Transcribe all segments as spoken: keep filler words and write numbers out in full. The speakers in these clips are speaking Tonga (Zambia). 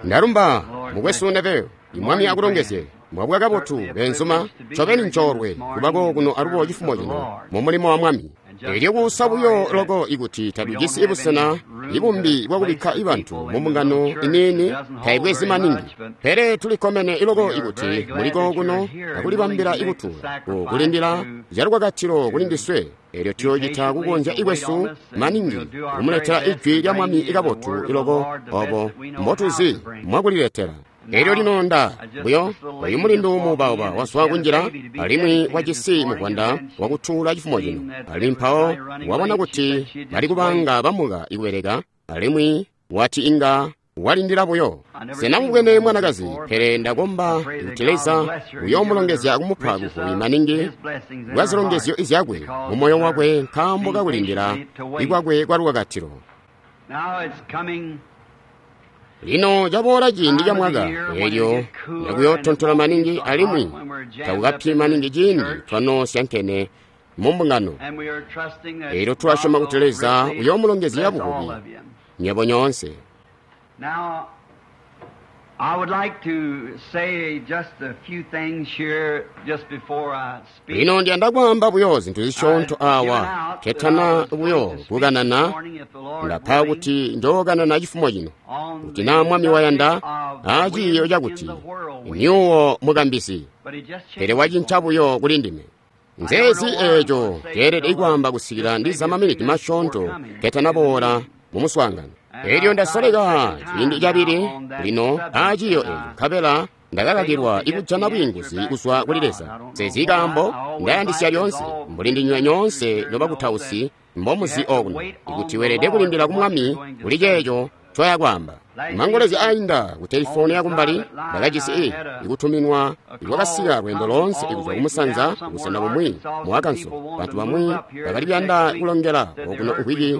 Ndalumba mukwesu Neville, Mwami akulongezye. Mwabwa kabotu benzuma, ncobeni ncoolwe kubako kuno alubo cifumo cino mu mulimo wa Mwami. Elyo kuusa buyo loko ikuti tatujisi busena ibumbi bwakubikka ibantu mu mbungano iniini taibwezi maningi. Pele tulikkomene iloko ikuti muliko kuno akulibambila ikutuula kulindila calukakatilo kuli ndiswe. Elyo tuyoocita kukonzya ikwesu maningi kumuletela ijwi lya Mwami ikabotu iloko obo mbotuzi mwakuliletela. Elyo lino nda buyo oyu mulindu muubauba wazwa kunjila alimwi wajisi muvwanda wakutuula cifumo cino, alimwi mpawo wabona kuti bali kubanga bamuka ikubeleka, alimwi wati inga walindila buyo. Sena mubwene mwanakazi, pele ndakomba kuti Leza uyoomulongezya kumupa buvubi maningi bwa zilongezyo zyakwe mu moyo wakwe nkaambo kakulindila ikwakwe kwa lukakatilo. Lino caboola ciindi ca mwaka elyo nakuyootontola maningi alimwi takukapyi maningi ciindi twanoosyankene mu mbungano. Elyo tulasyoma kuti Leza uyoomulongezya buvubi nywebo nyoonse. Now, I would like to say just a few things here just before I speak. Lino ndiyanda kwaamba buyo zintu zisyoonto awa ketana buyo kukanana. Ndapa kuti njookanana cifumo cino kuti naa Mwami wayanda aaciiyo cakuti myuwo mukambisi, pele wacinca buyo kuli ndime. Nzeezi eeco ceelede kwaamba kusikila ndiza maminiti masyoonto ketanaboola mu muswaangano. Elyo ndasoleka ciindi cabili lino aaciiyo eco, nkabela ndakakakilwa ikujana bwiinguzi kuzwa kuli Leza. Nzeezi kaambo ndayandisya lyoonse mbuli ndinywe nyoonse nobakutausi mbomuzi okuno, ikuti weelede kulindila ku Mwami kuli ceeco ncoya kwaamba. Mangolezya ainda ku telefoni yakumbali ndakajisi i ikutuminwa ikwakasika lweendo loonse kuzwa kumusanza kubusena bumwi mu Arkansas. Bantu bamwi bakali kuyanda kulongela okuno nkwiki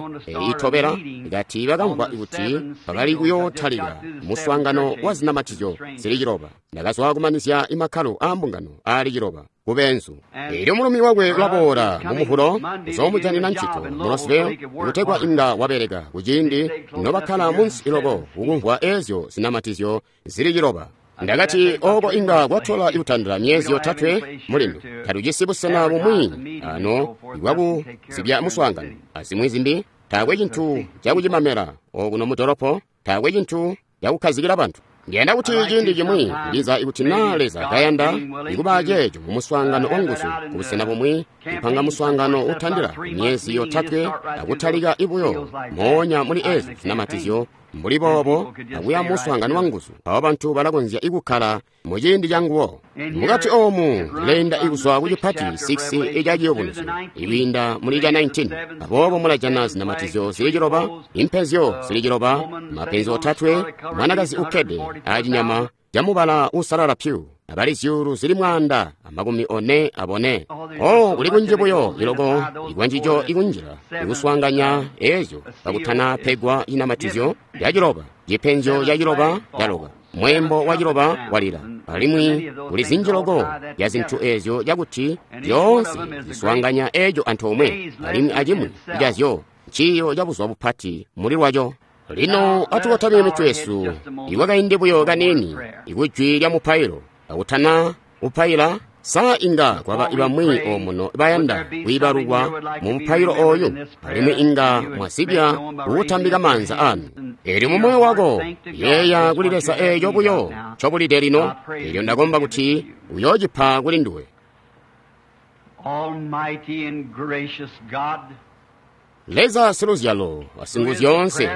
itobela, kati bakamvwa kuti bakali kuyootalika muswaangano wa zinamatizyo zili ciloba. Ndakazwa kumanizya imakkalo aa mbungano aali ciloba kubenzu. Elyo mulumi wakwe ulaboola mu Muvulo uzoomujanina ncito mu Roseville kutegwa inga wabeleka kuciindi nobakkala munsi iloko kukumvwa ezyo zinamatizyo zili ciloba. Ndakati oko inga kwatola ikutandila myezi yotatwe mulindu. Tatujisi busena bumwi ano ibwakuzibya muswaangano azimwi zimbi. Taakwe cintu cakucimamela okuno mu dolopo, taakwe cintu cakukhazikila bantu. Ndiyanda kuti ciindi cimwi ndiza ikuti naa Leza kayanda ikuba ceeco mu muswaangano wanguzu kubusena bumwi, kupanga muswaangano utandila myezi yotatwe akutalika ibuyo moonya muli ezyo zinamatizyo mbuli boobo akuya muswaangano wanguzu, mpawo bantu balakonzya ikukkala mu ciindi canguwo. Mukati oomu ndileenda ikuzwa ku cipati six ica Ciyubunuzyo ikwiinda muli ca nineteen. Aboobo mulajana zinamatizyo zili ciloba, impezyo zili ciloba, mapenzi otatwe, mwanakazi ukkede acinyama camubala uusalala pyu, abali zyuulu zili mwaanda amakumi one abone. Oh, kuli kunji buyo iloko ikwanjijo ikunjila ikuswaanganya ezyo kakutana pegwa cinamatizyo ya ciloba, cipenzyo ca ciloba caloka, mwembo wa ciloba walila, alimwi kuli zinji loko ya zintu ezyo cakuti zyoonse ziswaanganya eco antoomwe, alimwi acimwi cazyo nciiyo ca buzuba bupati muli lwaco. Lino atukotamye mitwe yesu ikwakaindi buyo kaniini ikujwi lya mupailo. Akutana upaila, sa inga kwaba ibamwi omuno bayanda kwiibalukwa mu mupailo oyu, alimwi inga mwazibya kuutambika maanza anu. Elyo mu moyo wako yeeya kuli Leza eeco buyo ncobulide lino. Elyo ndakomba kuti uyoocipa kuli nduwe. Almighty and gracious God, Leza siluzyalo wasinguzyoonse,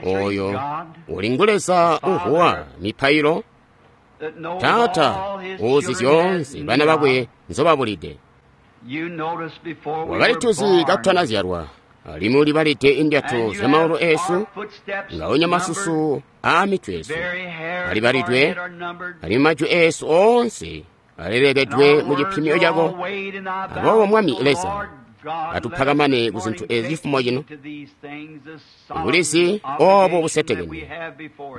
oyo uli ngu Leza uvuwa mipailo, Taata uzi zyoonse bana bakwe nzobabulide. Wakalituzi katutanazyalwa, alimwi ulibalide indyato zya maulu eesu, ngaonya masusu aa mitwe yesu alibalidwe, alimwi majwi eesu oonse alelekedwe mu cipimyo cako. Aboobo Mwami Leza, atupakamane ku zintu ezi cifumo cino, bulizi obo busetekene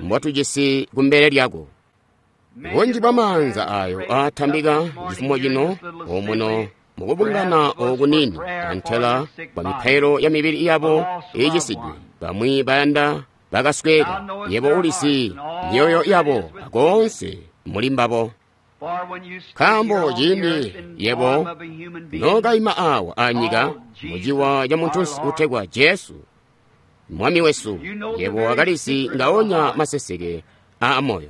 mbotujisi kumbele lyako. Bunji bwa maanza ayo aatambika cifumo cino omuno mukubungana okunini antela kwa mipailo ya mibili yabo iicisidwe, bamwi bayanda bakasweka. Yebo ulisi myoyo yabo akoonse muli mbabo. Nkaambo ciindi yebo nokaima awa anyika muciwa ca muntunsi utegwa Jesu, Mwami wesu, yebo wakalizi ngaonya maseseke aa moyo.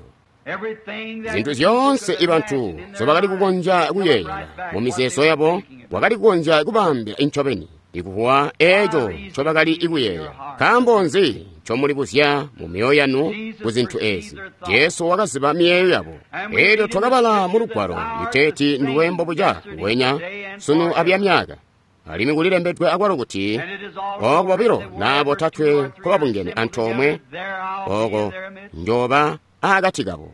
Zintu zyoonse ibantu nzobakali kukonzya kuyeeyela mu mizeezo yabo, wakali kukonzya kubaambila incobeni ikuwa eeco ncobakali kuyeeya. Nkaambo nzi ncomulibuzya mu myoyo yanu ku zintu eezi? Jesu wakaziba miyeeyo yabo. Eelyo twakabala mu lugwalo liteeti nduwe mbobuca nguwenya sunu abyamyaka. Alimwi kulilembedwe akwalo kuti ooko bobilo naa botatwe nkobabungene antoomwe, ooko njoba akati kabo.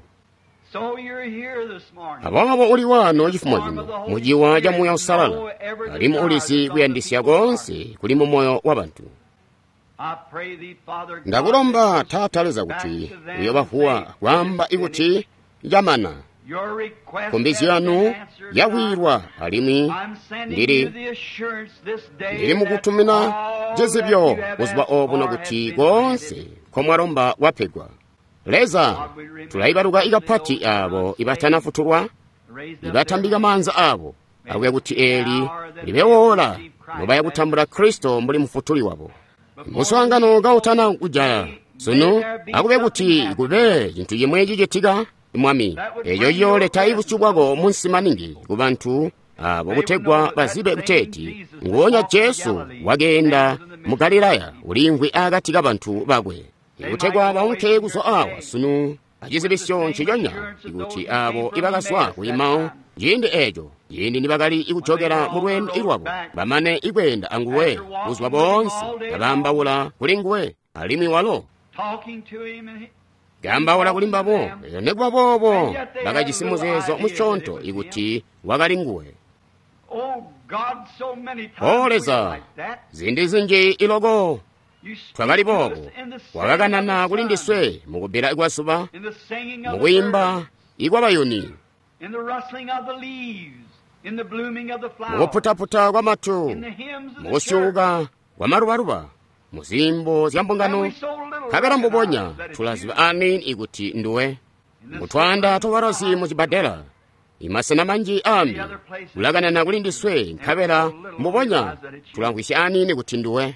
Aboobo uli waano cifumo cino muciwa ca Muuya Uusalala, alimwi ulizi kuyandisya koonse kuli mu moyo wabantu. Ndakulomba Taata Leza kuti uyobavuwa kwaamba ikuti camana. Nkumbizyo yanu yakwiilwa alimwi ndili ndili mukutumina cizibyo buzuba obuno kuti koonse nkomwalomba kwapegwa. Leza, tulaibaluka ikapati abo ibatanafutulwa, ibatambika maanza abo, akuya kuti eli libewoola nobaya kutambula Kristo mbuli mufutuli wabo. Muswaangano kautana kujala sunu, akube kuti kube cintu cimwe cicitika, Mwami, eco ciyooleta ibusyu bwako munsi maningi ku bantu abo kutegwa bazibe kuteeti nguonya Jesu wakeenda mu Galilaya uliimvwi akati kabantu bakwe. Kutegwa baunke kuzwa awa sunu acizibisyo nciconya ikuti abo ibakazwa ku Emau ciindi eco, ciindi nibakali ikujokela mu lweendo lwabo, bamane ikweenda anguwe buzuba boonse, kabaambaula kuli nguwe, alimwi walo kaambaula kuli mbabo. Elyo nikuba boobo bakajisi muzeezo musyoonto ikuti wakali nguwe. O Leza, ziindi zinji iloko twakali boobo, wakakanana kuli ndiswe mukubbila kwa zuba, mukuyimba ikwabayuni, mukuputaputa kwa matu, mukusyuuka kwa malubaluba, muzimbo zya mbungano. Nkabela mbubonya tulaziba aniini ikuti nduwe. Mutwaanda twabalozi mu cibbadela, imasena manji ambi, ulakanana kuli ndiswe, nkabela mbubonya tulamvwisya aniini kuti nduwe.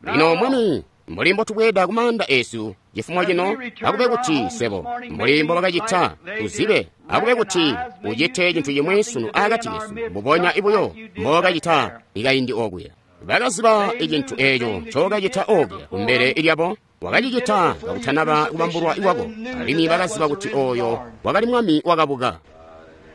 Lino Mwami, mbuli mbotubweeda ku maanda esu cifumo cino, akube kuti swebo mbuli mbobakacita tuzibe, akube kuti ucite cintu cimwi sunu akati kesu mbubonya ibuyo mbokacita ikaindi okuya. Bakaziba icintu eco ncokacita okuya kumbele lyabo, wakacicita kakutanaba kubambulwa ikwako, alimwi bakaziba kuti oyo wakali Mwami wakabuka.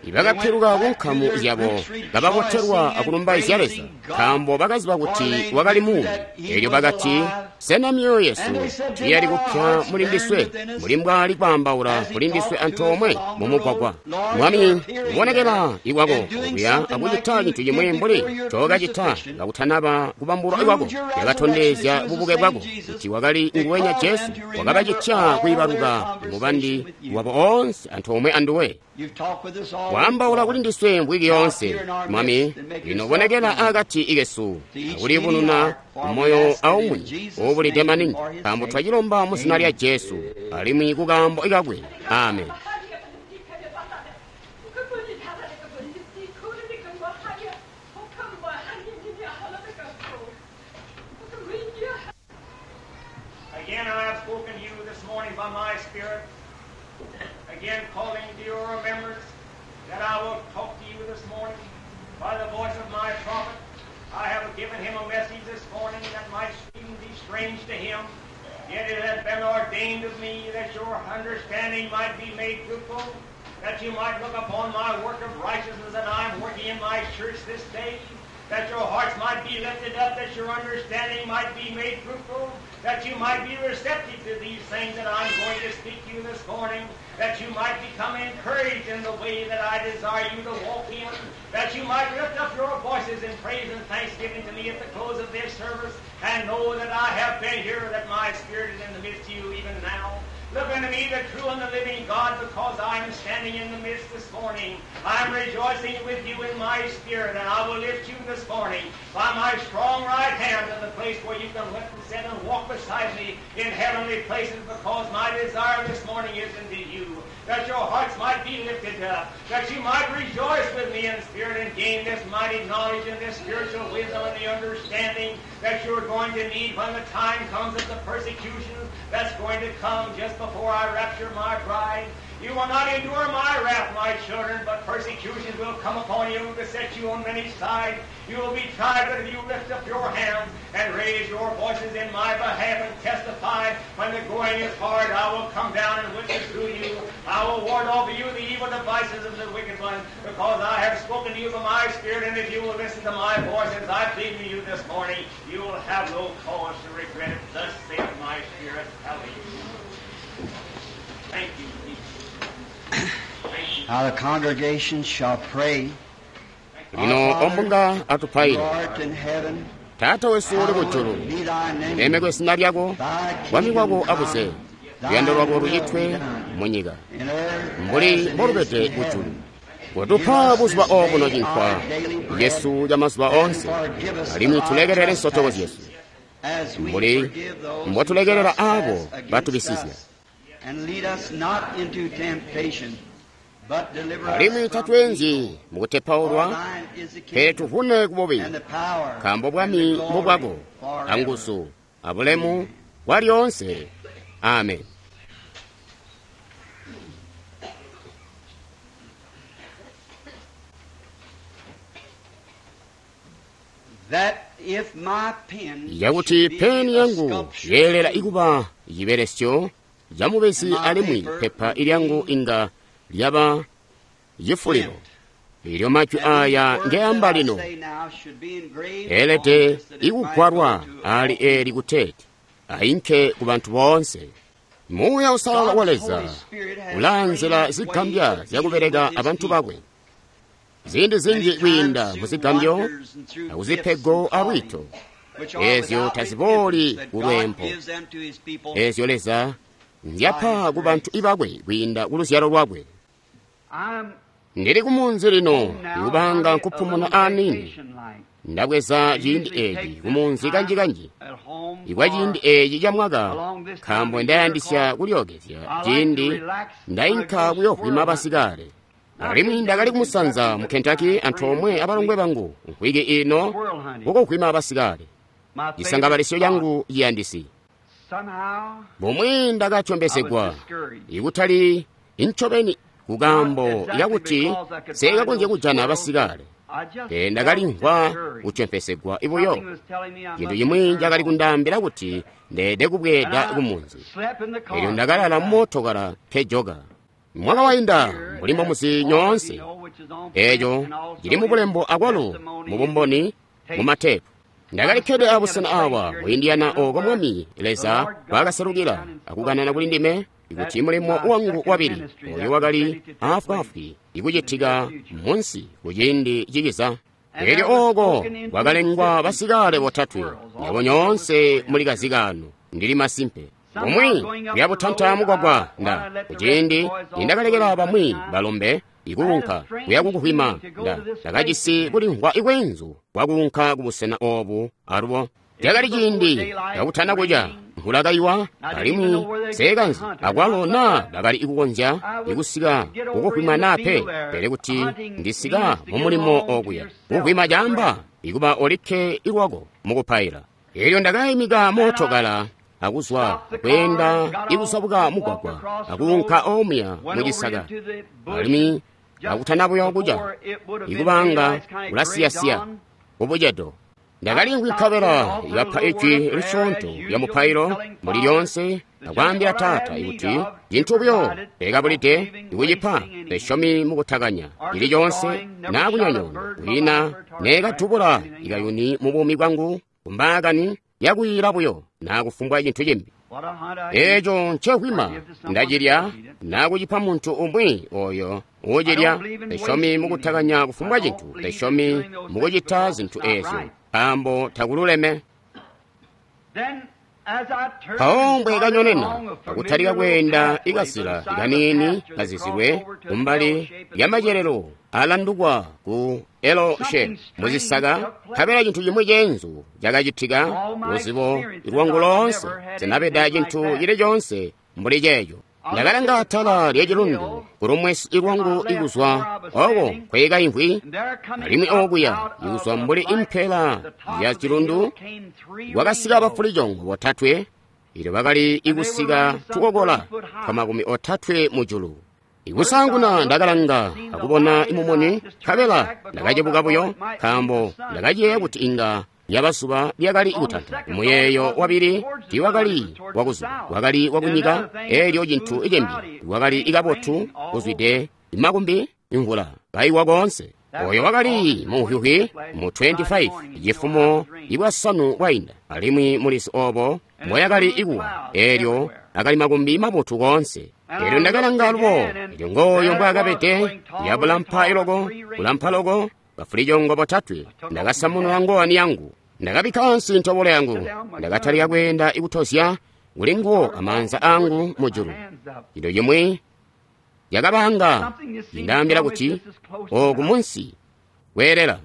Ibakapiluka ku nkamu zyabo kababotelwa akulumbaizya Leza, nkaambo bakaziba kuti wakali muumi. Elyo bakati, sena myoyo yesu tiyali kupya muli ndiswe, mbuli mbwali kwaambaula kuli ndiswe antoomwe mumugwagwa? Mwami, kubonekela ikwako okuya akucita cintu cimwi mbuli ncokacita kakutanaba kubambulwa ikwako, yakatondezya bubuke bwako kuti wakali nguwenya Jesu, wakabacitya kwiibaluka mubandi wabo oonse antoomwe anduwe. Waambaula kuli ndiswe mvwiki yoonse, Mwami, lino bonekela akati ikesu, akulibununa moyo aumwi uubulide maningi, nkaambo twacilomba mu zina lya Jesu, alimwi kukaambo ikakwe. Amen. Again I have spoken to you this morning by my Spirit, again calling to your remembrance that I will talk to you this morning by the voice of my prophet. I have given him a message this morning that might seem be strange to him, yet it has been ordained of me that your understanding might be made fruitful, that you might look upon my work of righteousness that I am working in my church this day, that your hearts might be lifted up, that your understanding might be made fruitful, that you might be receptive to these things that I'm going to speak to you this morning, that you might become encouraged in the way that I desire you to walk in, that you might lift up your voices in praise and thanksgiving to me at the close of this service, and know that I have been here, that my Spirit is in the midst of you even now. Look unto me, the true and the living God, because I am standing in the midst this morning. I am rejoicing with you in my spirit, and I will lift you this morning by my strong right hand to the place where you can lift and sit and walk beside me in heavenly places, because my desire this morning is indeed it up, that you might rejoice with me in spirit and gain this mighty knowledge and this spiritual wisdom and the understanding that you're going to need when the time comes of the persecutions that's going to come just before I rapture my bride. You will not endure my wrath, my children, but persecutions will come upon you, beset you on many sides. You will be tried, but if you lift up your hands and raise your voices in my behalf and testify, when the going is hard, I will come down and witness to you. I will ward off you the evil devices of the wicked one, because I have spoken to you by my Spirit, and if you will listen to my voice as I plead to you this morning, you will have no cause to regret it. Thus saith my Spirit. Hallelujah. Thank you, Jesus. Thank you. Now the congregation shall pray. Lino ombunga atupaile. Who art in heaven, Taata wesu uli kujulu, hallowed be thy name. ulemekwe zina lyako, Thy bwami bwako kingdom abuze, come, thy luyando lwako will be lucitwe done munyika in earth mbuli as it is mbolubede in kujulu. heaven. Kotupa buzuba obuno cinkwa yesu ca mazuba onse, alimwi tulekelele nsotoko zyesu As we mbuli forgive those who mbotulekelela trespass abo against batubisizya. us. And lead us not into temptation, but deliver us Alimwi from tatwenzyi evil. For mukutepaulwa, thine is the pele kingdom tuvune kububi, and the power nkaambo and bwami the glory mbubwako, forever. anguzu, abulemu bwa lyoonse. Amen. That if my pen Yakuti should be peni a yangu sculpture yeelela ikuba cibelesyo ca mubezi alimwi pepa ilyangu inga lyaba cifulilo. Ilyo majwi aya ngeamba lino eelede ikugwalwa ali eli kuteeti ainke ku bantu boonse. Muuya Uusalala wa Leza ulaanzila zigambya zyakubeleka abantu bakwe. Ziindi zinji kwiinda muzigambyo akuzipego alwiito, eezyo tazibooli kulwempo, eezyo Leza nzyapa ku bantu ibakwe kwiinda ku luzyalo lwakwe. Ndili kumunzi lino ikubanga nkupumuna aniini, ndabweza ciindi eeci kumunzi kanji-kanji ikwa ciindi eeci ca mwaka, nkaambo ndayandisya kulyookezya ciindi ndainka kuyoovwima basikale. Alimwi ndakali kumusanza mu Kentucky antoomwe abalongwe bangu mvwiki ino kukuvwima basikale, cisangabalisyo cangu ciyandisi. Bumwi ndakatyombezegwa ikutali incobeni kukambo yakuti sekakonzya kujana basikale, pele ndakalimvwa kutyomphesegwa ibuyo. Cintu cimwi cakali kundaambila kuti ndeede kubweeda kumunzi. Elyo ndakalala mumootokala nkejoka. Mwaka wainda mbuli mbomuzi nyoonse, eeco cili mubulembo akwalo mubumboni mumatepu. Ndakalikkede abusena awa mu Indiana ooko Mwami Leza mbwaakaselukila akukanana kuli ndime kuti mulimo wangu wabili oyo wakali afwaafwi ikucitika munsi kuciindi cikiza. Elyo ooko kwakalengwa basikale botatwe, nyabo nyoonse muli kazikano, ndili masimpe. Bumwi kuyabutanta mugwagwa nda kuciindi nindakalekela bamwi balombe ikuunka kuya kukuhwima nda ndakajisi kulimvwa ikwenzu kwakuunka kubusena obu alubo. Cakali ciindi kakutana kuca, mvula kaiwa alimwi seekanzi akwalo naa bakali ikukonzya ikusika kukuhwima naa pe, pele kuti ndisika mumulimo okuya kuhwima caamba ikuba olikke ilwako mukupaila. Elyo ndakayimika mootokala akuzwa kweenda ikusabuka mugwagwa akuunka omuya mucisaka, alimwi akutana buyo kuca ikubanga kulasiyasiya kubucedo. Ndakalimvwa nkabela ikapa ijwi lisyoonto lya mupailo mbuli lyoonse akwaambila Taata ikuti cintu buyo lekabulide ikucipa lesyomi mukutakanya cili coonse naa kunyonyoona kwiina neekatubula ikayuni mu buumi bwangu kumbaakani yakuyila buyo naa kufumbwa cintu cimbi. Eeco ncehwima ndacilya naa kucipa muntu umwi oyo uucilya. Lesyomi mukutakanya kufumbwa cintu, lesyomi mukucita zintu eezyo nkaambo takululeme. Mpawo mbwekanyonena akutalika kweenda ikazila ikaniini kazizilwe kumbali lya macelelo alandukwa ku Eloshe muzisaka, nkabela cintu cimwi ceenzu cakacitika. Luzibo lwangu loonse sinabeda cintu cili coonse mbuli ceeco. Ndakalanga atala lya cilundu kulumwesi lwangu ikuzwa oko nkwekaimvwi, alimwi okuya ikuzwa mbuli impela ya cilundu kwakasika bafulicoongo botatwe, ilyo bakali ikusika tukokola twa makumi otatwe mujulu. Ikusaanguna ndakalanga akubona imumuni, nkabela ndakacebuka buyo, nkaambo ndakayeeya kuti inga lyaba zuba lyakali kutanta. Muyeeyo wabili tiiwakali wakuzuba, wakali wakunyika, eelyo cintu cimbi wakali ikabotu kuzwide makumbi imvula kaiwa koonse. Oyo wakali muhyuhwi mu twenty-five cifumo ibwasanu bwainda, alimwi mulizi obo mboyakali ikuwa, eelyo akali makumbi mabotu koonse. Eelyo ndakalanga alubo, elyo ngooyo mbwaakabede, yabulampa iloko, kulampa loko, bafulicoongo botatwe. Ndakasamunula ngowani yangu, ndakabikka ansi ntobolo yangu, ndakatalika kweenda ikutozya kuli nguwo amaanza angu mujulu. Chinthu chimwe chakabanga chindaambira kuti oku munsi kweerera.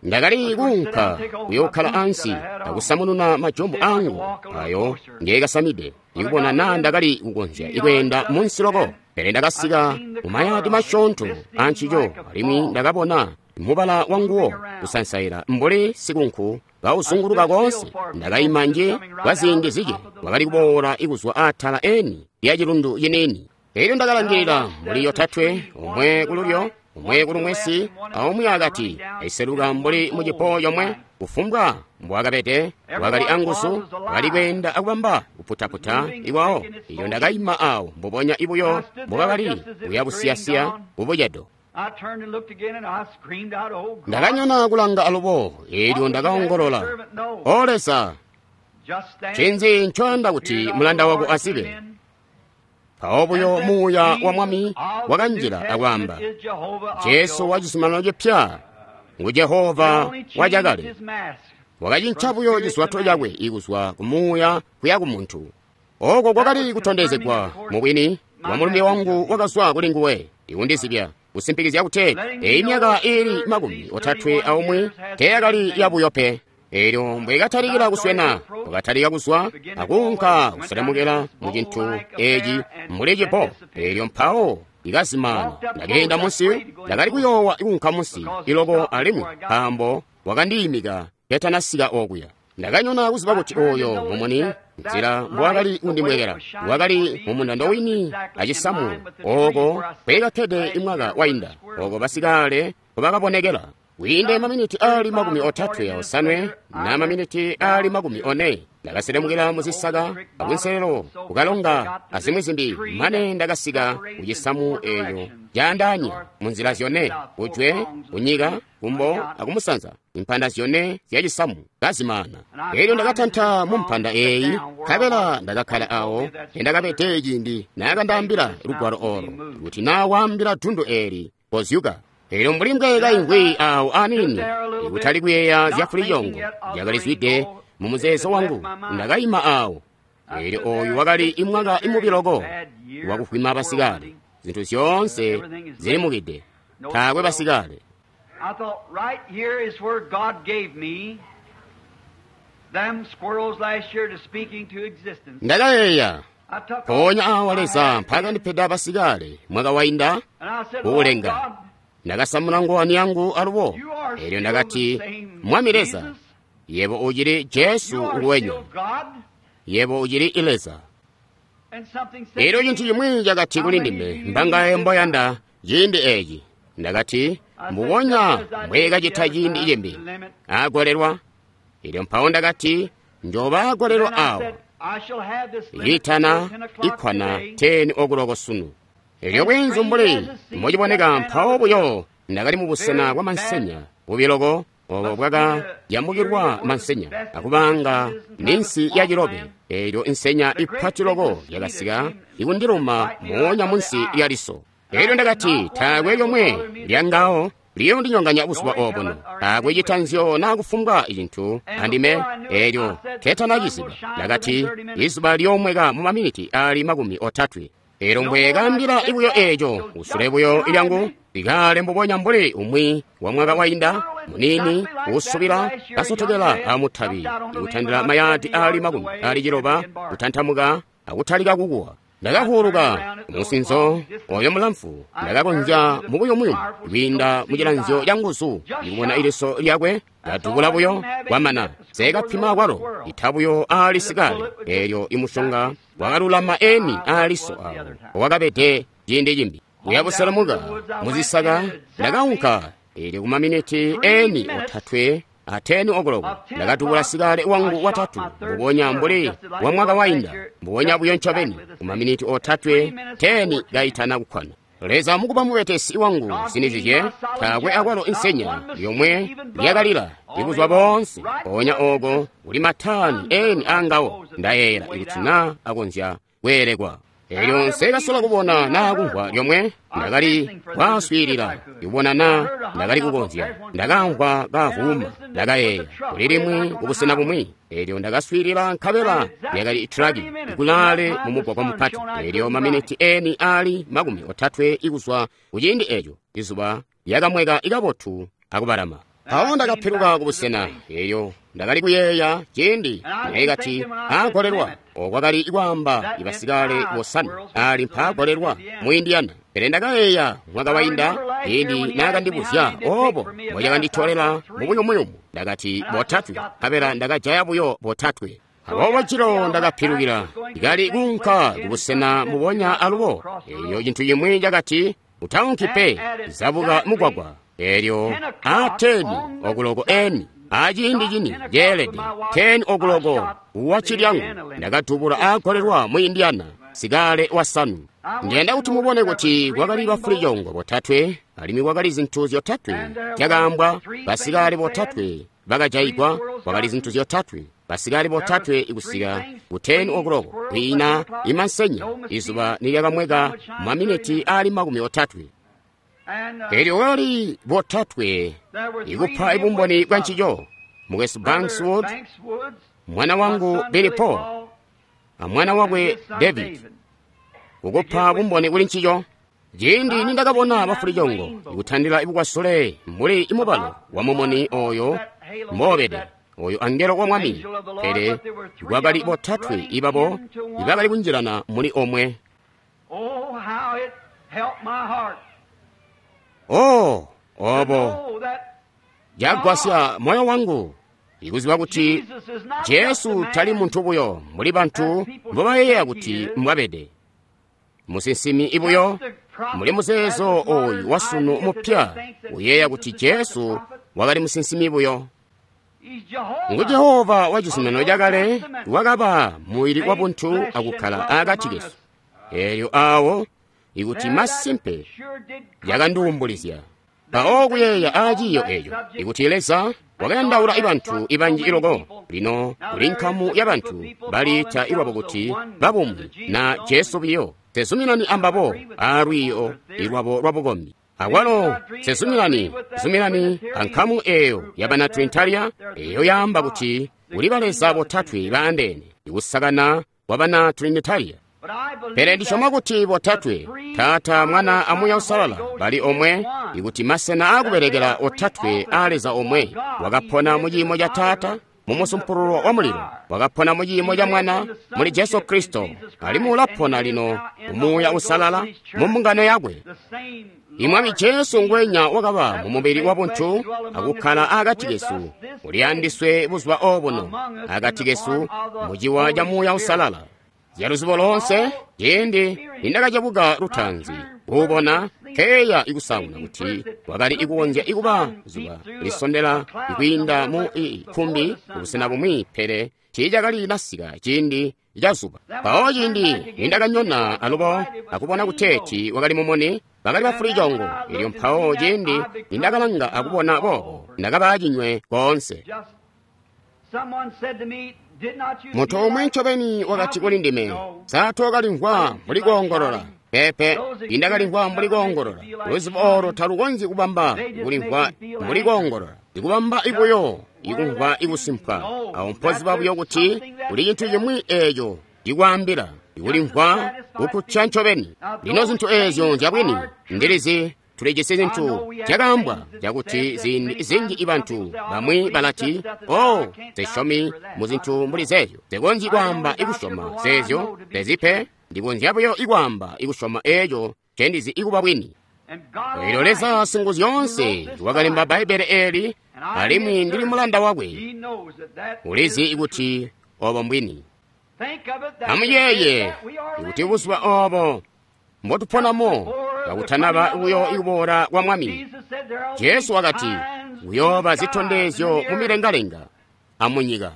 Ndakali kuunka kuyookhala ansi akusamununa majombo angu ayo ngekasamide, ikubona naa ndakali kukonzya ikweenda munsi loko. Pele ndakasika mumayadi masyoonto ancico, alimwi ndakabona mubala wanguwo kusansaila mbuli sikunku kauzunguluka koonse. Ndakaima nje kwa ziindi zike, wakali kuboola ikuzwa atala eni lya cilundu ciniini. Elyo ndakalangilila mbuli yotatwe, omwe kululyo, omwe kulumwesi, aumwi akati, aiseluka mbuli mucipo comwe. Kufumbwa mbwakabede wakali anguzu, wakali kweenda akubamba kuputaputa ikwawo. Ilyo ndakaima awo mbubonya ibuyo mbubakali kuyabusiyasiya kubucedo. Ndakanyona kulanga alubo, eelyo ndakaongolola, O Leza, ncinzi ncoyanda kuti mulanda wako azibe? Mpawo buyo muuya wa Mwami wakanjila akwaamba, Jesu wa cizuminano cipya ngu Jehova wa cakale. Wakacinca buyo cizwato cakwe ikuzwa ku muuya kuya ku muntu. Oko kwakali kutondezegwa mubwini wa mulumbe wangu wakazwa kuli nguwe, ikundizibya kusimpikizya kuti eyi myaka ili makumi otatwe aumwi teyakali yabuyo pe. Eelyo mbwekatalikila kuswena, wakatalika kuzwa akuunka kuselemukela mu cintu eci mbuli cipo. Eelyo mpawo ikazimana. Ndakeenda munsi, ndakali kuyoowa kuunka munsi iloko alimwi nkaambo wakandiimika ketanasika okuya. Ndakanyona kuziba kuti oyo mumuni nzila mbwakali kundimwekela wakali mumundando wini acisamu oko kwekakkede imwaka wainda, oko basikale nkobakabonekela. Kwiinde maminiti ali makumi otatwe osanwe na maminiti ali makumi one, ndakaselemukela muzisaka akunselelo kukalonga azimwi zimbi, mane ndakasika kucisamu eeyo caandaanya munzila zyone, kujwe, kunyika, kumbo akumusanza, impanda zyone zyacisamu kazimaana. Eelyo ndakatanta mumpanda eeyi, nkabela ndakakkala awo endakabede ciindi naakandaambila lugwalo olo, kuti naa waambila dundu eeli kozyuka. Eelyo mbuli mbwekaimvwi awo aniini, ikutali kuyeeya zya fulicoongo yakalizwide mu muzeezo wangu, ndakaima awo. Eelyo oyu wakali imwaka imubi loko wakuvwima basikale. Zinthu zyoonse zilimukide, taakwe basikale. Ndakayeeya, mpoonya awa Leza mpaakandipeda basikale mwaka wainda kuulenga. Ndakasamuna ngowani yangu alubo, eelyo ndakati, Mwami Leza, yebo ucili Jesu nguwenya, yebo ucili Leza. Eelyo cintu cimwi cakati kuli ndime, mbangaye mboyanda ciindi eeci. Ndakati, mbubonya mbwekacita ciindi cimbi, agolelwa. Eelyo mpawo ndakati, njoba agolelwa awo, itana ikwana ten o'clock sunu. Eelyo bwinzu mbuli mbociboneka mpawo buyo ndakali mubusena bwa mansenya bubi loko, obo bwakayambukilwa mansenya akubanga ninsi ya cilobe. Eelyo insenya ipati loko yakasika ikundiluma moonya munsi lya liso. Eelyo ndakati, taakwe lyomwe lyangawo liyondinyonganya buzuba obuno, taakwe citanzyo naa kufumbwa cintu andime. Eelyo ketanaciziba, ndakati, izuba lyoomweka mu maminiti ali makumi otatwe. Eelyo mbwekaambila ibuyo eeco, usule buyo ilyangu likale mbubonya mbuli umwi wa mwaka wainda, munini uusubila kasotokela amutabi, ikutandila mayadi ali makumi ali ciloba, kutantamuka akutalika kukuwa. Ndakavuuluka musinzo oyo mulamfu, ndakakonzya mubuyumuyumu kwiinda mucilanzyo ca nguzu ikubona iliso lyakwe kadubula buyo kwamana nseekapima kwalo ita buyo aali sikale. Eelyo imusyonga wakalulama eni aaliso awo wakabede ciindi cimbi. Kuya buselemuka muzisaka ndakaunka, eelyo kumaminiti eni otatwe ateni okoloko ndakadubula sikale wangu watatu, mbubonya mbuli wa mwaka wainda, mbubonya buyo ncobeni kumaminiti otatwe teni kaitana kukkwana. Leza mukuba mubetesi wangu sinizizye, taakwe akwalo insenya yomwe lyakalila ibuzuba boonse. Mpoonya ooko kuli matani eni aangawo, ndayeeyela ikuti naa akonzya kweelekwa. Eelyo nseekasola kubona naa kumvwa lyomwe, ndakali kwaaswiilila ikubona naa ndakali kukonzya. Ndakamvwa kavuuma, ndakayeeya kuli limwi kubusena bumwi. Eelyo ndakaswiilila, nkabela lyakali itraki ikulaale mumugwagwa mupati. Eelyo maminiti eni aali makumi otatwe ikuzwa kuciindi eeco, izuba lyakamweka ikabotu akubalama. Mpawo ndakapiluka kubusena. Eelyo ndakali kuyeeya ciindi naikati aagolelwa okwakali kwaamba ibasikale bosanwe ali mpaagolelwa mu Indiana. Pele ndakayeeya mwaka wainda ciindi naakandibuzya obo mbocakanditolela mubuyumuyumu, ndakati botatwe, nkabela ndakajaya buyo botatwe. Aboobo cilo ndakapilukila, ndikali kuunka kubusena mbubonya alubo. Eelyo cintu cimwi cakati, utaunki pe, zabuka mugwagwa. Eelyo a teni okuloko eni aciindi cini ceelede teni okuloko wacilyangu ndakadubula aagolelwa mu Indiana sikale wasanu. Ndiyanda kuti mubone kuti kwakali bafulicongo botatwe, alimwi kwakali zintu zyotatwe zyakaambwa. Basikale botatwe bakajayigwa, kwakali zintu zyotatwe, basikale botatwe ikusika ku teni okuloko kwiina imansenya izuba nilyakamweka maminiti aali makumi otatwe. Eelyo kwakali botatwe ikupa ibumboni bwa ncico: Mukwesu Banks Wood, mwana wangu Billy Paul, amwana wakwe David, kukupa bumboni kuli ncico. Ciindi nindakabona bafulicongo ikutandila ibukwasule mbuli imubalo wa mumuni oyo mboobede oyo angelo wa Mwami, pele kwakali botatwe ibabo ibakali kunjilana muli omwe. Oh, obo cagwasya moyo wangu ikuziba kuti Jesu tali muntu buyo mbuli bantu mbobayeeya kuti mbwabede, musinsimi ibuyo muli muzeezo oyu wasunu mupya uyeeya kuti Jesu wakali musinsimi buyo. Ngu Jehova wa cizuminano cakale wakaba mubili wabuntu akukkala akati kesu. Eelyo awo ikuti masimpe yakandiwumbulizya. Mpawo kuyeeya aaciiyo eeco, ikuti Leza wakayandaula ibantu ibanji iloko, lino kuli nkamu ya bantu baliita ilwabo kuti babumwi na Jesu biyo, sezuminani ambabo aalwiiyo ilwabo lwabukombi. Akwalo sezuminani zuminani ankamu eeyo yabana Trinitaria eyo yaamba kuti kuli baleza botatwe baandeene, ikusakana kwa bana Trinitaria. Pele ndisyoma kuti botatwe, Taata, Mwana a Muuya Uusalala, bali omwe, ikuti masena aakubelekela otatwe aa Leza omwe. Wakapona mu ciimo ca Taata mu musumpululo wa mulilo, wakapona mu ciimo ca Mwana muli Jesu Kristo, alimwi ulapona lino mu Muuya Uusalala mu mbungano yakwe. Imwami Jesu ngwenya wakaba mu mubili wabuntu akukkala akati kesu, uli andiswe buzuba obuno akati kesu mu ciwa ca Muuya Uusalala. Zyaluzibo lonse, ciindi nindakacebuka lutaanzi kuubona, nkeya ikusaanguna kuti wakali ikukonzya ikuba zuba lisondela ikwiinda mu ikkumbi kubusena bumwi, pele tiicakali nasika ciindi ca zuba. Mpawo ciindi nindakanyona alubo akubona kuteeti wakali mumuni, bakali bafulicongo. Eelyo mpawo ciindi nindakalanga akubona boobo, ndakaba cinywe koonse. Muntu umwi ncobeni wakati kuli ndime, sa tookalimvwa mbuli koongolola? Peepe, indakalimvwa mbuli koongolola. Luzibo olo talukonzyi kubamba kulimvwa mbuli koongolola, ikubamba ibuyo ikumvwa ikusimpwa. Awo mpoziba buyo kuti kuli cintu cimwi eeco cikwaambila ikulimvwa kukkutya ncobeni. Lino zintu eezyo nzyabwini, ndilizi tulijisi zintu zyakaambwa cakuti ziindi zinji ibantu bamwi balati, oh, zisyomi mu zintu mbuli zeezyo, zikonzyi kwaamba ikusyoma zeezyo zezipe. Ndikonzya buyo ikwaamba ikusyoma eeco ncendizi ikuba bwini. Elyo Leza Singuzyoonse wakalemba Bbaibbele eeli, alimwi ndili mulanda wakwe. Ulizi kuti obo mbwini. Amuyeeye kuti buzuba obo mbotuponamo kakutanaba buyo ikuboola kwa Mwami. Jesu wakati kuyooba zitondezyo mumilengalenga amunyika.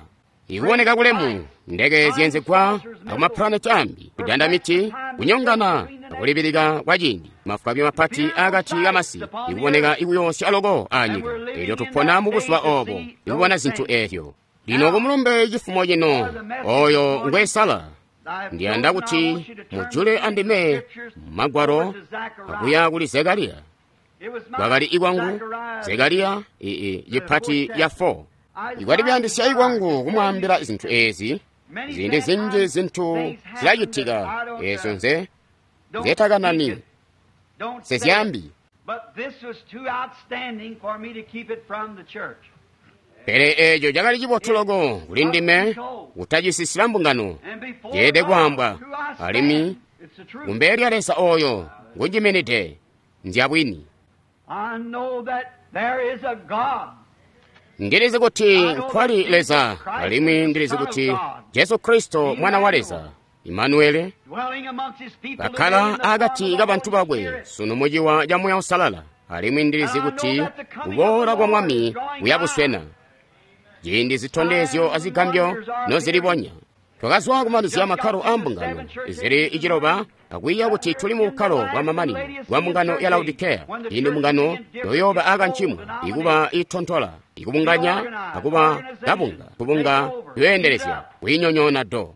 Ikuboneka kulemu, ndeke zyenzegwa akumapulaneti ambi, kudanda miti, kunyongana akulibilika kwa ciindi, mafwabi mapati akati kamasi, ikuboneka ikuyoosya loko anyika. Elyo tupona mu buzuba obo, ikubona zinthu ezyo. Lino kumulumbe cifumo cino, oyo ngwesala, ndiyanda kuti mujule andime magwalo akuya kuli Zekariya. Kwakali ikwangu Zekariya ii cipati ya four. Ikwali kuyandisya ikwangu kumwaambila zinthu ezi, ziindi zinji zinthu zilacitika ezo nze nzetakanani sezyambi. Pele eco cakali cibotu loko kuli ndime kutacisisila mbungano, ceede kwaambwa, alimwi kumbele lya Leza oyo ngunjiminide nzyabwini. Ndilizi kuti nkwali Leza, alimwi ndilizi kuti Jesu Kristo mwana wa Leza, Imanuele, kakkala akati ka bantu bakwe sunu muciwa ca Muuya Uusalala, alimwi ndilizi kuti kuboola kwa Mwami kuyabuswena. Ciindi zitondezyo azigambyo nozilibonya. Twakazwa kumanizya makkalo a mbungano zili iciloba akwiiya kuti tuli mu bukkalo bwa mamanino bwa mbungano ya Laodikeya. Ciindi mbungano yoyooba akancimwa, ikuba itontola, ikubunganya akuba kabunga, kubunga yoendelezya kuinyonyoona do.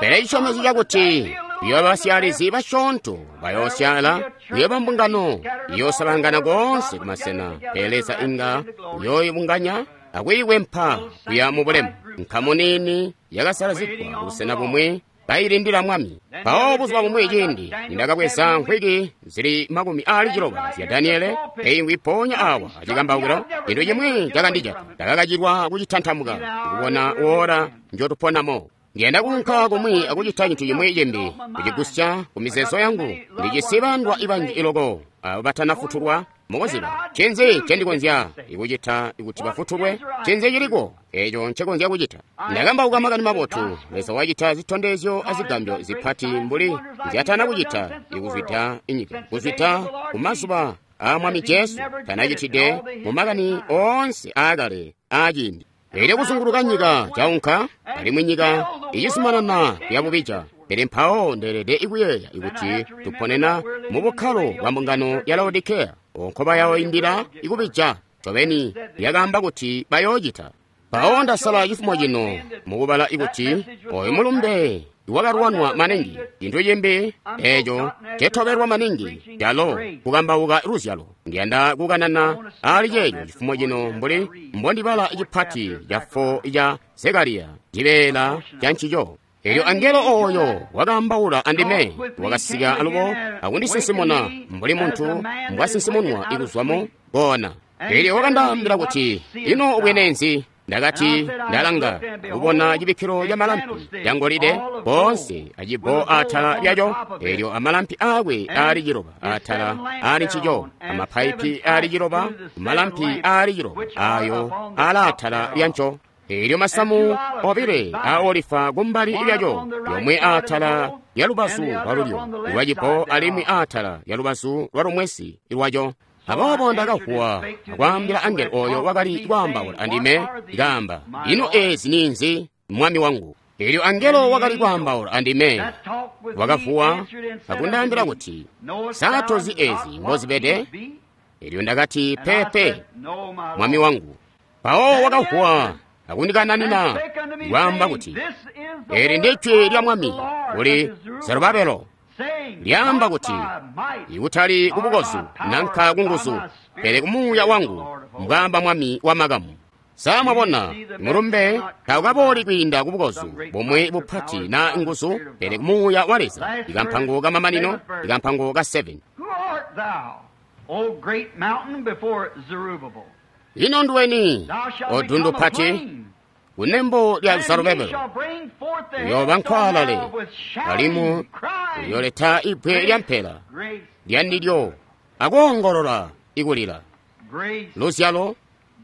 Pele cisyomezyo cakuti kuyooba basyalizi basyoonto bayoosyaala, kuyooba mbungano iyoosalangana koonse kumasena, pele Leza inga uyooibunganya akuikwempa kuya mu bulemu. Nkamu niini yakasalazigwa kubusena bumwi bayilindila Mwami. Mpawo buzuba bumwi ciindi nindakabweza nkhwiki zili makumi aali ciloba zya Daniele, eingwi mpoonya awa acikambaukilo, cintu cimwi cakandijata. Ndakakacilwa kucitantamuka kubona woola njotuponamo. Ndiyanda kuunka kumwi akucita cintu cimwi cimbi, kucigusya ku mizeezo yangu. Ndijisi bandwa ibanji iloko abo batanafutulwa mukuziba. Ncinzi ncendikonzya ikucita kuti bafutulwe? Ncinzi ciliko eco ncekonzya kucita? Ndakambauka makani mabotu. Leza wacita zitondezyo azigambyo zipati mbuli nzyatana kucita ikuzwida inyika, kuzwida kumazuba aa Mwami Jesu tanacitide mu makani oonse aakale aaciindi. Elyo kuzunguluka nyika caunka, alimwi nyika icizumanana kuyabubija. Pele mpawo ndeelede ikuyeeya ikuti tuponena mu bukkalo bwa mbungano ya Laodikeya, onko bayoindila ikubija. Ncobeni yakaamba kuti bayoocita. Mpawo ndasala cifumo cino mukubala ikuti oyo mulumbe wakalwanwa maningi, cintu cimbi eco cetobelwa maningi calo kukambauka luzyalo. Ndiyanda kukanana ali ceeco cifumo cino mbuli mbondibala cipati ca four ca Zekariya, cibeela ca ncico. Elyo angelo oyo wakaambaula andime wakasika alubo akundisinsimuna mbuli muntu mbwasinsimunwa ikuzwamo koona. Elyo wakandaambila kuti, ino ubwene nzi? Ndakati, ndalanga kubona cibikkilo ca malampi ca ngolide koonse acibbo atala lyaco, elyo amalampi aakwe aali ciloba atala aali ncico, amapaipi aali ciloba malampi aali ciloba ayo alaatala lyanco. Elyo masamu obile a olifa kumbali lyaco, yomwe atala lya lubazu lwalulyo lwacibbo alimwi atala lya lubazu lwalumwesi lwaco. Aboobo ndakavuwa akwaambila angelo oyo wakali kwaambaula andime, kaamba, ino ezi ninzi, mwami wangu? Elyo angelo wakali kwaambaula andime wakavuwa akundaambila kuti, sa tozi ezi mbozibede? Elyo ndakati, pepe, mwami wangu. Mpawo wakavuwa akundikananina kwaamba kuti, eli ndijwi lya Mwami kuli Zerubabelo, lyaamba kuti, ikutali kubukozu nanka kunguzu, pele kumuuya wangu, mbwaamba Mwami wa makamu. Sa mwabona, mulumbe taukabooli kwiinda kubukozu bumwi bupati na nguzu, pele kumuuya wa Leza. Ikampango kamamanino, ikampango ka seven. Ino nduweni, o dundu pati? Kunembo lya And he Zerubabelo shall bring forth the uyooba headstone nkwaalale thereof with shouting, alimwi crying, uyooleta ibbwe lya mpela grace, lyandilyo akoongolola ikulila grace, luzyalo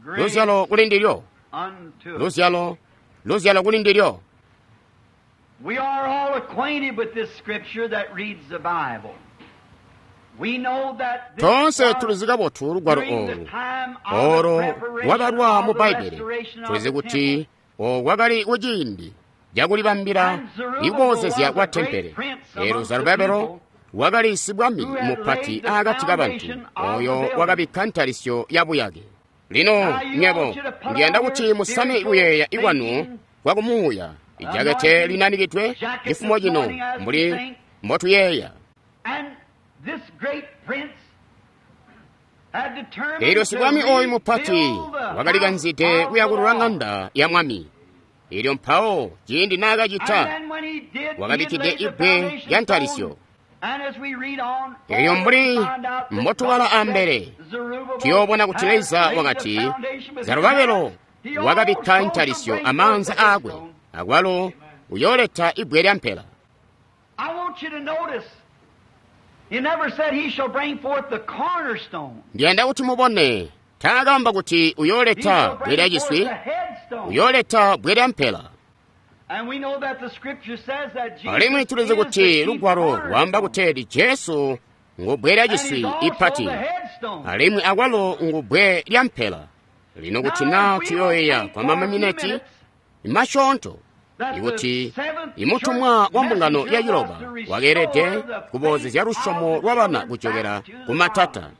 grace luzyalo kuli ndilyo unto us. luzyalo luzyalo kuli ndilyo We are all acquainted with this scripture that reads the Bible. We know that this tonse was tulizi kabotu lugwalo during the olu time of the olo preparation lwabalwa of mu the Bbaibele restoration of tulizi the kuti temple. okwakali kuciindi cakulibambila And Zerubbabel ikuboozezya was kwa a great tempele prince elo amongst the Zerubabelo people wakali sibwami who had mupati laid the akati kabantu foundation of the oyo building. wakabikka ntalisyo ya buyake lino Now you nyebo want you to put ndiyanda on kuti your musame spiritual kuyeeya ikwanu thinking, kwakumuuya ijakete anointing linanikidwe jacket cifumo this cino morning as we mbuli think. mbotuyeeya And this great prince had determined elyo to sibwami oyu mupati rebuild the house wakalikanzide of the kuyakulula Lord. ŋanda ya mwami elyo mpawo ciindi naakacita And then when he did, he had wakabikkide laid the ibbwe foundation lya ntalisyo stone. And as we read on elyo forward, mbuli we find out that mbotubala God ambele said Zerubbabel tuyoobona kuti had Leza laid the wakati foundation with his Zerubabelo hands. He wakabikka also ntalisyo shall bring amaanza forth the aakwe headstone. akwalo uyooleta ibbwe lya mpela I want you to notice, he never said he shall bring forth the cornerstone. ndiyanda kuti mubone taakamba kuti He uyooleta shall bbwe lya bring forth ciswi the headstone. uyooleta bbwe lya mpela And we know that the scripture says that Jesus alimwi tulizi is the kuti chief lugwalo lwaamba cornerstone. kuteeti Jesu ngu bbwe lya And he's ciswi also ipati the headstone. alimwi akwalo ngu bbwe lya mpela lino kuti Now, naa if we will tuyoyeya think kwa for a few mamamineti minutes masyoonto that the ikuti seventh imutumwa church wa mbungano ya messenger ciloba was to restore wakeelede the kuboozezya faith lusyomo of the lwa bana children kucokera back to ku the matata Father.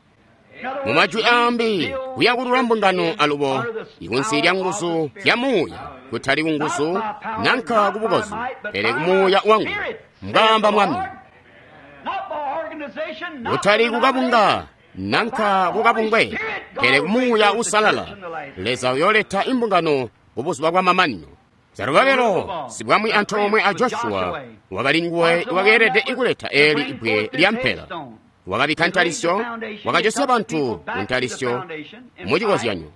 In other mu words, majwi aambi rebuild kuyakulula mbungano churches alubo under the ikunsi lya power of nguzu the Spirit. zya muuya kutali ku nguzu Not by power, nanka not ku by bukozu might, but pele by ku muuya my wangu Spirit, saith mbwaamba the mwami Lord. Not by organization, not kutali by kukabunga denomination, nanka kukabungwe pele ku muuya usalala Leza uyooleta imbungano kubuzuba bwa mamanino Zerubabelo sibwami antoomwe a Joshua wakali nguwe wakeelede ikuleta eli ibbwe lya mpela wakabikka ntalisyo wakajosya bantu ku ntalisyo mucikozyanyo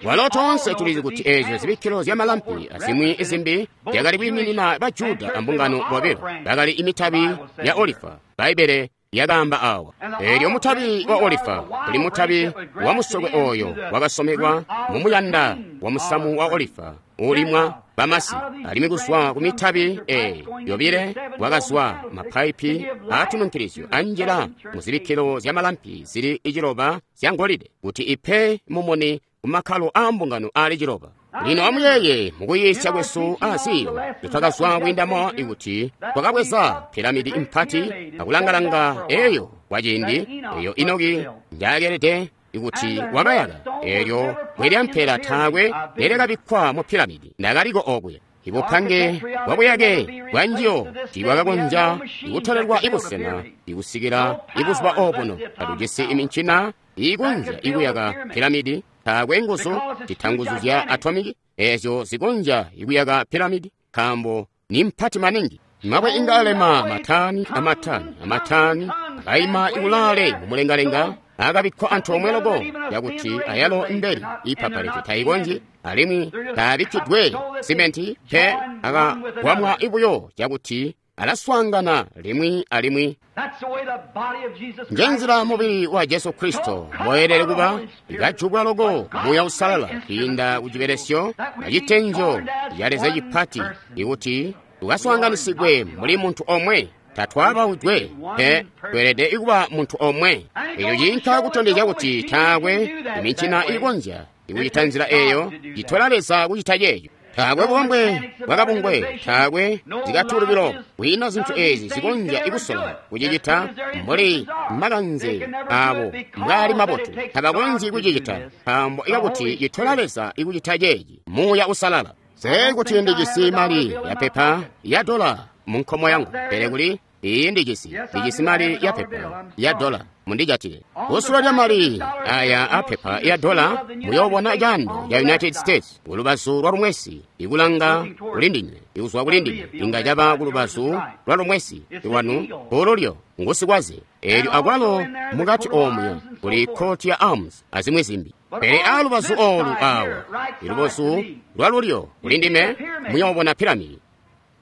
walo toonse tulizi kuti eezyo zibikkilo zya malampi azimwi zimbi zyakali kwiiminina ba Juda ambungano bobilo bakali imitabi ya olifa Bbaibele lyakaamba awa eelyo mutabi wa olifa uli mutabi wa musokwe oyo wakasomekwa mumuyanda wa musamu wa olifa uulimwa bamasi alimwi kuzwa ku mitabi e yobile wakazwa mapaipi aatununkilizyo anjila muzibikkilo zya malampi zili iciloba zya ngolide kuti ipe mumuni kumakkalo aa mbungano aali ciloba lino amuyeeye mukuyiisya kwesu aziyo twakazwa kwiindamo ikuti twakabweza piramidi impati akulangalanga eyo kwaciindi eyo Enoki njaakelede ikuti wakayaka eelyo bwe lya mpela taakwe lyakabikkwa mu piramidi ndakaliko okwe ibupange bwa buyake bwa njiyo tiibwakakonzya ikutolelwa ibusena ikusikila ibuzuba obuno katujisi imincina iikonzya ikuyaka piramidi taakwe nguzu cita nguzu zya atomiki eezyo zikonzya ikuyaka piramidi nkaambo ni mpati maningi mabwe inga alema matani amatani amatani akayima ikulaale mumulengalenga akabikkwa antoomwe loko yakuti ayalo mbeli ipapalete tayikonzyi alimwi taabikkidwe simenti pe akagwamwa ibuyo cakuti alaswaangana limwi alimwi That's the way the body of Jesus njenzila Christ mubili wa Jesu Kristo mboyelele kuba ikajubwa loko muuya usalala kwiinda ku cibelesyo acitenjo ca Leza cipati ikuti tukaswaanganisigwe mbuli muntu omwe tatwabawidwe pe tweelede ikuba muntu omwe eco ciinka kutondezya kuti taakwe imincina iikonzya ikucita nzila eeyo citola Leza kucita ceeco taakwe bubambwe bwakabungwe taakwe zikatulubilo kwiina zinthu ezi zikonzya ikusola kucicita mbuli makanze abo mbwaali mabotu tabakonzyi kucicita nkaambo ikakuti citola Leza ikucita ceeci muuya usalala se kuti ndijisi mali ya pepa ya dola mu nkomo yangu pele kuli iyi ndijisi ndijisi mali ya pepa ya dola mundijatile kusula lya mali aya apepa ya dola muyoobona caando ya United States kulubazu lwa lumwesi ikulanga kulindinywe ikuzwa kulindinywe inga caba kulubazu lwa lumwesi lwanu kululyo ngusikwaze eelyo akwalo mukati omuya kuli coat ya arms azimwi zimbi Pele aalubazu oolu aawa, ilubazu lwalulyo kulindime, muyoobona piramidi.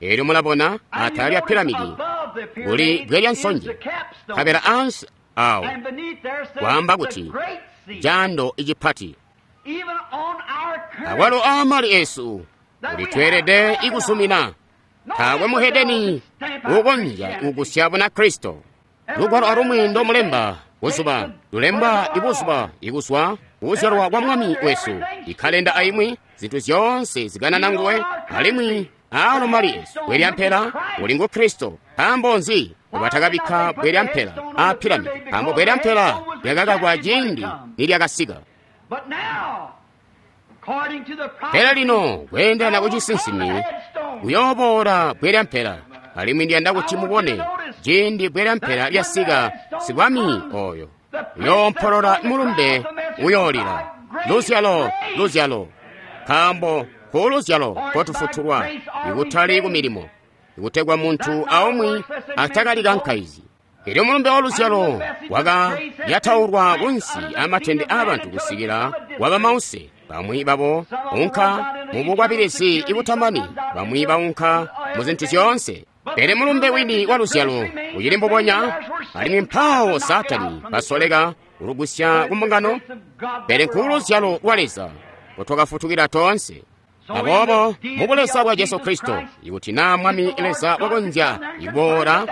Eelyo mulabona atala lya piramidi kuli bbwe lya nsonje, nkabela ansi awo kwaamba kuti jando icipati. Awalo aamali esu ulitweelede ikuzumina. Taakwe muhedeni ukonzya kugusya Bunakristo. Lugwalo alumwi ndomulemba buzuba lulemba ibuzuba ikuzwa kuzyalwa kwa Mwami wesu, ikkalenda aimwi, zintu zyoonse zikanana nguwe, alimwi aalo mali esu bbwe lya mpela uli ngu Kristo. Nkaambo nzi batakabikka bbwe lya mpela aa piramidi? Nkaambo bbwe lya mpela lyakakakwa ciindi nilyakasika. Pele lino kweendelana ku cisinsimi kuyooboola bbwe lya mpela, alimwi ndiyanda kuti mubone ciindi bbwe lya mpela lyasika, sibwami oyo uyoompolola mulumbe uyoolila luzyalo, luzyalo, nkaambo ku luzyalo kotufutulwa, ikutali ku milimo, ikutegwa muntu aumwi atakalikankaizyi. Elyo mulumbe wa luzyalo wakalyataulwa kunsi amatende aabantu kusikila waba mause. Bamwi babo unka mu bukwabilizi ibutamani, bamwi baunka mu zintu zyoonse. Pele mulumbe wini wa luzyalo ucili mbubonya, alimwi mpawo Saatani basoleka kulugusya ku mbungano. Pele nkuuluzyalo lwa Leza kotwakafutukila toonse. Aboobo mu buleza bwa Jesu Kristo, ikuti naa Mwami Leza wakonzya iboola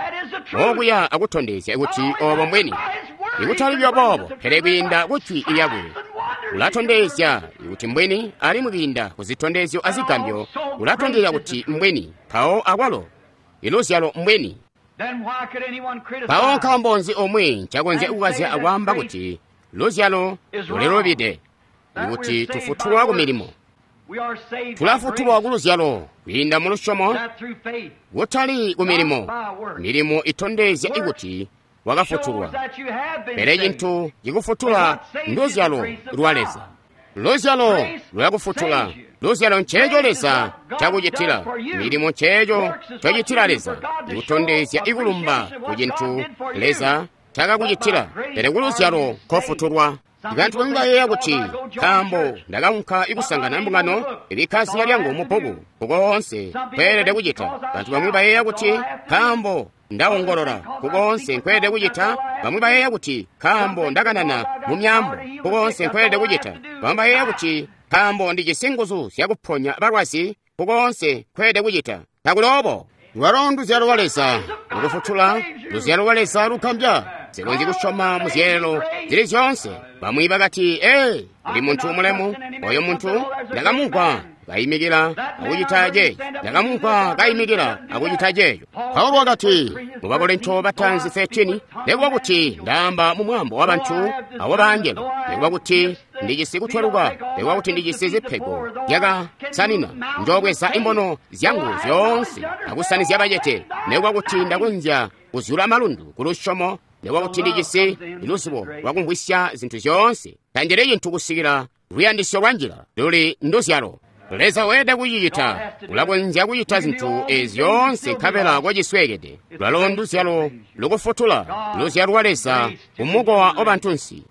okuya akutondezya kuti obo mbwini, ikutali buyo boobo, pele kwiinda ku jwi lyakwe ulatondezya kuti mbwini, alimwi kwiinda ku zitondezyo azigambyo ulatondezya kuti mbwini. Mpawo akwalo iluzyalo mbwini. Mpawo nkaambo nzi omwe ncakonzya kukazya akwaamba kuti luzyalo lulilubide, ikuti tufutulwa ku milimo? Tulafutulwa ku luzyalo kwiinda mu lusyomo, kutali ku milimo. Milimo itondezya kuti wakafutulwa, pele cintu cikufutula nduzyalo lwa Leza. Luzyalo lulakufutula. Luzyalo nceeco Leza cakucitila. Milimo nceeco cocitila Leza, ikutondezya ikulumba ku cintu Leza cakakucitila. Pele ku luzyalo kofutulwa. Bantu bamwi bayeeya kuti nkaambo ndakaunka ikusangana mbungano, ibikka zina lyangu mu bbuku kukoonse nkweelede kucita. Bantu bamwi bayeeya kuti nkaambo ndawongolola kukoonse nkweelede kucita. Bamwi bayeeya kuti nkaambo ndakanana mu myaambo kukoonse nkweelede kucita. Bamwi bayeeya kuti nkaambo ndijisi nguzu zyakuponya balwazi kukoonse nkweelede kucita. Takuli obo. Lwalo nduzyalo lwa Leza lukufutula, luzyalo lwa Leza lugambya. Sikonzyi kusyoma mu zyeelelo zili zyoonse. Bamwi bakati, ee, uli muntu mulemu. Oyo muntu ndakamumvwa kayimikila akucita ceeco, ndakamumvwa kayimikila akucita ceeco. Paulo wakati mu Bakorinto bataanzi thirteen, nekuba kuti ndaamba mu mwaambo wa bantu awa baangelo, nekuba kuti ndijisi kutweluka, nekuba kuti ndijisi zipego zyakasanina, njoobweza imbono zyangu zyoonse akusanizya bacete, nekuba kuti ndakonzya kuzyula malundu ku lusyomo, nekuba kuti ndijisi luzibo lwakumvwisya zintu zyoonse, tanjele cintu kusikila luyandisyo lwa njila luli nduzyalo. Leza weelede kucicita. Ulakonzya kucita zintu ezi zyoonse nkabela kocisweekede. Lwalo nduzyalo lukufutula, luzyalo lwa Leza kumukowa wa bantunsi.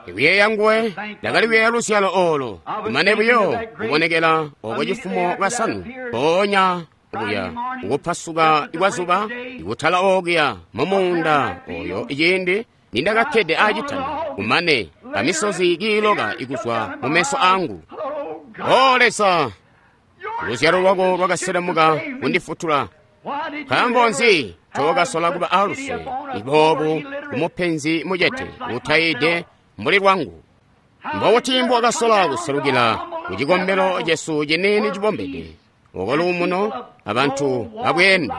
Ikuyeeya nguwe, ndakali kuyeeya luzyalo oolo, kumane buyo kubonekela oko cifumo lwasanu, mpoonya okuya kukupasuka kwa zuba, ikutala okuya mu muunda oyo ciindi nindakakkede aacitanda, kumane kamisozi kiiloka ikuzwa mu meso angu. O Leza, luzyalo lwako lwakaselemuka kundifutula. Nkaambo nzi tookasola kuba aluse iboobu kumupenzi mucete utayide mbuli lwangu? Mbobuti mbowakasola kuselukila ku cikombelo cesu ciniini cibombede, oko luumuno abantu babweende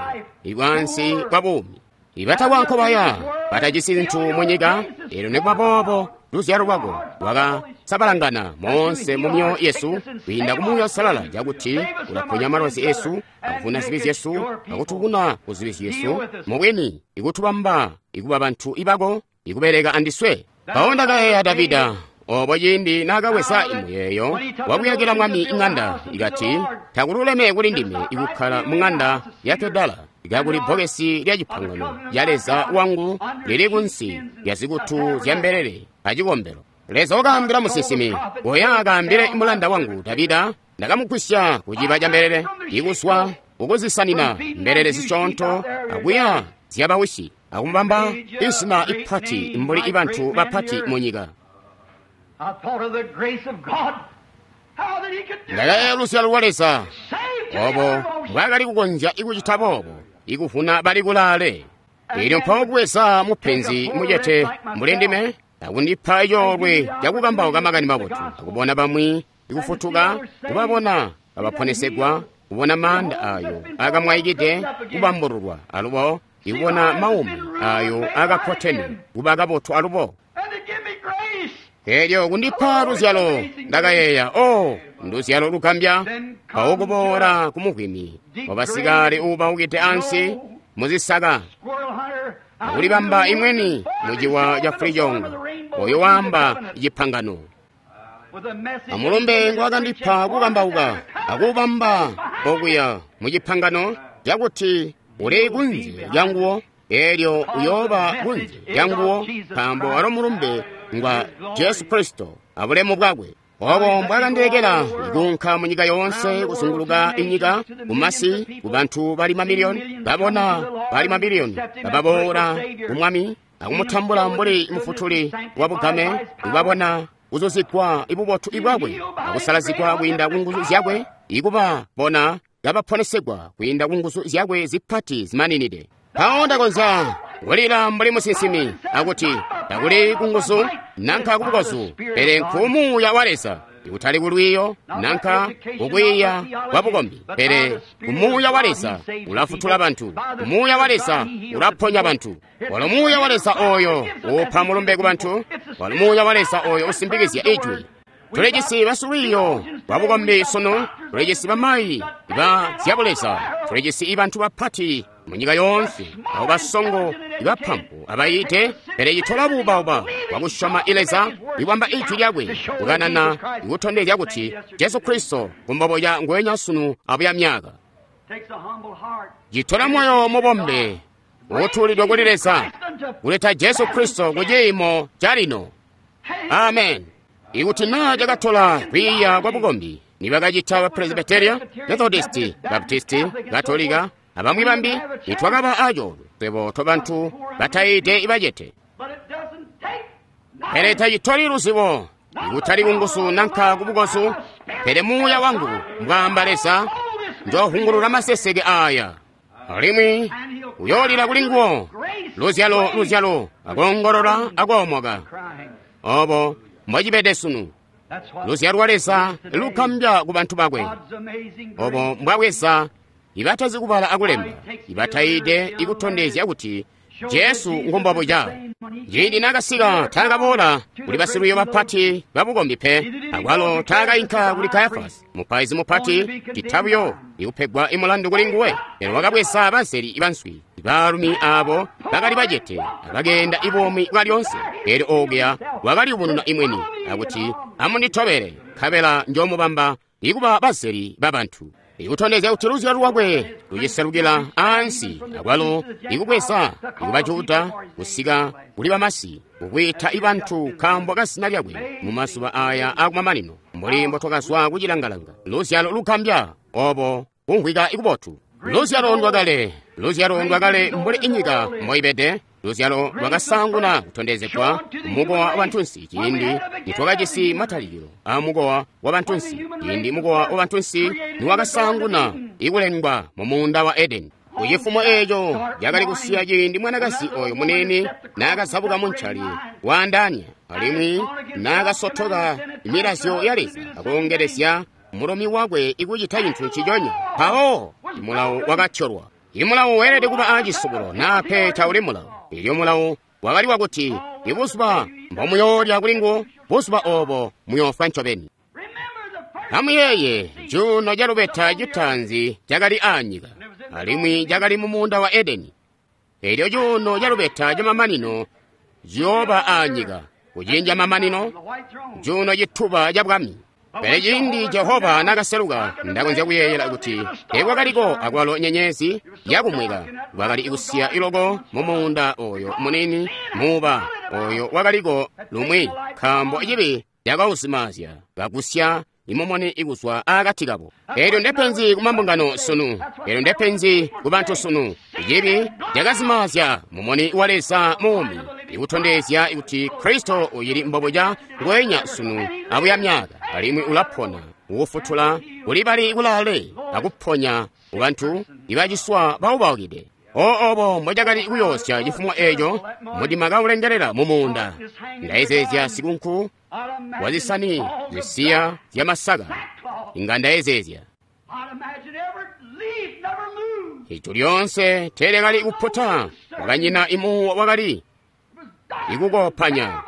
ibwansi bwa buumi, ibatakwa nkobaya, batajisi zintu mu nyika? Eelyo nikuba boobo luzyalo lwako lwakasabalangana moonse mu myoyo yesu kwiinda ku Muuya Uusalala, cakuti ulaponya malwazi esu, akuvuna zibi zyesu, akutuvuna ku zibi zyesu, mubwini ikutubamba ikuba bantu ibako, ikubeleka andiswe. Mpawo ndakayeeya Davida obo ciindi naakaweza imuyeeyo wakuyakila Mwami iŋanda, ikati, takululeme kuli ndime ikukkala muŋanda ya Kedala, kakuli bbokesi lya cipangano lya Leza wangu lili kunsi lya zikutu zya mbelele acikombelo. Leza wakaambila musinsimi, "Koya akaambile mulanda wangu Davida, ndakamugwisya kuciba ca mbelele, ikuswa ukuzisanina mbelele zisyoonto akuya zyabawisi, akumubamba izina ipati mbuli ibantu bapati mu nyika." I thought of the grace of God. How that he could do Ndakayeeya luzyalo lwa Leza, Save to obo the uttermost. mbwaakali kukonzya ikucita boobo, ikuvuna bali kulaale. Elyo mpawo kubweza mupenzi mucete mbuli ndime, akundipa coolwe cakukambauka makani mabotu, akubona bamwi ikufutuka, kubabona abaponesegwa, kubona maanda ayo akamwaikide kubambululwa alubo, ikubona maumi ayo akakotene kuba kabotu alubo. And to give me grace. Elyo kundipa luzyalo, ndakayeeya, o nduzyalo lugambya. Mpawo kuboola kumuvwimi wabasikale uubaukide ansi muzisaka, Squirrel hunter. akulibamba imweni muciwa ca fulicongo, oyo waamba cipangano. With a message. Amulumbe ngwakandipa kukambauka, akubamba okuya mucipangano cakuti uli kunze lyanguwo, elyo uyooba kunze lyanguwo, nkaambo walo mulumbe ngwa Jesu Kristo abulemu bwakwe. Obo mbwakandilekela ikuunka mu nyika yoonse kuzunguluka inyika, kumasi, ku bantu bali mamiliyoni, babona bali mamiliyoni, bababoola ku Mwami akumutambula mbuli mufutuli wa bugame, kubabona kuzuzigwa ibubotu ibwakwe akusalazigwa kwiinda ku nguzu zyakwe, ikubabona kabaponesegwa kwiinda ku nguzu zyakwe zipati zimaninide. Mpawo ndakonzya kulila mbuli musinsimi akuti, takuli ku nguzu nanka ku bukozu, pele nku Muuya wa Leza, ikutali ku lwiiyo nanka kukwiiya kwa bukombi, pele ku Muuya wa Leza ulafutula bantu, ku Muuya wa Leza ulaponya bantu. Walo Muuya wa Leza oyo upa mulumbe ku bantu, walo Muuya wa Leza oyo usimpikizya ijwi. Tulijisi basilwiiyo lwa bukombi sunu, tulijisi bamayi ba zyabuleza, tulijisi ibantu bapati mu nyika yoonse, abo basongo, ibapampu, abayiite, pele citola buubauba bwakusyoma Leza, ikwamba ijwi lyakwe, kukanana, ikutondezya kuti Jesu Kristo kumboboya ngwenya sunu abuya myaka. Takes a humble heart. Citola moyo mubombe utuulidwe kuli Leza, kuleta Jesu Kristo ku ciimo calino. Amen. Ikuti naa cakatola kwiiya kwa bukombi, nibakacita ba Presbyteria, Methodisti, Baptisti, Katolika, abamwi bambi, nitwakaba acoolwe swebo tobantu batayiide ibacete. But it doesn't take Pele tacitoli luzibo, ikutali kunguzu nanka kubukozu, pele Muuya wangu, mbwaamba Leza, njohungulula maseseke aya. Alimwi uyoolila kuli nguwo, luzyalo, luzyalo, akoongolola, akoomoka. crying. Obo mbwacibede sunu. That's what Luzyalo lwa Leza lukambya ku bantu bakwe. God's amazing grace. Obo mbwabweza ibatazi kubala akulemba, ibatayiide ikutondezya kuti Jesu ngumbobuca. Ciindi naakasika taakaboola kuli basilwiiyo bapati babukombi pe, akwalo taakayinka kuli Kayafasi mupaizi mupati, cita buyo ikupegwa imulandu kuli nguwe. Pele wakabweza bazeli banswi, baalumi aabo bakali bacete abakeenda ibuumi bwalyoonse. Elyo okuya wakaliyubununa imweni akuti, "Amunditobele, nkabela njoomubamba ikuba bazeli babantu." Ikutondezya kuti luzyalo lwakwe luciselukila ansi, akwalo ikubweza ikubajuda kusika kuli bamasi, kukwiita ibantu nkaambo ka zina lyakwe mu mazuba aya akumamanino, mbuli mbotwakazwa kucilangalanga. Luzyalo lugambya obo kumvwika ikubotu. Luzyalo ndwakale, luzyalo ndwakale mbuli inyika mboibede. Luzyalo lwakasaanguna kutondezegwa kumukowa wa bantunsi ciindi nitwakajisi matalikilo aamukowa wa bantunsi, ciindi mukowa wa bantunsi niwakasaanguna ikulengwa mu muunda wa Edeni. Kucifumo eeco cakali kusiya ciindi mwanakazi oyo muniini naakazabuka muncali waandaanya, alimwi naakasotoka milazyo ya Leza akoongelezya mulomi wakwe ikucita cintu nciconya. Mpawo mulawo wakatyolwa. Imulawo weelede kuba aacisubulo naa pe tauli mulawo. Elyo mulawo wakali wakuti, ibuzuba mbomuyoolya kuli nguwo, buzuba oobo muyoofwa ncobeni. Remember the first Amuyeeye cuuno calubeta citaanzi cakali aanyika, alimwi cakali mu muunda wa Edeni. Elyo cuuno calubeta camamanino ciyooba aanyika, kuciindi camamanino, the white throne. cuuno cituba ca bwami. Pele ciindi Jehova nakaseluka, ndakonzya kuyeeyela kuti teekwakaliko akwalo nyenyezi yakumweka. Kwakali ikusiya iloko mu muunda oyo munini muuba oyo wakaliko lumwi, nkaambo cibi cakauzimaazya kagusya imumuni ikuzwa akati kabo. Eelyo ndepenzi kumambungano sunu. Eelyo ndepenzi kubantu sunu. Cibi cakazimaazya mumuni wa Leza muumi, ikutondezya kuti Kristo uyili mbobuca ngweenya sunu abuya myaka, alimwi ulapona ukufutula kuli bali kulaale akuponya kubantu ibaciswa baubaukide. O obo mbocakali kuyoosya cifumo eeco mudima kaulengelela mu muunda. Ndayezeezya sikunku wazisani zisiya zyamasaka. Inga ndayezeezya ijulu lyoonse teelyakali kuputa, kwakanyina imuwo wakali ikukopanya.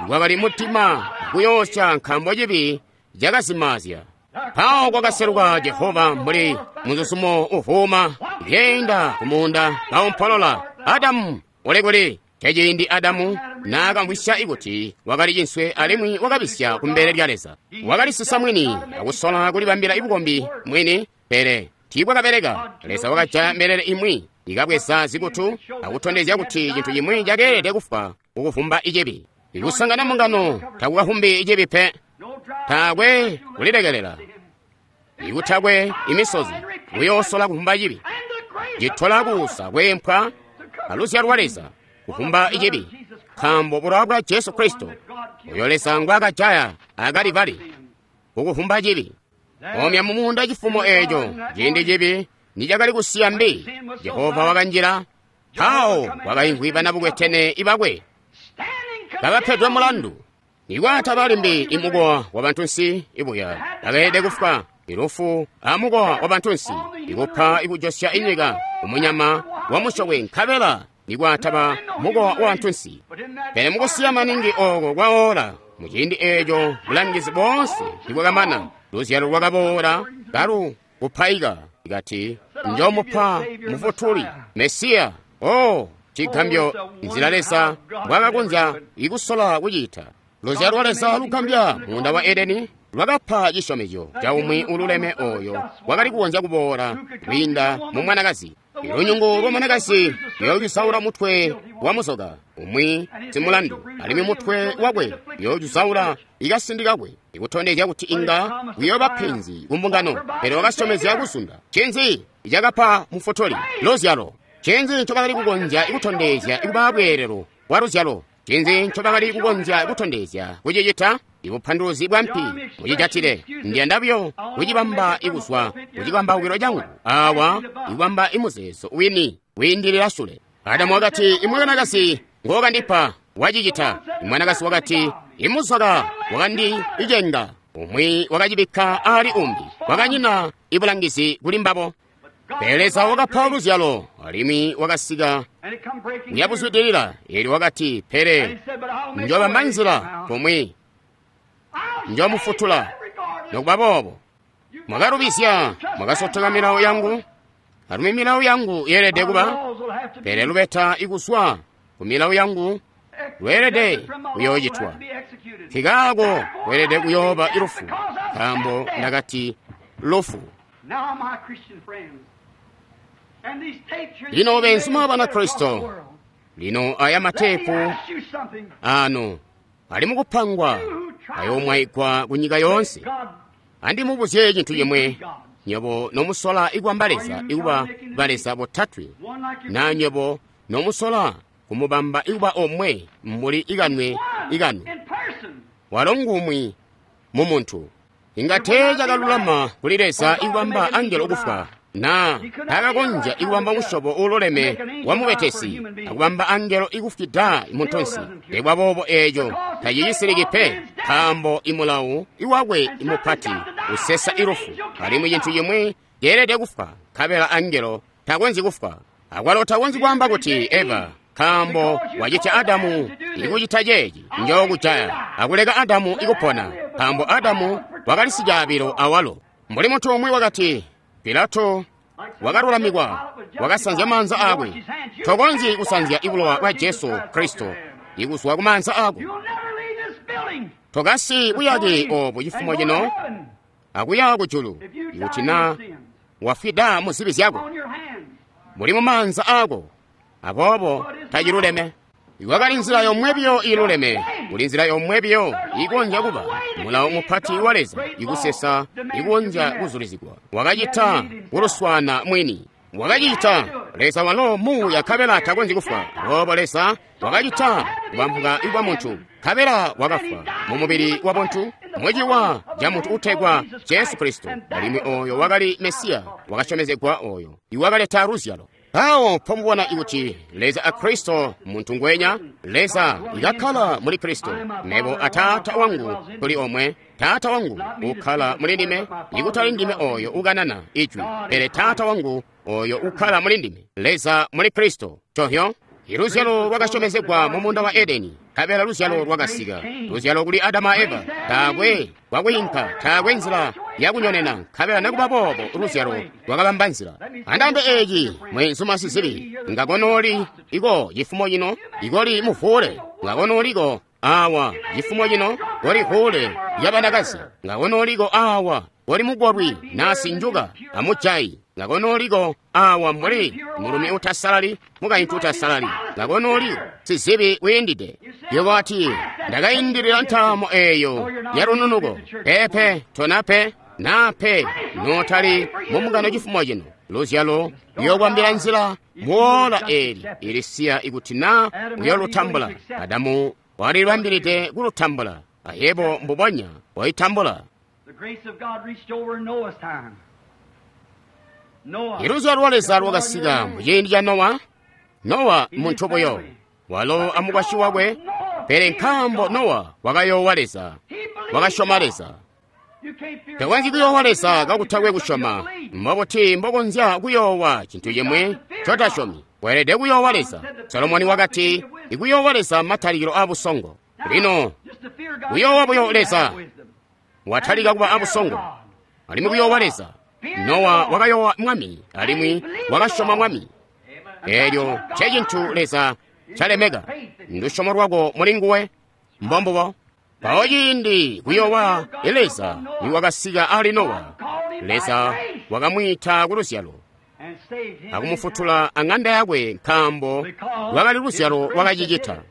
Kwakali mudima kuyoosya nkaambo cibi cakazimaazya. Mpawo kwakaseluka Jehova mbuli muzuzumo uvuuma lyeenda kumuunda kaumpolola, Adamu uli kuli? Ceciindi Adamu naakamvwisya kuti wakali cinswe alimwi wakabisya kumbele lya Leza. Wakalisisa mwini akusola kulibambila bukombi mwini, pele tiibwakabeleka. Leza wakajaya mbelele imwi ikabweza zikutu akutondezya kuti cintu cimwi cakeelede kufwa kukuvumba icibi. Ikusangana mbungano takukavumbi icibi pe. Taakwe kulilekelela, ikutakwe imisozi kuyoosola kuvumba cibi. Citola kuusa kweempwa aluzyalo lwa Leza kuvumba icibi, nkaambo bulowa bwa Jesu Kristo oyo Leza ngwaakajaya akalivali kukuvumba cibi. Omya mumuunda cifumo eeco ciindi cibi nicakali kusiya mbi, Jehova wakanjila. Mpawo kwakaimvwi banabukwetene ibakwe kabapedwe mulandu. Nikwataba limbi imukowa wa bantunsi ibuya bakeelede kufwa ilufu amukowa wa bantunsi ikupa ikujosya inyika umunyama wa musyokwe, nkabela nikwataba mukowa wa bantunsi. Pele mukusiya maningi ooko kwaola muciindi eeco bulangizi boonse nibwakamana, luzyalo lwakaboola kalu kupaika ikati njomupa mufutuli Mesiya. O cigambyo nzila Leza mbwakakonzya ikusola kucita. Luzyalo lwa Leza lugambya muunda wa Edeni lwakapa cisyomezyo ca umwi ululeme oyo wakali kukonzya kuboola kwiinda mu mwanakazi. Ilunyungu lwa mwanakazi luyoocisaula mutwe wa muzoka umwi simulandu, alimwi mutwe wakwe uyoocisaula ikasindi kakwe, ikutondezya kuti inga kuyooba penzi kumbungano. Pele wakasyomezya kuzunda. Ncinzi cakapa mufutuli? Luzyalo. Ncinzi ncobakali kukonzya kutondezya ikuba bweelelo bwa luzyalo? Ncinzi ncobakali kukonzya kutondezya kucicita? Ibupanduluzi bwa mpi mucijatile. Ndiyanda buyo kucibamba ikuzwa kucikambawukilo cangu awa, ikubamba imuzeezo wini wiindilila sule. Adamu wakati, imwanakazi ngokandipa wacicita. Imwanakazi wakati, imuzoka wakandicenga. Umwi wakacibikka ali umbi. Kwakanyina ibulangizi kuli mbabo. Pele Leza wakapa luzyalo alimwi wakasika kuyabuzwidilila. Eelyo wakati, pele njobamba nzila kumwi njomufutula. Nokuba boobo mwakalubizya, mwakasotoka milawo yangu, alimwi milawo yangu yeelede kuba. Pele lubeta ikuzwa ku milawo yangu lweelede kuyoocitwa. Nkikaako lweelede kuyooba ilufu, nkaambo ndakati lufu. Lino beenzuma Banakristo, lino aya matepu ano ali mukupangwa ayoomwaigwa ku nyika yoonse. Andimubuzye cintu cimwe, nywebo nomusola ikwamba Leza ikuba baleza botatwe, na nywebo nomusola kumubamba ikuba omwe mbuli ikanwe ikanwe, walo ngumwi mu muntu. Inga tee cakalulama kuli Leza ikubamba angelo kufwa, na takakonzya ikubamba musyobo uululeme wa mubetesi akubamba angelo ikufwida muntunsi. Nikuba boobo eeco tacicisiliki pe, nkaambo imulawu iwakwe imupati usesa ilufu, alimwi cintu cimwi ceelede kufwa, nkabela angelo takonzyi kufwa. Akwalo takonzyi kwaamba kuti Eva, nkaambo wacita Adamu ikucita ceeci, njookujaya, akuleka Adamu ikupona, nkaambo Adamu wakali sicaabilo awalo. Mbuli muntu umwi wakati, Pilato wakalulamikwa, wakasanzya maanza aakwe. Tokonzyi kusanzya ibulowa bwa Jesu Kristo ikuzwa ku maanza aako. Tokasi buyake obu cifumo cino akuya kujulu ikuti na wafwida mu zibi zyako muli mu maanza ako, aboobo taciluleme. Iwakali nzila yomwe biyo iluleme, kuli nzila yomwe biyo ikonzya kuba mulawo mupati wa Leza ikusesa ikonzya kuzulizigwa. Wakacita kuluswana mwini, wakacita Leza walo muuya nkabela takonzyi kufwa. Aboobo Leza wakacita kubambuka kwa muntu nkabela wakafwa mu mubili wa buntu muciwa ca muntu utegwa Jesu Kristo, alimwi oyo wakali Mesiya wakasyomezegwa oyo iwakaleta luzyalo. Awo mpomubona ikuti Leza a Kristo muntu ngwenya, Leza ikakkala muli Kristo. Mebo a Taata wangu tuli omwe, Taata wangu ukkala muli ndime, ikutali ndime oyo ukanana ijwi, pele Taata wangu oyo ukkala muli ndime, Leza muli Kristo. Chohyo iluzyalo lwakasyomezegwa mu munda wa Edeni, nkabela luzyalo lwakasika. Luzyalo kuli Adamu a Eva, taakwe kwakwiinka, taakwe nzila yakunyonena, nkabela nekuba boobo luzyalo lwakabamba nzila. Andambe eeci mwenzuma sizibi, ngakonooli iko cifumo cino, ikoli muvuule, ngakonooliko awa cifumo cino, koli vuule lyabanakazi, ngakonooliko awa koli mugolwi nasinjuka amujayi, ngakonooliko awa mbuli mulumi utasalali mukaintu utasalali, ngakonooliko sizibi wiindide. Yebo ati ndakayindilila ntaamo eyo ya lununuko. Pepe tonape nape notali mumungano cifumo cino. Luzyalo luyokwambila nzila muola eli ilisiya ikuti na uyolutambula. Adamu walilibambilide kulutambula, ayebo mbubonya wayitambula. Iluzyalo lwa Leza lwakasika muciindi ca Nowa. Nowa muntu buyo, walo amukwasyi wakwe, pele nkaambo Nowa wakayoowa Leza, wakasyoma Leza. Takonzyi kuyoowa Leza kakutakwe kusyoma. Mbobuti mbokonzya kuyoowa cintu cimwi cotasyomi? Weelede kuyoowa Leza. Solomoni wakati, ikuyoowa Leza matalikilo abusongo. Lino kuyoowa buyo Leza watalika kuba abusongo, alimwi kuyoowa Leza. Nowa wakayoowa Mwami, alimwi wakasyoma Mwami. Eelyo ncecintu Leza calemeka, ndusyomo lwako muli nguwe. Mbombubo. Mpawo ciindi kuyoowa Leza niwakasika ali Nowa, Leza wakamwiita ku luzyalo akumufutula aŋanda yakwe, nkaambo lwakali luzyalo lwakacicita.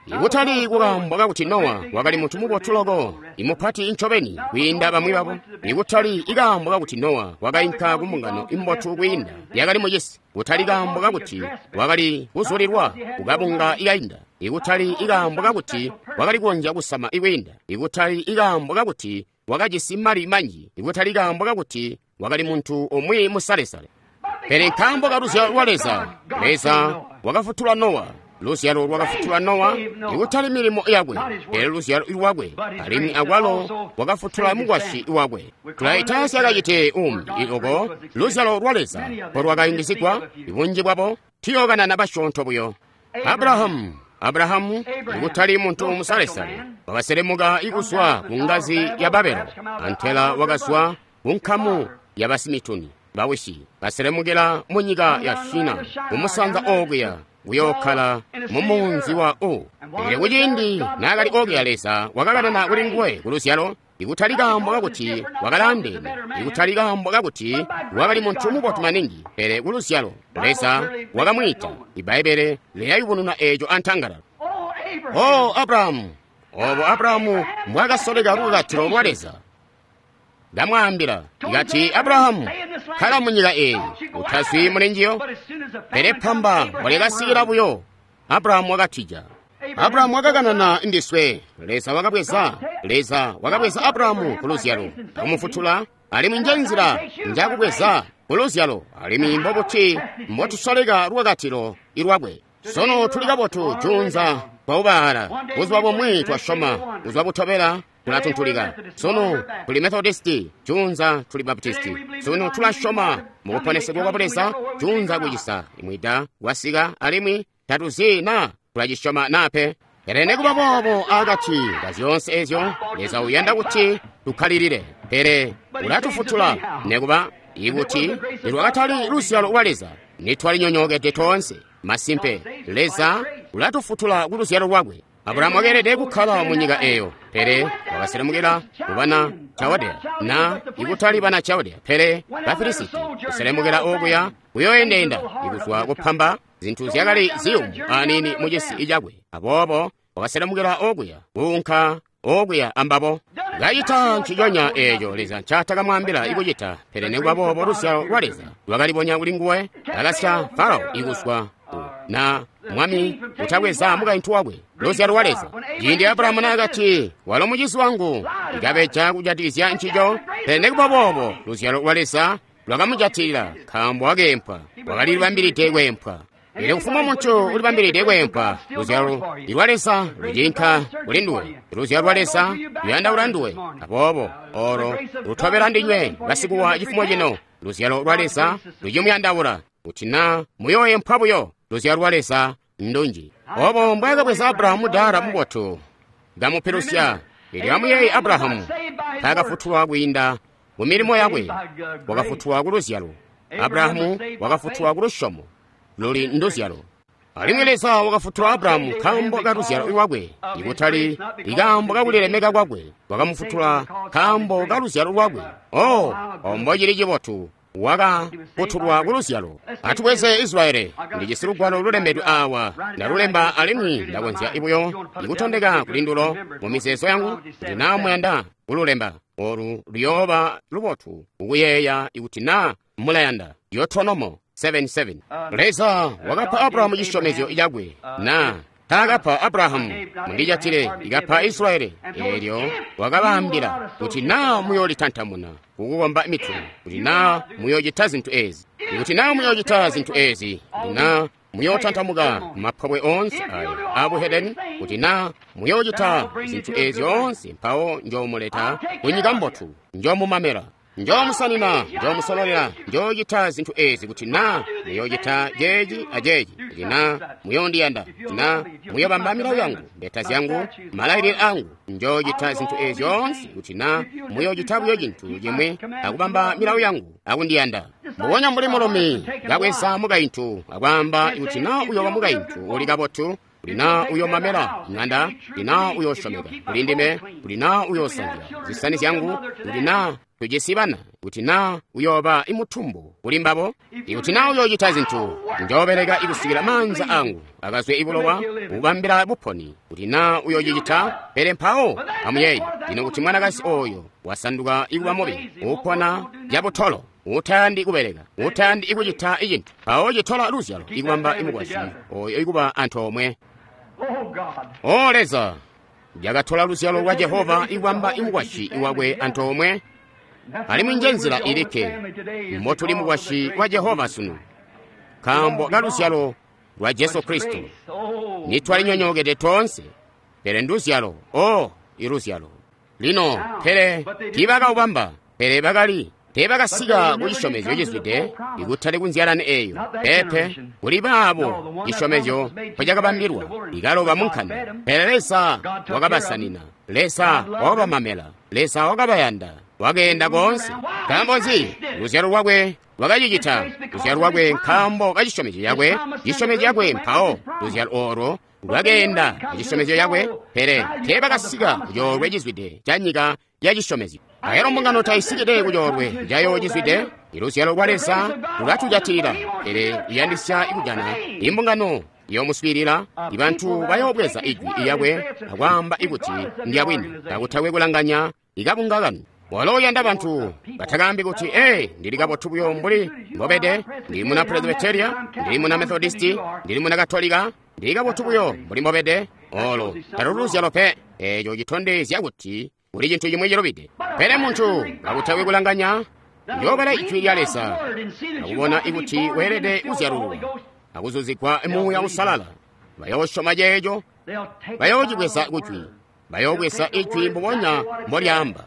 Ikutali kukaambo kakuti Nowa wakali muntu mubotu loko, imupati ncobeni kwiinda bamwi babo. Ikutali ikaambo kakuti Nowa wakainka kumbungano imbotu kwiinda yakali mucisi. Kutali kaambo kakuti wakali kuzulilwa kukabunga ikainda. Ikutali ikaambo kakuti wakali kukonzya kusama ikwiinda. Ikutali ikaambo kakuti wakajisi mali manji. Ikutali kaambo kakuti wakali muntu umwi musalesale. Pele nkaambo ka luzyalo lwa Leza, Leza wakafutula Nowa. Luzyalo lwakafutula Nowa, ikutali milimo yakwe, pele luzyalo lwakwe, alimwi akwalo wakafutula mukwasyi wakwe. Tulaita syakacite umbi oko luzyalo lwa Leza mbolwakayungizigwa ibunji bwabo, tuyookanana basyoonto buyo. Abrahamu, Abrahamu ikutali muntu musalesale, wakaselemuka ikuzwa ku ngazi ya Babelo, antela wakazwa ku nkamu ya basimituni bawisi, baselemukila mu nyika ya Shina, kumusanza okuya kuyookhala mu munzi wa U. Pele kuciindi naakali okuya Leza wakakanana kuli nguwe ku luzyalo, ikutali kaambo kakuti wakalaandeene, ikutali kaambo kakuti wakali muntu mubotu maningi, pele ku luzyalo Leza wakamwiita. Ibbaibbele lilayubununa eeco antangalala. O Abrahamu, obo Abrahamu mbwakasoleka lukakatilo lwa Leza. Ndamwaambila ikati, Abrahamu, kkala munyika eyi, utazwi muli njiyo. Pele pamba mbwalikasikila buyo, Abrahamu wakatija. Abrahamu wakakanana ndiswe. Leza wakabweza, Leza wakabweza Abrahamu ku luzyalo akumufutula, alimwi nje nzila njakubweza ku luzyalo, alimwi mbobuti mbotusoleka lukakatilo ilwakwe. Sono tuli kabotu juunza twaubaala, buzuba bumwi twasyoma, buzuba butobela tulatuntulika. Sono tuli Methodisti, juunza tuli Baptisti. Sono tulasyoma mukuponesegwa kwa Buleza, juunza kucisa imwida kwasika, alimwi tatuzi na tulacisyoma nape. Pele nekuba boobo akati ka zyoonse ezyo, Leza uyanda kuti tukkalilile, pele ulatufutula nekuba ikuti nilwakatali luzyalo lwa Leza nitwalinyonyookede toonse. Masimpe, Leza ulatufutula ku luzyalo lwakwe. Abrahamu wakeelede kukkala mu nyika eyo, pele wakaselemukila kubana Chaldea, na ikutali bana Chaldea, pele Bafilisiti, kuselemukila okuya kuyoendeenda ikuzwa kupamba zintu zyakali ziyumu aniini mu cisi cakwe. Aboobo wakaselemukila okuya kuunka okuya ambabo. Kacita nciconya eeco Leza ncaatakamwaambila ikucita, pele nikuba boobo luzyalo lwa Leza lwakalibonya kuli nguwe. Akasya Farao ikuzwa na mwami utabweza mukaintu wakwe. Luzyalo lwa Leza. Ciindi Abrahamu naakati, walo mucizi wangu, ikabeja kujatikizya ncico, pele nikuba boobo luzyalo lwa Leza lwakamujatilila, nkaambo wakeempwa, wakalilibambilide kweempwa. Pele kufumbwa muntu ulibambilide kweempwa, luzyalo lwa Leza lucinka kuli nduwe. Luzyalo lwa Leza luyandaula nduwe. Aboobo olo lutobela ndinywe basikuwa cifumo cino. Luzyalo lwa Leza lucimuyandaula kuti na muyooempwa buyo. Luzyalo lwa Leza ndunji. Obo mbwaakabweza Abrahamu dara mubotu kamupilusya. Elyo amuyeeye Abrahamu taakafutulwa kwiinda mu milimo yakwe, wakafutulwa ku luzyalo. Abrahamu wakafutulwa ku lusyomo luli nduzyalo. Alimwi Leza wakafutula Abrahamu nkaambo ka luzyalo lwakwe, ikutali ikaambo kakulilemeka kwakwe. Wakamufutula nkaambo ka luzyalo lwakwe. Oh, ombo cili cibotu, wakafutulwa ku luzyalo. Atubweze Israeli. Ndijisi lugwalo lulembedwe awa, ndalulemba alimwi ndakonzya buyo ikutondeka kuli ndulo mu mizeezo yangu kuti naa muyanda kululemba. Olu luyooba lubotu kukuyeeya ikuti naa mulayanda. Deuteronomo seven seven. Leza wakapa Abrahamu cisyomezyo cakwe, na taakapa Abrahamu mundijatile, ikapa Israeli. Eelyo wakabaambila kuti naa muyoolitantamuna kukukomba mituni, kuti naa muyoocita zintu ezi, kuti naa muyoocita zintu ezi, kuti naa muyootantamuka mapobwe oonse ayo abuhedeni, kuti naa muyoocita zintu ezi zyoonse, mpawo njoomuleta kunyika mbotu, njoomumamela, njoomusanina, njoomusololela, njoocita zintu ezi kuti naa muyoocita ceeci aceeci, kuti naa muyoondiyanda, kuti naa muyoobamba milawo yangu, mbeta zyangu, malailile angu. Njoocita zintu ezi zyoonse kuti naa muyoocita buyo cintu cimwi akubamba milawo yangu akundiyanda. Mbubonya mbuli mulumi kabweza mukaintu akwaamba kuti naa uyooba mukaintu uli kabotu, kuti naa uyoomamela ŋanda, kuti naa uyoosyomeka kuli ndime, kuti naa uyoosanzya zisani zyangu, kuti naa tujisi bana, kuti naa uyooba imutumbu kuli mbabo, ikuti naa uyoocita zintu, njoobeleka ikusikila maanza angu akazwe ibulowa kubambila buponi, kuti naa uyoocicita. Pele mpawo amuyeeye lino kuti mwanakazi oyo wasanduka ikuba mubi, upona cabutolo, utayandi kubeleka, utayandi ikucita icintu, mpawo citola luzyalo ikubamba imukwasyi oyo ikuba antoomwe. O Leza, yakatola luzyalo lwa Jehova ikubamba imukwasyi wakwe antoomwe. Alimwi nje nzila ilikke mbotuli mukwasyi wa Jehova sunu, nkaambo ka luzyalo lwa Jesu Kristo. Nitwalinyonyookede toonse, pele nduzyalo, o iluzyalo. Lino, pele tiibakaubamba, pele bakali teebakasika ku cisyomezyo cizwide, ikutali kunzyalani eyo. Pepe, kuli baabo cisyomezyo mpocakabambilwa, ikaloba mu nkanda. Pele Leza wakabasanina, Leza wakabamamela, Leza wakabayanda, wakeenda koonse. Nkaambo nzi? Luzyalo lwakwe lwakacicita. Luzyalo lwakwe nkaambo ka cisyomezyo cakwe, cisyomezyo cakwe mpawo luzyalo olo lwakeenda acisyomezyo cakwe, pele teebakasika ku coolwe cizwide ca nyika ya cisyomezyo. Ayalo mbungano taisikide ku coolwe cayo cizwide. Iluzyalo lwa Leza lulatujatilila, pele iyandisya ikujana imbungano yoomuswiilila. Ibantu bayoobweza ijwi lyakwe akwaamba ikuti ndyabwini, kakutakwe kulanganya ikabunga kanu. Walo uyanda bantu batakaambi kuti, ee, ndili kabotu buyo mbuli mbobede, ndili muna Presbyteria, ndili muna Methodisti, ndili muna Katolika, ndili kabotu buyo mbuli mbobede. Olo taluli luzyalo pe. Eeco citondezya kuti kuli cintu cimwi cilubide. Pele muntu kakutakwe kulanganya uyoobala ijwi lya Leza akubona ikuti weelede kuzyalululwa akuzuzigwa Muuya Uusalala. Bayoosyoma ceeco, bayoocibweza kujwi, bayoobweza ijwi mbubonya mbolyaamba.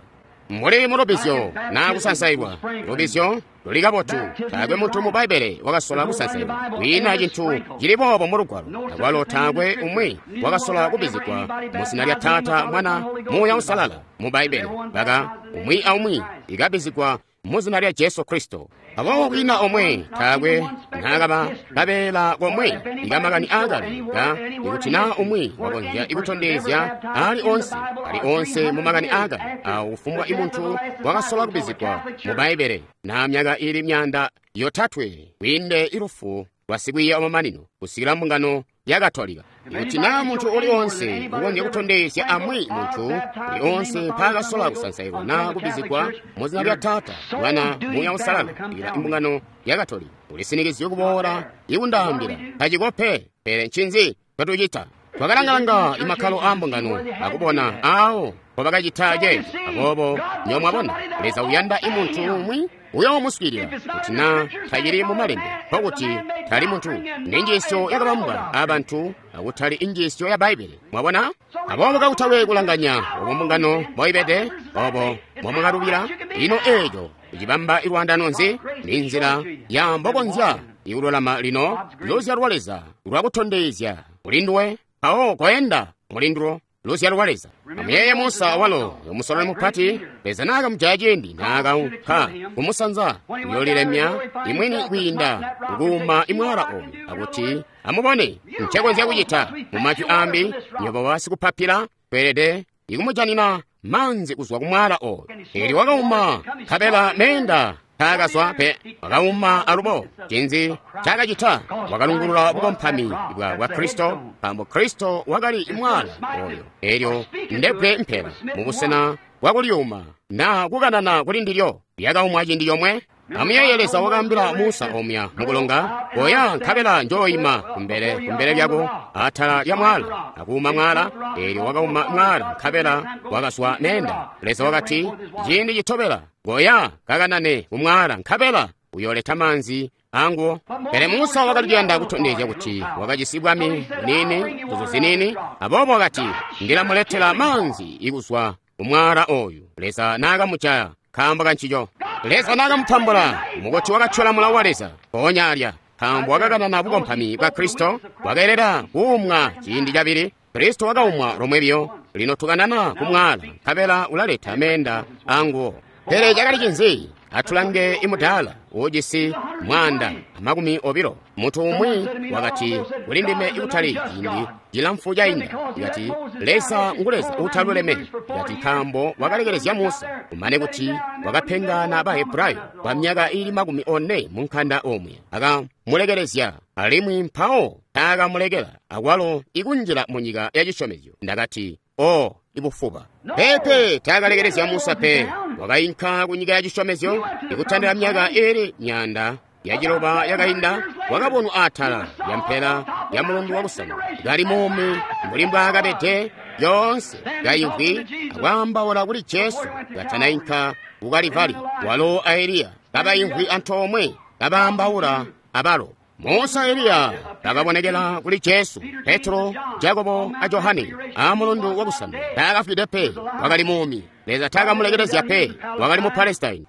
Mbuli mulubizyo naa kusansailwa, lubizyo luli kabotu. Taakwe muntu mu Bbaibbele wakasola kusansailwa, kwiina cintu cili boobo mu Lugwalo. Akwalo taakwe umwi wakasola kubizigwa mu zina lya Taata, Mwana, Muuya Uusalala mu Bbaibbele. Baka umwi aumwi ikabizigwa mu zina lya Jesu Kristo. Aboobo kwiina omwe taakwe naakaba kabeela komwe ikamakani aakale ka ikuti naa umwi wakonzya ikutondezya ali onse ali onse mu makani aakale awo kufumbwa imuntu wakasola kubizigwa mu Bbaibbele na myaka ili myaanda yotatwe kwiinde ilufu lwa sikwiiya wamamanino kusikila mbungano ya Katolika. Ikuti naa muntu uli onse ukonzya kutondezya amwi muntu uli onse mpaakasola kusansailwa naa kubizigwa mu zina lya Taata, Mwana, Muuya Uusalala kusikila imbungano ya Katolika, ulisinikizye kuboola ikundaambila tacikope. Pele ncinzi twatucita? Twakalanga-langa imakkalo aa mbungano akubona aawo mpobakacita ceeco. Aboobo nyo mwabona, Leza uyanda imuntu umwi uyoomuswiilila kuti naa tacili mu malembe, nkokuti tali muntu. Ni njiisyo yakabambwa abantu akutali injiisyo ya Bbaibbele. Mwabona? Aboobo kakutakwe kulanganya obo mbungano mboibede, obo mbomwakalubila, ino eeco icibamba ilwaandano nzi? Ni nzila ya mbokonzya ikululama lino luzyalo lwa Leza lwakutondezya kulinduwe, mpawo koenda mulindulo luzyalo lwa Leza. Amuyeeye Musa walo musololi mupati, Leza naakamujaya ciindi naakaunka kumusanza kuyoolilemya imwini kwiinda kukuuma imwala oyu akuti amubone ncekonzya kucita. Mu majwi ambi, nywebo basikupapila tweelede ikumujanina maanzi kuzwa kumwala oyu. Eelyo wakauma nkabela meenda taakazwa pe, wakauma alubo. Cinzi cakacita? Wakalungulula bukompami bwa bwa Kristo, nkaambo Kristo wakali mwala oyo. Eelyo ndebbwe mpela mubusena bwakulyuma naa kukanana kuli ndilyo lyakaumwa ciindi comwe. Amuyeeye Leza wakaambila Musa omya mukulonga, koya nkabela njooima kumbele kumbele lyako atala lya mwala, akuuma mwala. Eelyo wakauma mwala nkabela wakazwa meenda. Leza wakati, ciindi citobela koya kakanane kumwala nkabela uyooleta maanzi anguwo. Pele Musa wakali kuyanda kutondezya kuti wakajisi bwami buniini, nguzu ziniini. Aboobo wakati, ndilamuletela maanzi ikuzwa kumwala oyu. Leza naakamujaya nkaambo kancico. Leza naakamutambula mukuti wakatyola mulawo wa Leza mpoonya alya, nkaambo wakakanana bukompami bwa Kristo. Wakeelela kuumwa ciindi cabili. Kristo wakaumwa lomwe biyo. Lino tukanana kumwala nkabela ulaleta meenda anguwo. Pele cakali cinzi? Atulange imudaala uujisi mwaanda amakumi obilo. Muntu umwi wakati kuli ndime ikutali ciindi cilamfu cainda, ikati Leza ngu Leza uutaluleme, ikati nkaambo wakalekelezya Musa, kumane kuti wakapengana Bahebrayo kwa myaka ili makumi one mu nkanda omwe, akamulekelezya alimwi mpawo taakamulekela akwalo ikunjila mu nyika ya cisyomezyo. Ndakati, o ibufuba. Pepe taakalekelezya Musa pe, wakainka ku nyika ya cisyomezyo ikutandila myaka ili myaanda yaciloba yakainda. Wakabonwa atala lya mpela ya mulundu wakusanu kali muumi mbuli mbwaakabede yoonse, kaimvwi akwaambaula kuli Jesu katanainka ku Kalivali. Walo a Eliya kabaimvwi antoomwe kabaambaula abalo. Musa Eliya bakabonekela kuli Jesu, Petro, Jakobo a Johane a mulundu wakusanu. Taakafwide pe, wakali muumi. Leza taakamulekelezya pe, wakali mu Palestine.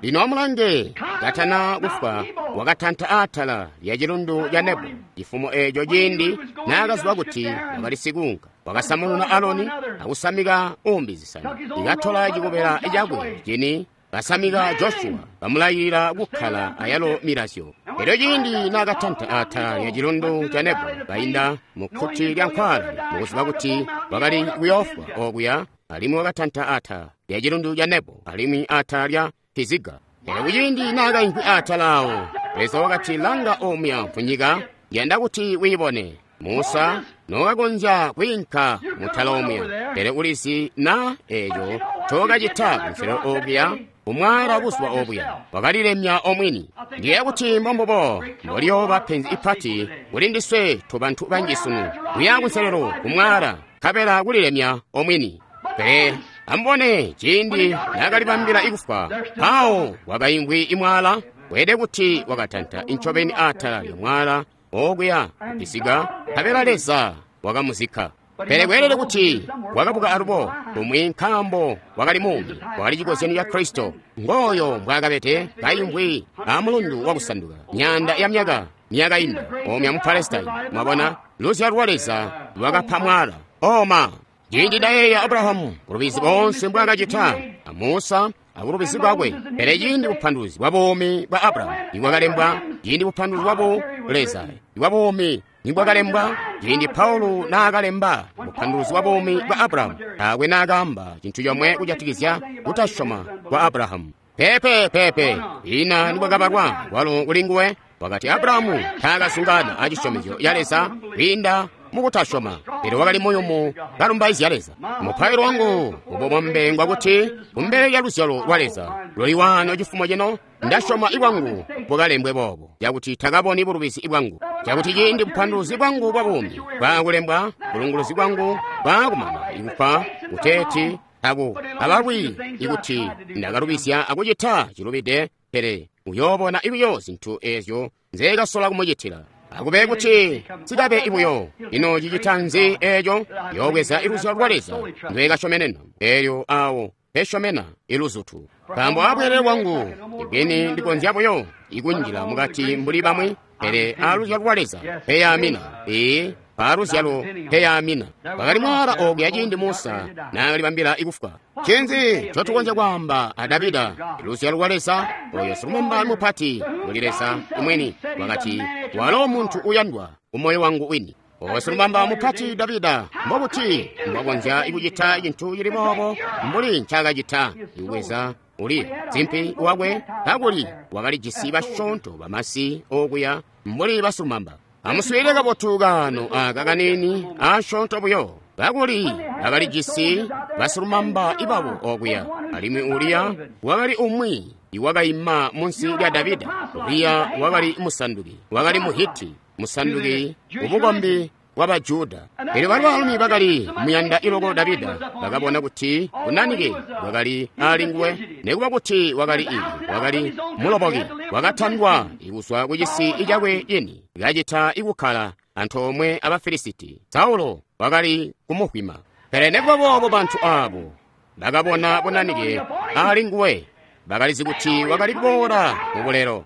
Lino amulange, katana kufwa wakatanta atala lya cilundu ca Nebo cifumo eeco ciindi naakaziba kuti wakali sikunka. Wakasamununa Aloni akusamika umbi zisani, ikatola cikobela cakwe cini basamika Joshua, bamulayilila kukkala ayalo milazyo. Elyo ciindi naakatanta atala lya cilundu ca Nebo kainda mu kkuti lya nkwala, mukuziba kuti wakali kuyoofwa okuya, alimwi wakatanta atala lya cilundu ca Nebo alimwi atala lya Piziga. Pele kuciindi naakaimvwi atala awo, Leza wakati, langa omuya mfunyika, yanda kuti wiibone. Musa nokakonzya kwiinka mutala omuya, pele ulizi na eeco ncokacita kunselelo okuya kumwala buzuba obuya, wakalilemya omwini. Ndiyeeya kuti mbombubo mboliyooba penzi ipati kuli ndiswe tobantu banji sunu, kuya kunselelo kumwala nkabela kulilemya omwini. Pele amubone ciindi naakalibambila ikufwa, mpawo wakaimvwi imwala, weelede kuti wakatanta incobeni atala lyomwala okuya kupisiga, nkabela Leza wakamuzikka. Pele kweelede kuti wakabuka alubo kumwi nkaambo wakali muumi, wakali cikozyanyo ca Kristo. Ngooyo mbwaakabede kaimvwi amulundu wakusanduka myaanda ya myaka myakainda omya mu Palestine. Mwabona, luzyalo lwa Leza lwakapa mwala oma. Ciindi ndayeeya Abrahamu bulubizi bonse mbwaakacita, a Musa abulubizi bwakwe, pele ciindi bupanduluzi bwa buumi bwa Abrahamu nibwakalembwa, ciindi bupanduluzi bwa Leza bwa buumi nibwakalembwa, ciindi Paulo naakalemba bupanduluzi bwa buumi bwa Abrahamu, taakwe naakaamba cintu comwe kujatikizya kutasyoma kwa Abrahamu. Pepe pepe ina nibwakabalwa kwalo kuli nguwe, wakati Abrahamu taakazungana acisyomezyo ca Leza kwiinda mukutasyoma, pele wakali muyumu kalumbaizya Leza. Mupailo wangu mububombe ngwakuti kumbele lya luzyalo lwa Leza luli wano cifumo cino, ndasyoma ibwangu bukalembwe boobo, cakuti takaboni bulubizi bwangu, cakuti ciindi bupanduluzi bwangu bwa buumi bwaakulembwa, bulunguluzi bwangu bwaakumana ikufa kuteeti tabu abalwi ikuti ndakalubizya akucita cilubide, pele uyoobona buyo zintu eezyo nzeekasola kumucitila. Akube kuti sikabe ibuyo. Ino cicita nzi eeco? Yoobweza iluzyalo lwa Leza ndwekasyomenena, eelyo awo pesyomena iluzutu. Nkaambo abweelele bwangu ibwini ndikonzya buyo ikunjila mukati mbuli bamwi, pele aluzyalo lwa Leza peyamina. Ee, paaluzyalo peyamina. Kwakali mwaala okuya ciindi Musa naakalibambila ikufwa. Ncinzi ncotukonzya kwaamba a Davida? Iluzyalo lwa Leza, oyo silumamba mupati muli Leza imwini, wakati, walo muntu uyandwa kumoyo wangu wini. Oyo silumamba mupati Davida, mbobuti mbwakonzya kucita cintu cili boobo mbuli ncaakacita? Ikubweza Uriya zimpi wakwe, kakuli wakalijisi basyoonto bamasi okuya mbuli basilumamba. Amuswiilile kabotu kaano aka kaniini asyoonto buyo. Kakuli bakalijisi basilumamba ibabo okuya, alimwi Uriya wakali umwi iwakaima munsi lya Davida. Uriya wakali musanduki, wakali Muhiti, musanduki ubukombi bwa Bajuda. Elyo baalumi bakali muyanda iloko Davida bakabona kuti bunanike bwakali ali nguwe, nekuba kuti wakali ili wakali muloboki, wakatandwa kuzwa ku cisi cakwe cini, kacita ikukkala antoomwe aba Filisiti. Saulo wakali kumuhwima. Pele nekuba boobo bantu aabo bakabona bunanike ali nguwe, bakalizi kuti wakali kuboola mu bulelo.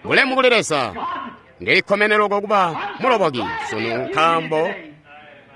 Bulemu kuli Leza! Ndilikkomene loko kuba muloboki sunu, nkaambo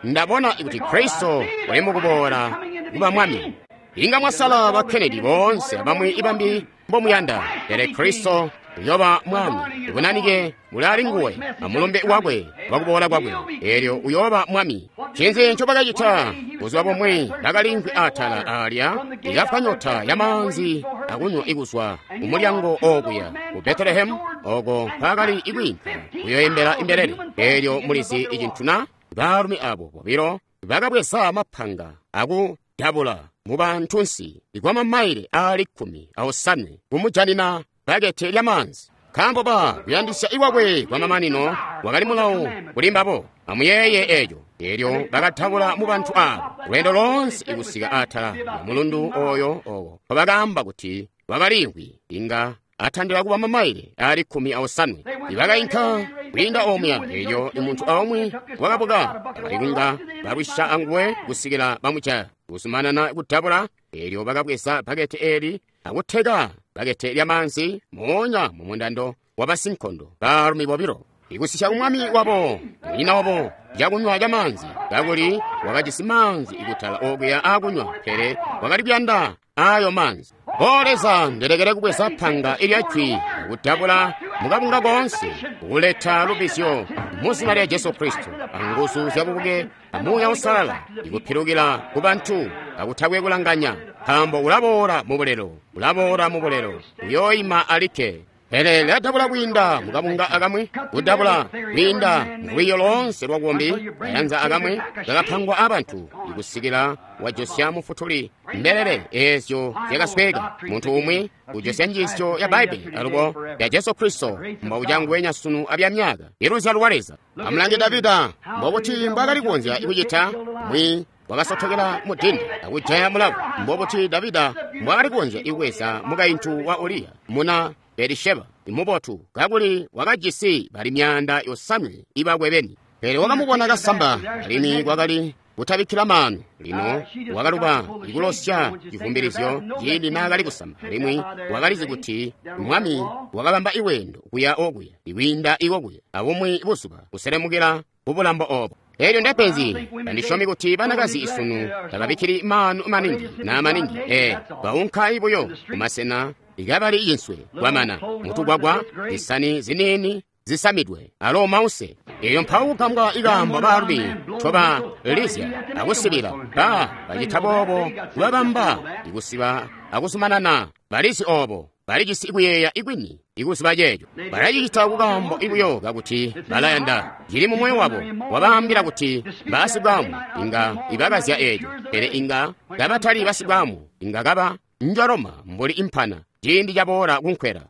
ndabona kuti Kristo uli mukuboola kuba mwami. Inga mwasala ba Kennedy boonse abamwi ibambi mbomuyanda, pele Kristo uyoba mwami. Ibunanike buli ali nguwe amulumbe wakwe wakuboola kwakwe, eelyo uyooba mwami. Ncinzi ncobakacita? Buzuba bumwi bakalimvwi atala alya ikafwa nyota ya maanzi akunywa ikuzwa kumulyango okuya ku Betelehemu, oko mpaakali ikwiinka kuyoyembela imbelele. Eelyo mulizi icintu na? Baalumi abo bobilo bakabweza mapanga akudabula mu bantunsi kwa mamaile aali kkumi aosanwe kumujanina bakete lya maanzi. Nkaambo ba kuyandisya iwakwe kwa mamanino wakali mulawo kuli mbabo. Amuyeeye eeco. Eelyo bakatabula mu bantu aabo lweendo loonse ikusika atala ya mulundu oyo owo mpobakaamba kuti wakaliimvwi inga atandila kuba mamaile aali kkumi aosanwe. Ibakainka kwiinda omuya, eelyo imuntu aumwi wakabuka bakali kunga balwisya anguwe kusikila bamujaya. Kuzumanana kutabula, eelyo bakabweza bakete eeli akuteka bakete lya maanzi moonya mu mundando wa basinkondo baalumi bobilo, ikusisya kumwami wabo munyina wabo cakunywa ca maanzi, kakuli wakajisi maanzi ikutala okuya akunywa, pele wakali kuyanda ayo maanzi. O Leza, ndelekele kubweza panga ilya jwi akudabula mukabunga koonse, kuleta lubizyo mu zina lya Jesu Kristo, anguzu zyabubuke amuuya usalala, ikupilukila ku bantu akutakwe kulanganya, nkaambo ulaboola mu bulelo, ulaboola mu bulelo, uyooima alikke. Pele lyadabula kwiinda mukabunga akamwi, kudabula kwiinda mulwiiyo loonse lwabukombi, kayanza akamwi kakapangwa abantu ikusikila wajosya mufutuli mbelele eezyo zyakasweka. Muntu umwi ujosya njiisyo ya Bbaibbele alubo ya Jesu Kristo mbaucangwenya sunu abya myaka iluzyalo lwa Leza. Amulange Davida mbobuti mbwaakali kukonzya kucita mwi wakasotokela mu dindi akujaya mulavu. Mbobuti Davida mbwaakali kukonzya kubweza mukaintu wa Uriya muna Betisheba mubotu, kakuli wakajisi bali myaanda yosanwe ibakwe beni. Pele wakamubona kasamba, alimwi kwakali kutabikkila maanu. Lino wakaluba ikulosya civumbilizyo ciindi naakali kusamba, alimwi wakalizi kuti mwami wakabamba iwendo kuya okuya ikwiinda ikokuya abumwi buzuba kuselemukila kubulambo obo. Elyo ndepenzi tandisyomi kuti banakazi isunu tababikkili maanu maningi na maningi ee baunka buyo kumasena ikabali cinswe kwamana mutugwagwa zisani ziniini zisamidwe alo mause. Eyo mpawo kugambwa ikaambo baalumi ncoba lizya akusibila ba bacita boobo kubabamba ikusiba akuzumanana balizi obo balijisi ikuyeeya ikwini ikuziba ceeco balacicita kukaambo ikuyo kakuti balayanda cili mu moyo wabo wabaambila kuti basibwamu inga ibakazya eeco pele inga kabatali basibwamu inga kaba njoloma mbuli impana ciindi caboola kunkwela.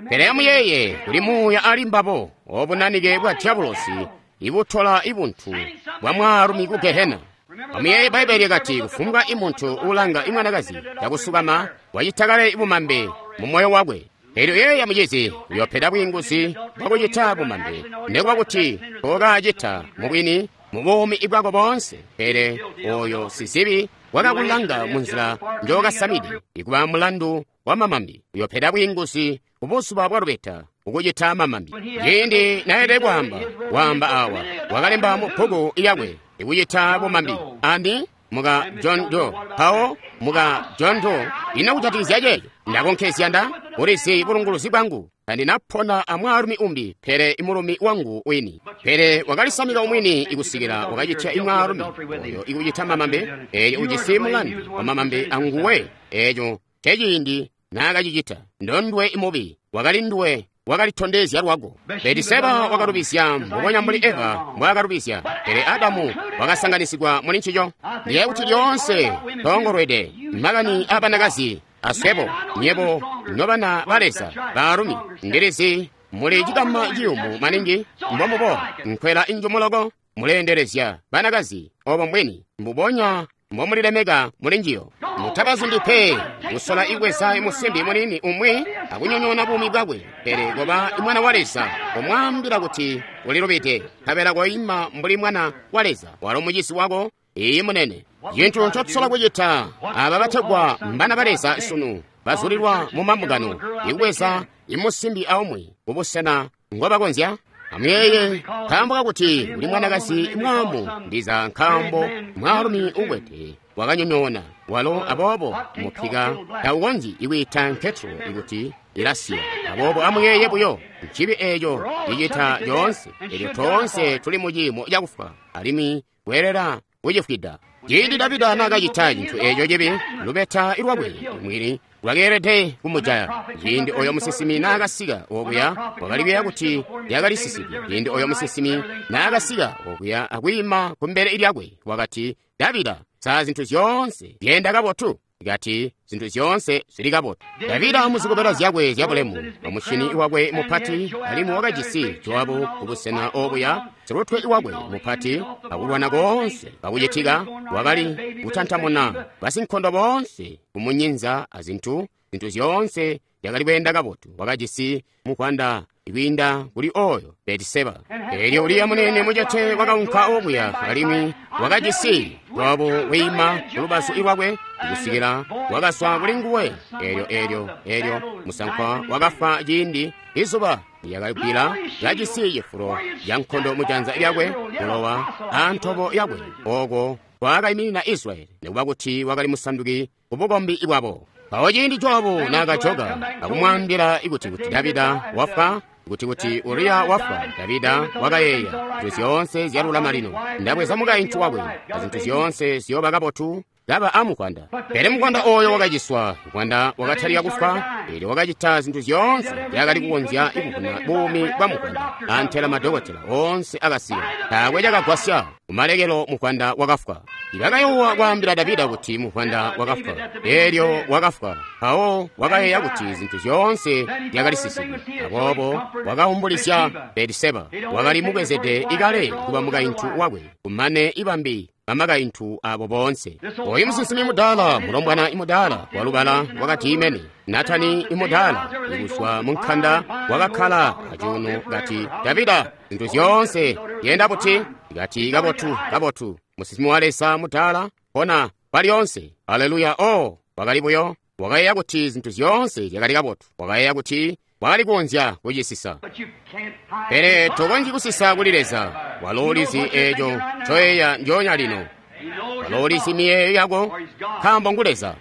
Pele amuyeeye kuli muuya ali mbabo obunanike bwa dyabulosi ibutola ibuntu bwa mwaalumi ku gehena. Amuyeeye Bbaibele lyakati kufumbwa imuntu ulanga imwanakazi cakusukama wacita kale ibumambe mu moyo wakwe. Elyo yeeya mucizi uyopeda bwiinguzi bwakucita bumambe nekuba kuti tookacita mubwini mu buumi bwako boonse, pele oyo sizibi wakakulanga munzila njookasamide ikuba mulandu wa mamambi uyopeda bwiinguzi kubuzuba bwa lubeta ukucita mamambi. Ciindi naelede kwaamba waamba awa wakalemba mu bbuku lyakwe ikucita bumambi andi muka John Doe mpawo muka John Doe ino kujatikizya ceeco ndakonkezya nda ulizi bulunguluzi bwangu tandinapona amwaalumi umbi pele imulumi wangu wini. Pele wakalisamika umwini ikusikila wakacitya imwaalumi oyo ikucita mamambe eeyo ujisi mulandu wa mamambe anguwe eeco ceciindi naakacicita ndondwe imubi wakali nduwe wakalitondezya lwako. Betiseba wakalubizya mbubonya mbuli Eva mbwaakalubizya, pele Adamu wakasanganisigwa muli ncico. Ndiye kuti lyoonse toongolwede makani aabanakazi aswebo nyebo nobana ba Leza baalumi ndilizi muli cikama ciyumu maningi mbomubo nkwela injumuloko muleendelezya banakazi obo mbwini mbubonya mbomulilemeka muli njiyo. Mutabazundi pe kusola ibweza imusimbi munini umwi akunyonyoona buumi bwakwe, pele koba mwana wa Leza omwaambila kuti ulilubide nkabela koima mbuli mwana wa Leza walo mucisi wako iyi munene. Cintu ncotusola kucita aba bategwa mbana ba Leza sunu bazulilwa mu mambungano ikubweza imusimbi aumwi kubusena ngobakonzya. Amuyeeye nkaambo kakuti uli mwanakazi mwaamu ndiza nkaambo mwaalumi ukwete wakanyonyoona walo aboobo mupika taukonzyi ikwiita nketro ikuti ilasiya. Aboobo amuyeeye buyo ncibi eeco cicita lyoonse elyo toonse tuli mu ciimo cakufwa alimwi kweelela kucifwida. Ciindi Davida naakacita cintu eeco cibi lubeta lwakwe mwini lwakeelede kumujaya. Ciindi oyo musinsimi naakasika okuya wakali kuyeeya kuti lyakalisisike. Ciindi oyo musinsimi naakasika okuya akwiima kumbele lyakwe wakati, Davida, saa zintu zyoonse zyenda kabotu? Kati zintu zyoonse zili kabotu. Davida muzikobela zyakwe zyabulemu amushini wakwe mupati alimwi wakajisi Jowabu kubusena obuya silutwe wakwe mupati akulwana koonse kakucitika wakali kutantamuna basinkondo boonse kumunyinza azintu zintu zyoonse zyakali kweenda kabotu. Wakajisi mukwanda ikwiinda kuli oyo Betiseba. Elyo Uriya munene mucete wakaunka okuya alimwi wakajisi Jowabu wiima kulubazu lwakwe kusikila wakaswa kuli nguwe. Elyo elyo elyo musankwa wakafa ciindi izuba lyakagwila kajisi cifulo ca nkondo mujanza lyakwe bulowa antobo yakwe oko kwakaiminina Israeli nikuba kuti wakali musanduki kubukombi bwabo. Mpawo ciindi Jowabu naakajoka akumwaambila ikuti kuti Davida wafwa kuti kuti Uriya wafwa, Davida wakayeeya zintu zyoonse zyalulama lino ndabweza mukaintu wakwe azintu zyoonse ziyooba kabotu kaba amukwanda. Pele mukwanda oyo wakaciswa, mukwanda wakatalika kufwa, elyo wakacita zintu zyoonse zyakali kukonzya ikuvuna buumi bwa mukwanda. Antela madokotela oonse akasiya taakwe cakagwasya. Kumalekelo mukwanda wakafwa. Ibakayowa kwaambila Davida kuti mukwanda wakafwa, elyo wakafwa. Mpawo wakayeeya kuti zintu zyoonse zyakalisisike, aboobo wakaumbulizya Betiseba wakali mubwezede ikale kuba mukaintu wakwe kumane ibambi bamakaintu abo boonse. Oyu musinsimi mudaala mulombwana imudaala walubala wakati imene Natani imudaala ikuswa munkanda wakakkala acuuno kati, Davida, zintu zyoonse zyenda buti? Kati kabotu kabotu. Musinsimi wa Leza mudaala pona palyoonse. Aleluya! O wakali buyo wakayeeya kuti zintu zyoonse zyakali kabotu. Wakayeeya kuti Wakali kukonzya kucisisa. Pele tokonzyi kusisa kuli Leza. Walo ulizi eeco ncoyeeya njoonya lino. Walo ulizi miyeeyo yako, nkaambo ngu Leza.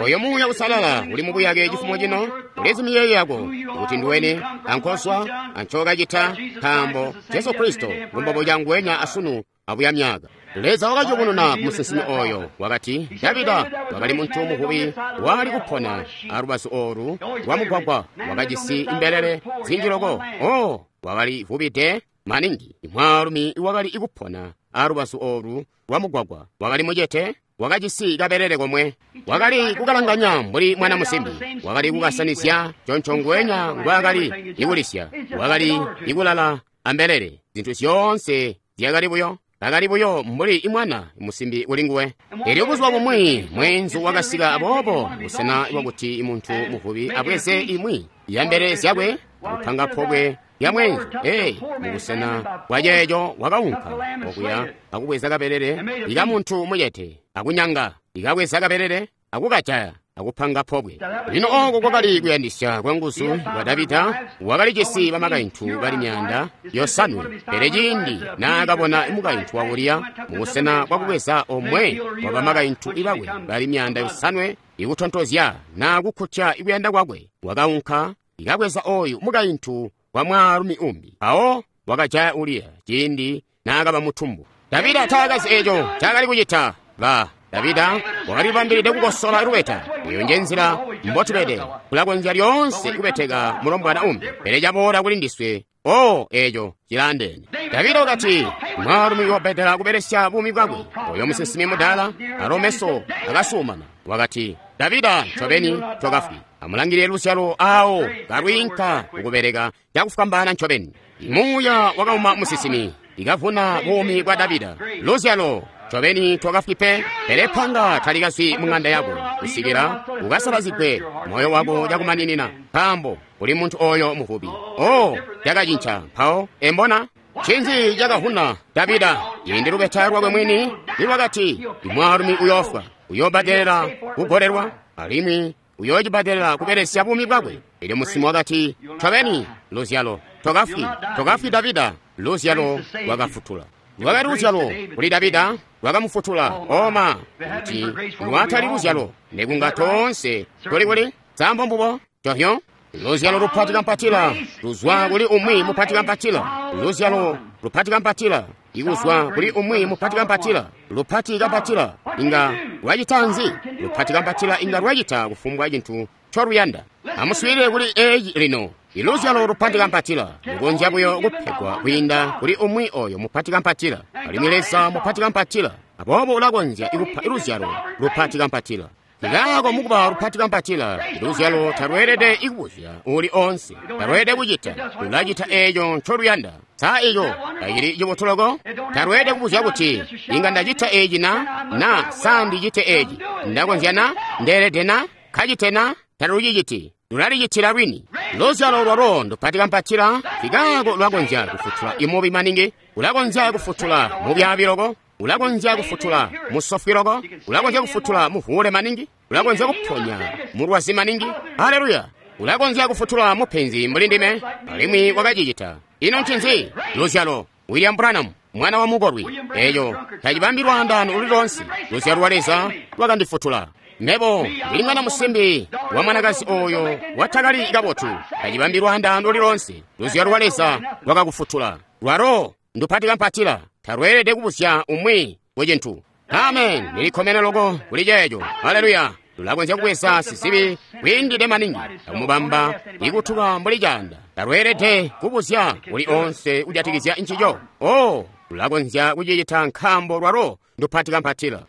Oyo Muuya Uusalala uli mubuyake cifumo cino, ulizi miyeeyo yako, kuti nduweni, ankozwa, ancokacita, nkaambo Jesu Kristo ngumbobo nguwenya asunu abuya myaka. Leza wakaciyubununa musinsimi oyo, wakati Davida wakali muntu muvubi wali kupona alubazu olu lwa mugwagwa, wakajisi imbelele zinji loko. O wakali vubide maningi. Mwaalumi wakali kupona alubazu olu lwa mugwagwa wakali mucete, wakajisi kabelele komwe, wakali kukalanganya mbuli mwana musimbi, wakali kukasanizya conco ngwenya ngwaakali ikulisya, wakali ikulala ambelele. Zintu zyoonse zyakali buyo kakali buyo mbuli imwana musimbi kuli nguwe. Elyo buzuba bumwi mweenzu wakasika, aboobo busena bwakuti muntu muvubi abweze imwi ya mbelele zyakwe akupanga pobwe lya mweenzu. Ee, mubusena bwa ceeco wakaunka okuya akubweza kabelele ika muntu mucete akunyanga, ikabweza kabelele akukajaya akupanga pobwe. Lino oko kwakali kuyandisya kwa nguzu kwa Davida. Wakalijisi bamakaintu bali myaanda yosanwe, pele ciindi naakabona mukaintu wa Uriya mubusena bwakubweza omwe wa bamakaintu bakwe bali myaanda yosanwe ikutontozya naa kukkutya ikuyanda kwakwe, wakaunka ikabweza oyu mukaintu wa mwaalumi umbi. Mpawo wakajaya Uriya ciindi naakaba mutumbu. Davida taakazi eco ncaakali kucita. Ba Davida wakalibambilide kukosola lubeta. Eyo nje nzila mbotubede. Kulakonzya lyoonse kubeteka mulombwana umbi, pele caboola kuli ndiswe, o eco cilaandeene. Davida wakati mwaalumi wabedela kubelesya buumi bwakwe. Oyo musinsimi mudaala alo meso akasuumana. Wakati, Davida, ncobeni tokafwi. Amulangilile luzyalo awo kalwiinka kukubeleka cakufwambaana ncobeni. Muuya wakauma musinsimi, ikavuna buumi bwa Davida. Luzyalo ncobeni tokafwi pe, pele panga talikazwi mung'anda yako kusikila ukasalazigwe moyo wako cakumaninina, nkaambo uli muntu oyo muvubi. O cakacinca mpawo embona ncinzi cakavuna Davida ciindi lubeta lwakwe mwini nilwakati mwaalumi uyoofwa, uyoobadelela kugolelwa, alimwi uyoocibadelela kubelesya buumi bwakwe. Elyo musinsimi wakati, ncobeni luzyalo tokafwi, tokafwi Davida. Luzyalo lwakafutula. Lwakali luzyalo kuli Davida lwakamufutula. Oma kuti lwatali luzyalo nekunga toonse tuli kuli sambo mbubo tohyo. Luzyalo lupati kampatila luzwa kuli umwi mupati kampatila. Luzyalo lupati kampatila ikuzwa kuli umwi mupati kampatila. Lupati kampatila inga lwacita nzi? Lupati kampatila inga lwacita kufumbwa cintu ncoluyanda. Amuswiilile kuli eeci lino. Iluzyalo lupati kampatila lukonzya buyo kupegwa kwiinda kuli umwi oyo mupati kampatila, alimwi Leza mupati kampatila, aboobo ulakonzya ikupa iluzyalo lupati kampatila. Likaako mukuba lupati kampatila, iluzyalo talweelede ikubuzya uli onse, talweelede kucita, lulacita eeco ncoluyanda. Sa eco tacili cibotu loko? Talweelede kubuzya kuti inga ndacita eeci na, na sa ndicite eeci, ndakonzya na, ndeelede na, kacite na, taluciciti. Lulalicitila lwini. Luzyalo lwalo ndupati kampatila, likaako lulakonzya kufutula imubi maningi, ulakonzya kufutula mubyabi loko, ulakonzya kufutula musofwi loko, ulakonzya kufutula muvuule maningi, ulakonzya kuponya mulwazi maningi. Haleluya! Ulakonzya kufutula mupenzi mbuli ndime, alimwi wakacicita. Ino ncinzi? Luzyalo. William Branham, mwana wa mukolwi. Eco tacibambi lwaandaano luli lonse. Luzyalo lwa Leza lwakandifutula. Mebo ndili mwana musimbi wa mwanakazi oyo watakali kabotu, tacibambi lwaandaano luli lonse. Luzyalo lwa Leza lwakakufutula. Lwalo ndupati kampatila, talweelede kubuzya umwi kucintu. Amen. Ndilikkomene loko kuli ceeco. Haleluya. Lulakonzya kubweza sizibi kwiindide maningi akumubamba ikutuka mbuli caanda. Talweelede kubuzya kuli onse kujatikizya ncico. O lulakonzya kucicita nkaambo lwalo ndupati kampatila.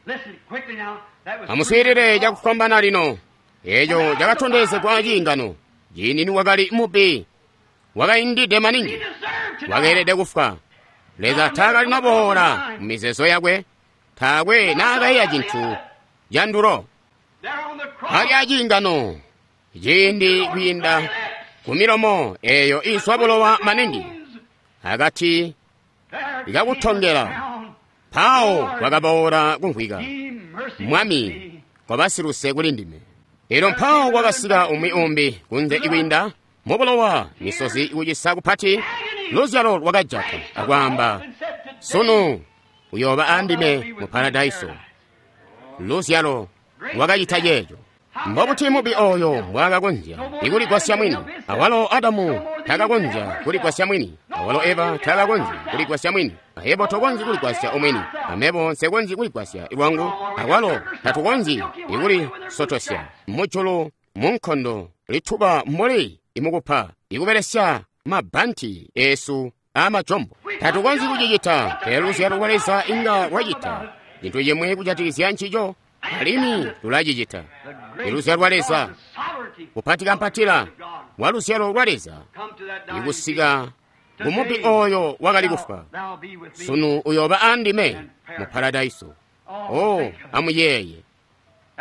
Amuswiilile cakufwambaana lino. Eco cakatondezegwa ciingano. Ciindi niwakali mubi, wakaindide maningi, wakeelede kufwa. Leza taakali naboola mu mizeezo yakwe, taakwe naakayiya cintu candulo. Ali aciingano, ciindi kwiinda ku milomo eyo izwa bulowa maningi, akati ikakutongela, mpawo kwakaboola kumvwika, Mwami, koba siluse kuli ndime. Elyo mpawo kwakasika umwi umbi kunze ikwiinda Mubulowa, misozi kucisa kupati, luzyalo lwakajata akwaamba, sunu uyooba andime mu paradaiso. Luzyalo lwakacita ceeco. Mbobuti mubi oyo mbwaakakonzya ikuligwasya mwini? Awalo Adamu takakonzya kuligwasya mwini, awalo Eva takakonzya kuligwasya mwini, ayebo tokonzyi kuligwasya omwini, amebo nsekonzyi kuligwasya lwangu, awalo tatukonzyi ikulisotosya mujulu munkondo lituba mbuli imukupa ikubelesya mabbanti esu amajombo. Tatukonzyi kucicita, pele luzyalo lwa Leza inga lwacita cintu cimwe kujatikizya ncico, alimwi lulacicita. Iluzyalo lwa Leza, kupatikampatila wa luzyalo lwa Leza, ikusika kumubi oyo wakali kufwa, sunu uyooba andime mu paradaiso. Oh, amuyeeye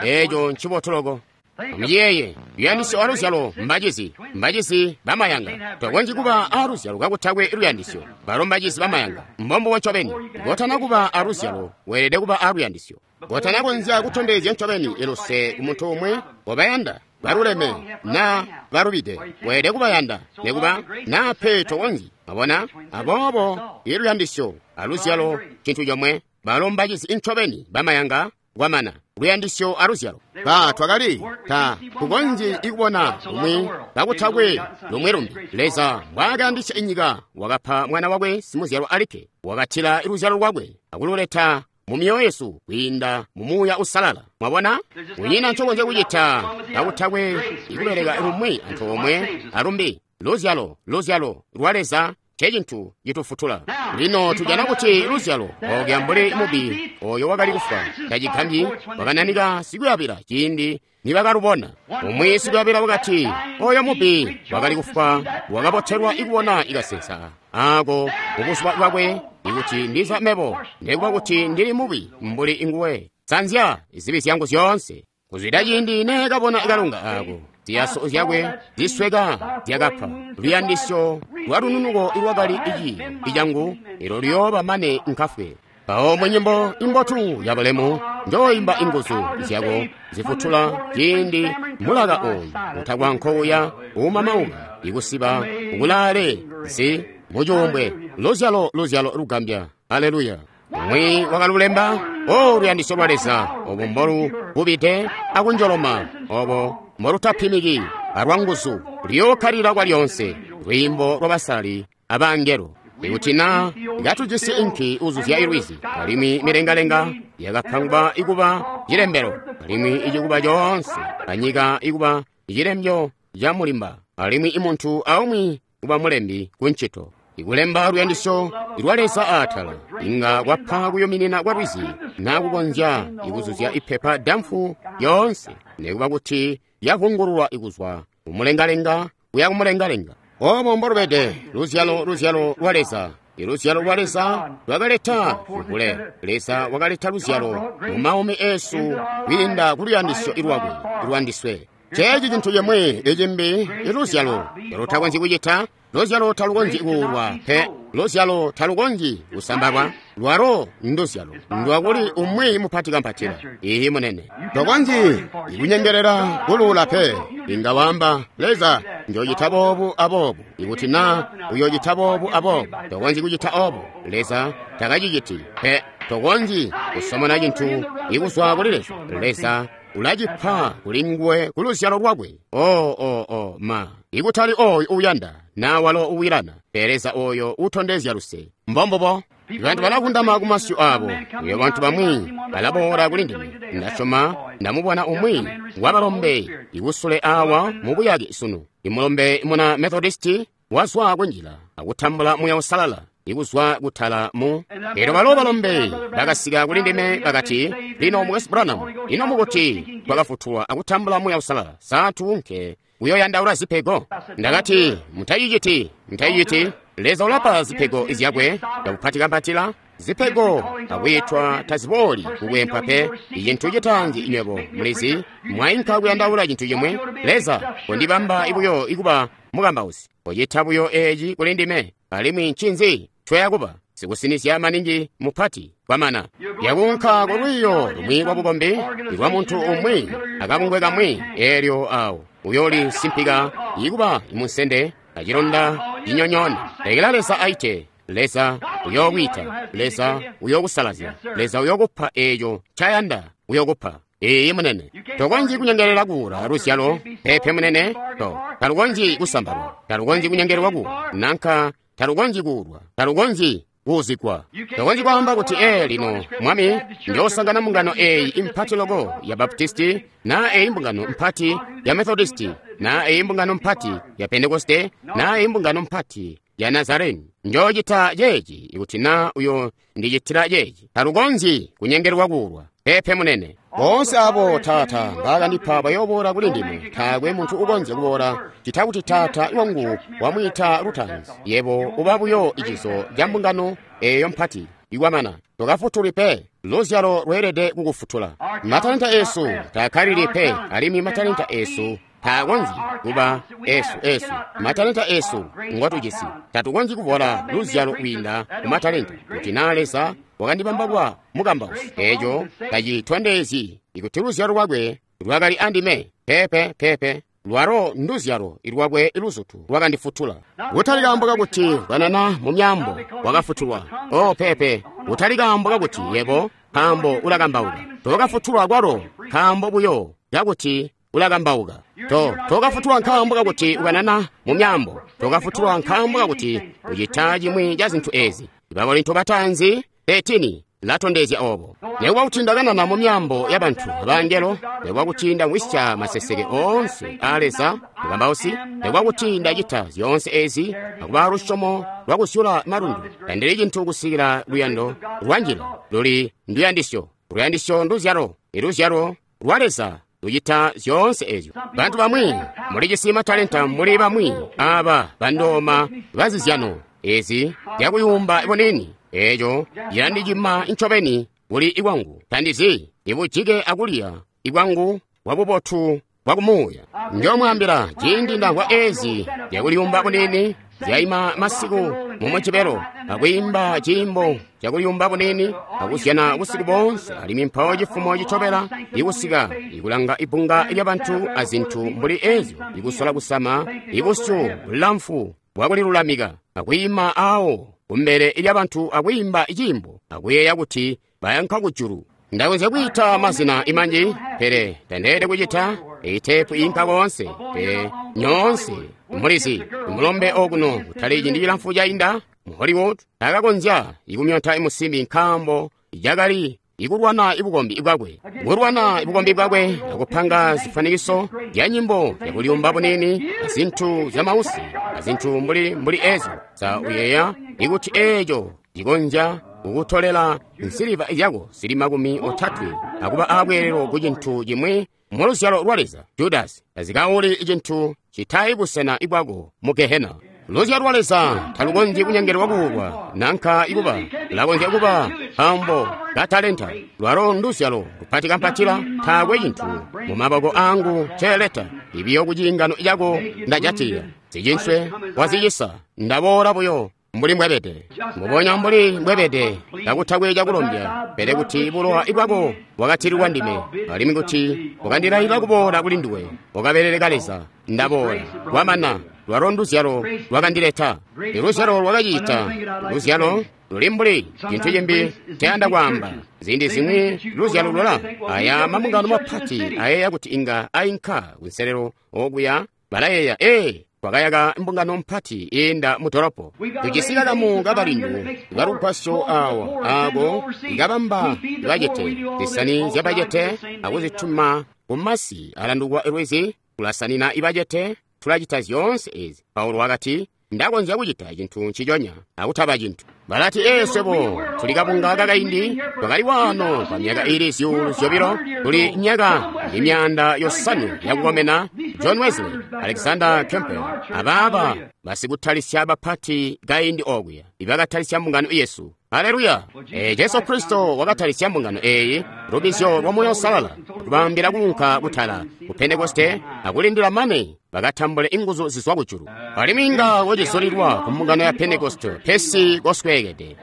eco ncibotu loko. Amuyeeye luyandisyo aluzyalo mbacizi, mbacizi bamayanga. Tokonzyi kuba aluzyalo kakutakwe luyandisyo. Balo mbacizi bamayanga, mbombubo ncobeni. Kotana kuba aluzyalo, weelede kuba aluyandisyo. Kotana konzya kutondezya ncobeni iluse ku muntu umwe obayanda baluleme na balubide, weelede kubayanda nekuba na pe tokonzyi. Mwabona? Aboobo iluyandisyo aluzyalo cintu comwe. Balo mbacizi ncobeni bamayanga kwamana luyandisyo aluzyalo. Ba twakali ta tukonzyi ikubona lumwi kakutakwe lumwi lumbi. Leza mbwaakayandisya inyika, wakapa mwana wakwe simuzyalwa alikke, wakatila luzyalo lwakwe akululeta mu myoyo yesu kwiinda mu Muuya Usalala. Mwabona? Kunyina ncokonzya kucita kakutakwe ikubeleka lumwi antoomwe alumbi. Luzyalo, luzyalo lwa Leza ncecintu citufutula. Lino tujana kuti luzyalo ookya mbuli mubi oyo wakali kufwa tacigambyi wakananika sikuyabila ciindi nibakalubona. Umwi sikuyabila wakati, oyo mubi wakali kufwa wakabotelwa ikubona ikasensa ako mubuzuba bwakwe, ikuti ndiza mebo nekuba kuti ndili mubi mbuli nguwe, sanzya zibi zyangu zyoonse. Kuzwida ciindi neekabona kalunga ako, ziyaso zyakwe zisweka zyakapha. Luyandisyo lwa lununuko ilwakali iciyo icangu ilo luyooba mane nkafwe. Mpawo munyimbo imbotu ya bulemu njooimba inguzu zyako zifutula ciindi mulaka oyu utakwa nkouya uumamauka ikusiba ukulaale zi mucuumbwe. Luzyalo, luzyalo lugambya. Aleluya. Umwi wakalulemba, o luyandisyo lwa Leza obo mbolu bubide akunjoloma, obo mbolutapimiki alwanguzu, luyookkalira kwalyonse. Lwiimbo lwabasali abangelo. Ikuti na katujisi inki uzuzya ilwizi, alimwi milengalenga yakapangwa ikuba cilembelo, alimwi icikuba coonse anyika ikuba cilembyo ca mulimba, alimwi imuntu aumwi kuba mulembi kuncito. Ikulemba luyandisyo lwa Leza aatala inga kwapa kuyuminina kwa lwizi na kukonzya ikuzuzya ipepa damfu yoonse, nekuba kuti yavungululwa ikuzwa kumulengalenga kuya kumulengalenga. Obo mbolubede luzyalo, luzyalo lwa Leza. Iluzyalo lwa Leza lwakaleta vuvule. Leza wakaleta luzyalo mu maumi esu kwiinda ku luyandisyo lwakwe lwandiswe. Ceeci cintu cimwi icimbi iluzyalo lutakonzyi kucita. Luzyalo talukonzyi kuulwa pe. Luzyalo talukonzyi kusambalwa. Lwalo nduzyalo ndwakuli umwi mupati kampatila. Ihi munene, tokonzyi ikunyengelela kuluula pe. Inga wamba, Leza, njocita boobu aboobu, ikuti na uyocita boobu aboobu. Tokonzyi kucita obo. Leza takaciciti pe. Tokonzyi kusomona cintu ikuzwa kuli Leza. Leza ulacipa kuli nguwe ku luzyalo lwakwe. O o o ma ikutali oyo uyanda na walo uwilana, pele Leza oyo utondezya luse. Mbombubo. Bantu balakundama ku masyu abo. Iyo bantu bamwi balaboola kuli ndime. Ndasyoma ndamubona umwi wabalombe ikusule awa mu buyake sunu. Imulombe muna Methodisti wazwa kunjila akutambula Muuya Usalala ikuzwa kutala mu. Elyo balo balombe bakasika kuli ndime bakati, lino Mukwesu Branham, ino mukuti twakafutulwa akutambula Muuya Usalala, sa tuunke kuyoyandaula zipego? Ndakati, mutaciciti, mutaciciti. Leza ulapa zipego zyakwe kakupatika-mpatila. Zipego akwiitwa tazibooli kukwempwa pe. Icintu citaanzi nywebo mulizi, mwainka kuyandaula cintu cimwe. Leza kondibamba buyo ikuba mukambausi, kocita buyo eeci kuli ndime, alimwi ncinzi ncoyakuba sikusinizya maningi mupati kwamana yakunka ku lwiiyo lumwi lwa bukombi lwa muntu umwi akabungwe kamwi, eelyo awo Uyooli simpika ikuba imunsende acilonda cinyonyoona. Lekela Leza aite. Leza uyokwiita. Leza uyokusalazya. Leza uyokupa eeco ncayanda uyokupa. Iiyi munene. Tokonzyi kunyengelela kuula luzyalo, peepe munene. To talukonzyi kusambalwa, talukonzyi kunyengelelwa kuula, nanka talukonzyi kuulwa, talukonzyi kuuzigwa. Tokonzyi kwaamba kuti ee lino Mwami, njoosangana mbungano eeyi impati loko ya Baptisti, na eeyi mbungano mpati ya Methodisti, na eeyi mbungano mpati ya Pentekoste, na eeyi mbungano mpati ya Nazareni. Njoocita ceeci ikuti na uyo ndicitila ceeci. Talukonzyi kunyengelelwa kuulwa, peepe munene. Boonse abo Taata mbaakandipa bayooboola kuli ndime. Taakwe muntu ukonzya kuboola cita kuti Taata wangu wamwiita lutaanzi. Yebo uba buyo icizo ca mbungano eeyo mpati ikwamana. Tokafutulwi pe. Luzyalo lweelede kukufutula. Matalenta eesu taakkalili pe, alimwi matalenta eesu taakonzyi kuba esu esu. Matalenta esu ngotujisi tatukonzyi kuvola luzyalo kwiinda ku matalenta. Kuti naa Leza wakandibamba kuba mukambausi, eeco tacitondezyi ikuti luzyalo lwakwe lwakali andime. Peepe peepe, lwalo nduzyalo lwakwe luzutu lwakandifutula. Kutali kaambo kakuti kanana mu myaambo wakafutulwa. Oh peepe, kutali kaambo kakuti yebo nkaambo ulakambauka. Tokafutulwa kwalo nkaambo buyo kakuti ulakambauka. To tokafutulwa nkaambo kakuti ukanana mu myaambo. Tokafutulwa nkaambo kakuti ucita cimwi ca zintu ezi. Bakorinto bataanzi thirteen latondezya obo. Nekuba kuti ndakanana mu myaambo ya bantu abangelo, nekuba kuti ndamwisya maseseke oonse a Leza mukambausi, nekuba kuti ndacita zyoonse ezi akuba lusyomo lwakusyula malundu, tandili cintu kusikila luyando lwanjila luli nduyandisyo. Luyandisyo nduzyalo, iluzyalo lwa Leza lucita zyoonse ezyo. Bantu bamwi mulijisi matalenta, muli bamwi aba bandooma bazizyano ezi zyakuyumba bunini. Eeco cilandicima ncobeni kuli ikwangu. Tandizi ibujike akulya ikwangu bwabubotu bwakumuuya. Njoomwaambila ciindi ndamvwa ezi zyakuliyumba bunini zyaima masiku mumujibelo akwiimba ciimbo cakuliyumba bunini akuzyana busiku boonse, alimwi mpawo cifumo citobela ikusika ikulanga ibbunga lyabantu azintu mbuli ezyo, ikusola kusama ibusyu bulamfu bwakulilulamika akwiima awo kumbele lyabantu akwiimba ciimbo akuyeeya kuti bayanka kujulu. Ndakonzya kwiita mazina imanji, pele tandeelede kucita. Eyi teepu inka koonse, pele nyoonse mulizi mulombe okuno kutali ciindi cilamfu cainda mu Hollywood takakonzya ikumyonta imusimbi nkaambo cakali ikulwana ibukombi bwakwe, kulwana ibukombi bwakwe akupanga zifanikiso zya nyimbo zyakuliyumba bunini azintu zyamausi azintu mbuli mbuli ezo. Sa uyeeya ikuti eeco cikonzya kukutolela nsiliva zyako zili makumi otatwe akuba abweelelo ku cintu cimwi mu luzyalo lwa Leza? Judasi tazikauli cintu citayi busena bwako mu Gehena. Luzyalo lwa Leza talukonzyi kunyengelelwa kuulwa nanka ikuba, lulakonzya kuba nkaambo ka talenta. Lwalo nduzyalo lupati kampatila, taakwe cintu mu maboko angu nceeleta, ibiyo ku ciingano cako ndajatilila. Zicinswe wazicisa, ndaboola buyo mbuli mbwebede, mbubonya mbuli mbwebede, kakutakwe cakulombya, pele kuti bulowa bwako bwakatilwa ndime, alimwi kuti wakandilaila kuboola kuli nduwe, wakabeleleka Leza, ndaboola, kwamana. Lwalo nduzyalo lwakandileta. Iluzyalo lwakacita. Luzyalo luli mbuli cintu cimbi ncayanda kwaamba. Ziindi zimwi luzyalo lula aya mambungano mapati ayeeya kuti inga ainka kunselelo okuya, balayeeya ee twakayaka mbungano mpati iinda mu dolopo. Tujisi kakamu kabalindu balugwasyo awa aako ikabamba bacete zisani zyabacete akuzituma kumasi alandukwa lwizi, tulasanina ibacete, tulacita zyoonse ezi. Paulo wakati, ndakonzya kucita cintu nciconya akutaba cintu. Balati ee swebo tuli kabunga kakaindi, twakali waano kwa myaka ili zyuulu zyobilo, tuli myaka imyaanda yosanwe yakukomena. John Wesley, Alexander Campbell, abaaba basikutalisya bapati kaindi okuya ibakatalisya mbungano yesu. Haleluya! E, Jesu Kristo wakatalisya mbungano eyi lubizyo lwa Moyo Uusalala, kubaambila kuunka kutala ku Pentekoste akulindila mane bakatambule inguzu zizwa kujulu. Alimwi inga wacizulilwa ku mbungano ya Pentekoste, pesi kosweekede.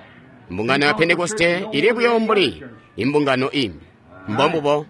Mbungano ya Pentekoste ili buyo mbuli imbungano imbi. Mbombubo.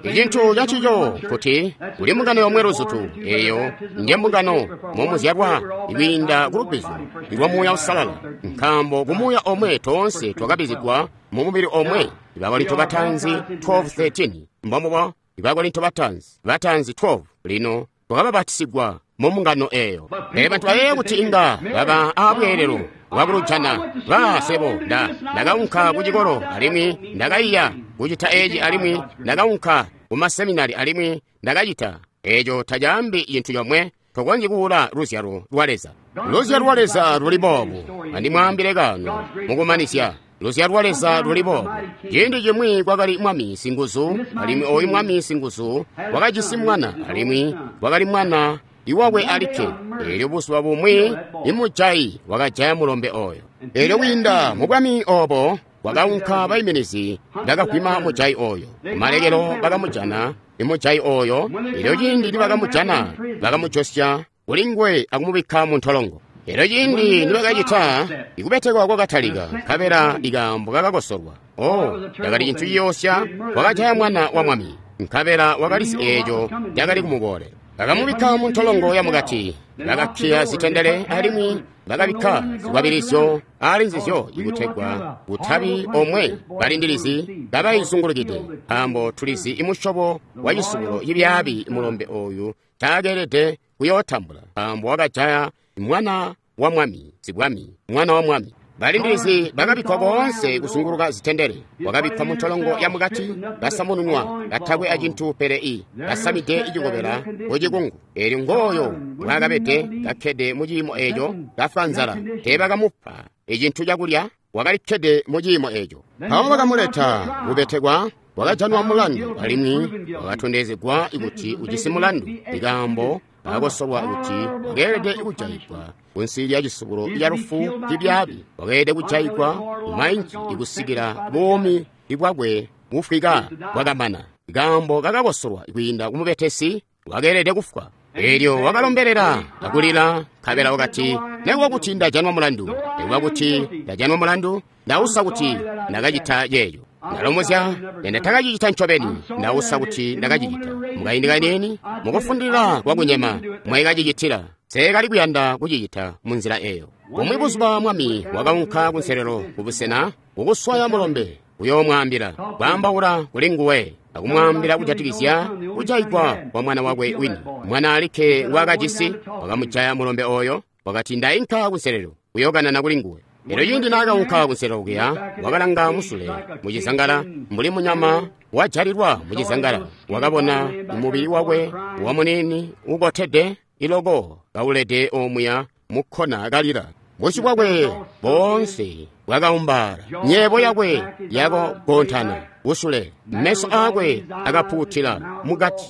Icintu cancico kuti kuli mbungano yomwe luzutu, eyo nje mbungano momuzyalwa kwiinda ku lubbizyo lwa Muuya Uusalala, nkaambo ku Muuya omwe toonse twakabbizigwa mu mubili omwe. Bakorinto batanzi twelve thirteen, mbombubo, Bakorinto batanzi batanzi twelve. Lino twakabapatisigwa mu mbungano eyo. Pele bantu bayeeya kuti inga baba aabweelelo bwakulujana. Ba sebo nda ndakaunka ku cikolo alimwi ndakaiya kucita eci, alimwi ndakaunka ku maseminari alimwi ndakacita eco. Tacaambi cintu comwe. Tokonzyi kuula luzyalo lwa Leza. Luzyalo lwa Leza luli boobu. Andimwaambile kano mukumanizya. Luzyalo lwa Leza luli boobu. Ciindi cimwi kwakali mwami singuzu, alimwi oyu mwami singuzu wakajisi mwana, alimwi wakali mwana iwakwe alikke. Eelyo buzuba bumwi imujayi wakajaya mulombe oyo. Eelyo kwiinda mu bwami obo kwakaunka baiminizi bakagwima mujayi oyo. Kumalekelo bakamujana imujayi oyo. Eelyo ciindi nibakamujana bakamujosya kulinguwe akumubikka mu ntolongo. Eelyo ciindi nibakacita, ikubetekwa kwakatalika, nkabela ikaambo kakakosolwa. Oh, cakali cintu ciyoosya. Wakajaya mwana wa mwami, nkabela wakalizi eeco cakali kumuboolela. Bakamubikka mu ntolongo yamukati, bakakkiya zitendele alimwi bakabikka zikwabilizyo ali nzizyo ikutegwa kutabi omwe balindilizi kabayizungulukide, nkaambo tulizi imusyobo wa cisubulo cibyaabi mulombe oyu taakeelede kuyootambula, nkaambo wakajaya mwana wa mwami, sibwami, mwana wa mwami. Balindilizi bakabikkwa koonse kuzunguluka zitendele. Wakabikkwa mu ntolongo yamukati, basamununwa, katakwe acintu pele i basamide icikobela kucikungu. Eelyo ngooyo mbwaakabede kakkede mu ciimo eeco, kafwa nzala. Teebakamupa icintu cakulya, wakalikkede mu ciimo eeco. Mpawo bakamuleta kubetekwa, wakajanwa mulandu, alimwi wakatondezegwa kuti ujisi mulandu. Ikaambo kakosolwa kuti wakeelede kujayigwa kunsi lya cisubulo ca lufu cibyaabi. Wakeelede kujayigwa mainki ikusikila buumi bwakwe bufwika bwakamana. Ikaambo kakakosolwa kwiinda ku mubetesi, wakeelede kufwa. Eelyo wakalombelela akulila, nkabela wakati, nekuba kuti ndajanwa mulandu, nekuba kuti ndajanwa mulandu, ndausa kuti ndakacita ceeco. Ndalomozya nendatakacicita ncobeni, ndausa kuti ndakacicita. Mukaindi kaniini, mukufundilila kwakunyema mwekacicitila. Nseekali kuyanda kucicita munzila eyo. Bumwi buzuba mwami wakaunka kunselelo kubusena kukuswaya mulombe, kuyoomwaambila, kwaambaula kuli nguwe, akumwaambila kujatikizya kujayigwa kwa mwana wakwe wini, mwana alikke ngwaakajisi. Wakamujaya mulombe oyo. Wakati, ndainka kunselelo kuyookanana kuli nguwe. Elyo ciindi naakaunka kunselelo kuya, wakalanga musule mucizangala mbuli munyama wajalilwa mucizangala. Wakabona mubili wakwe wamuniini ukotede iloko kaulede omuya mukkona kalila. Busyu bwakwe boonse bwakaumbaala, nyeebo yakwe yakagontana kusule, meso aakwe akapuutila mukati,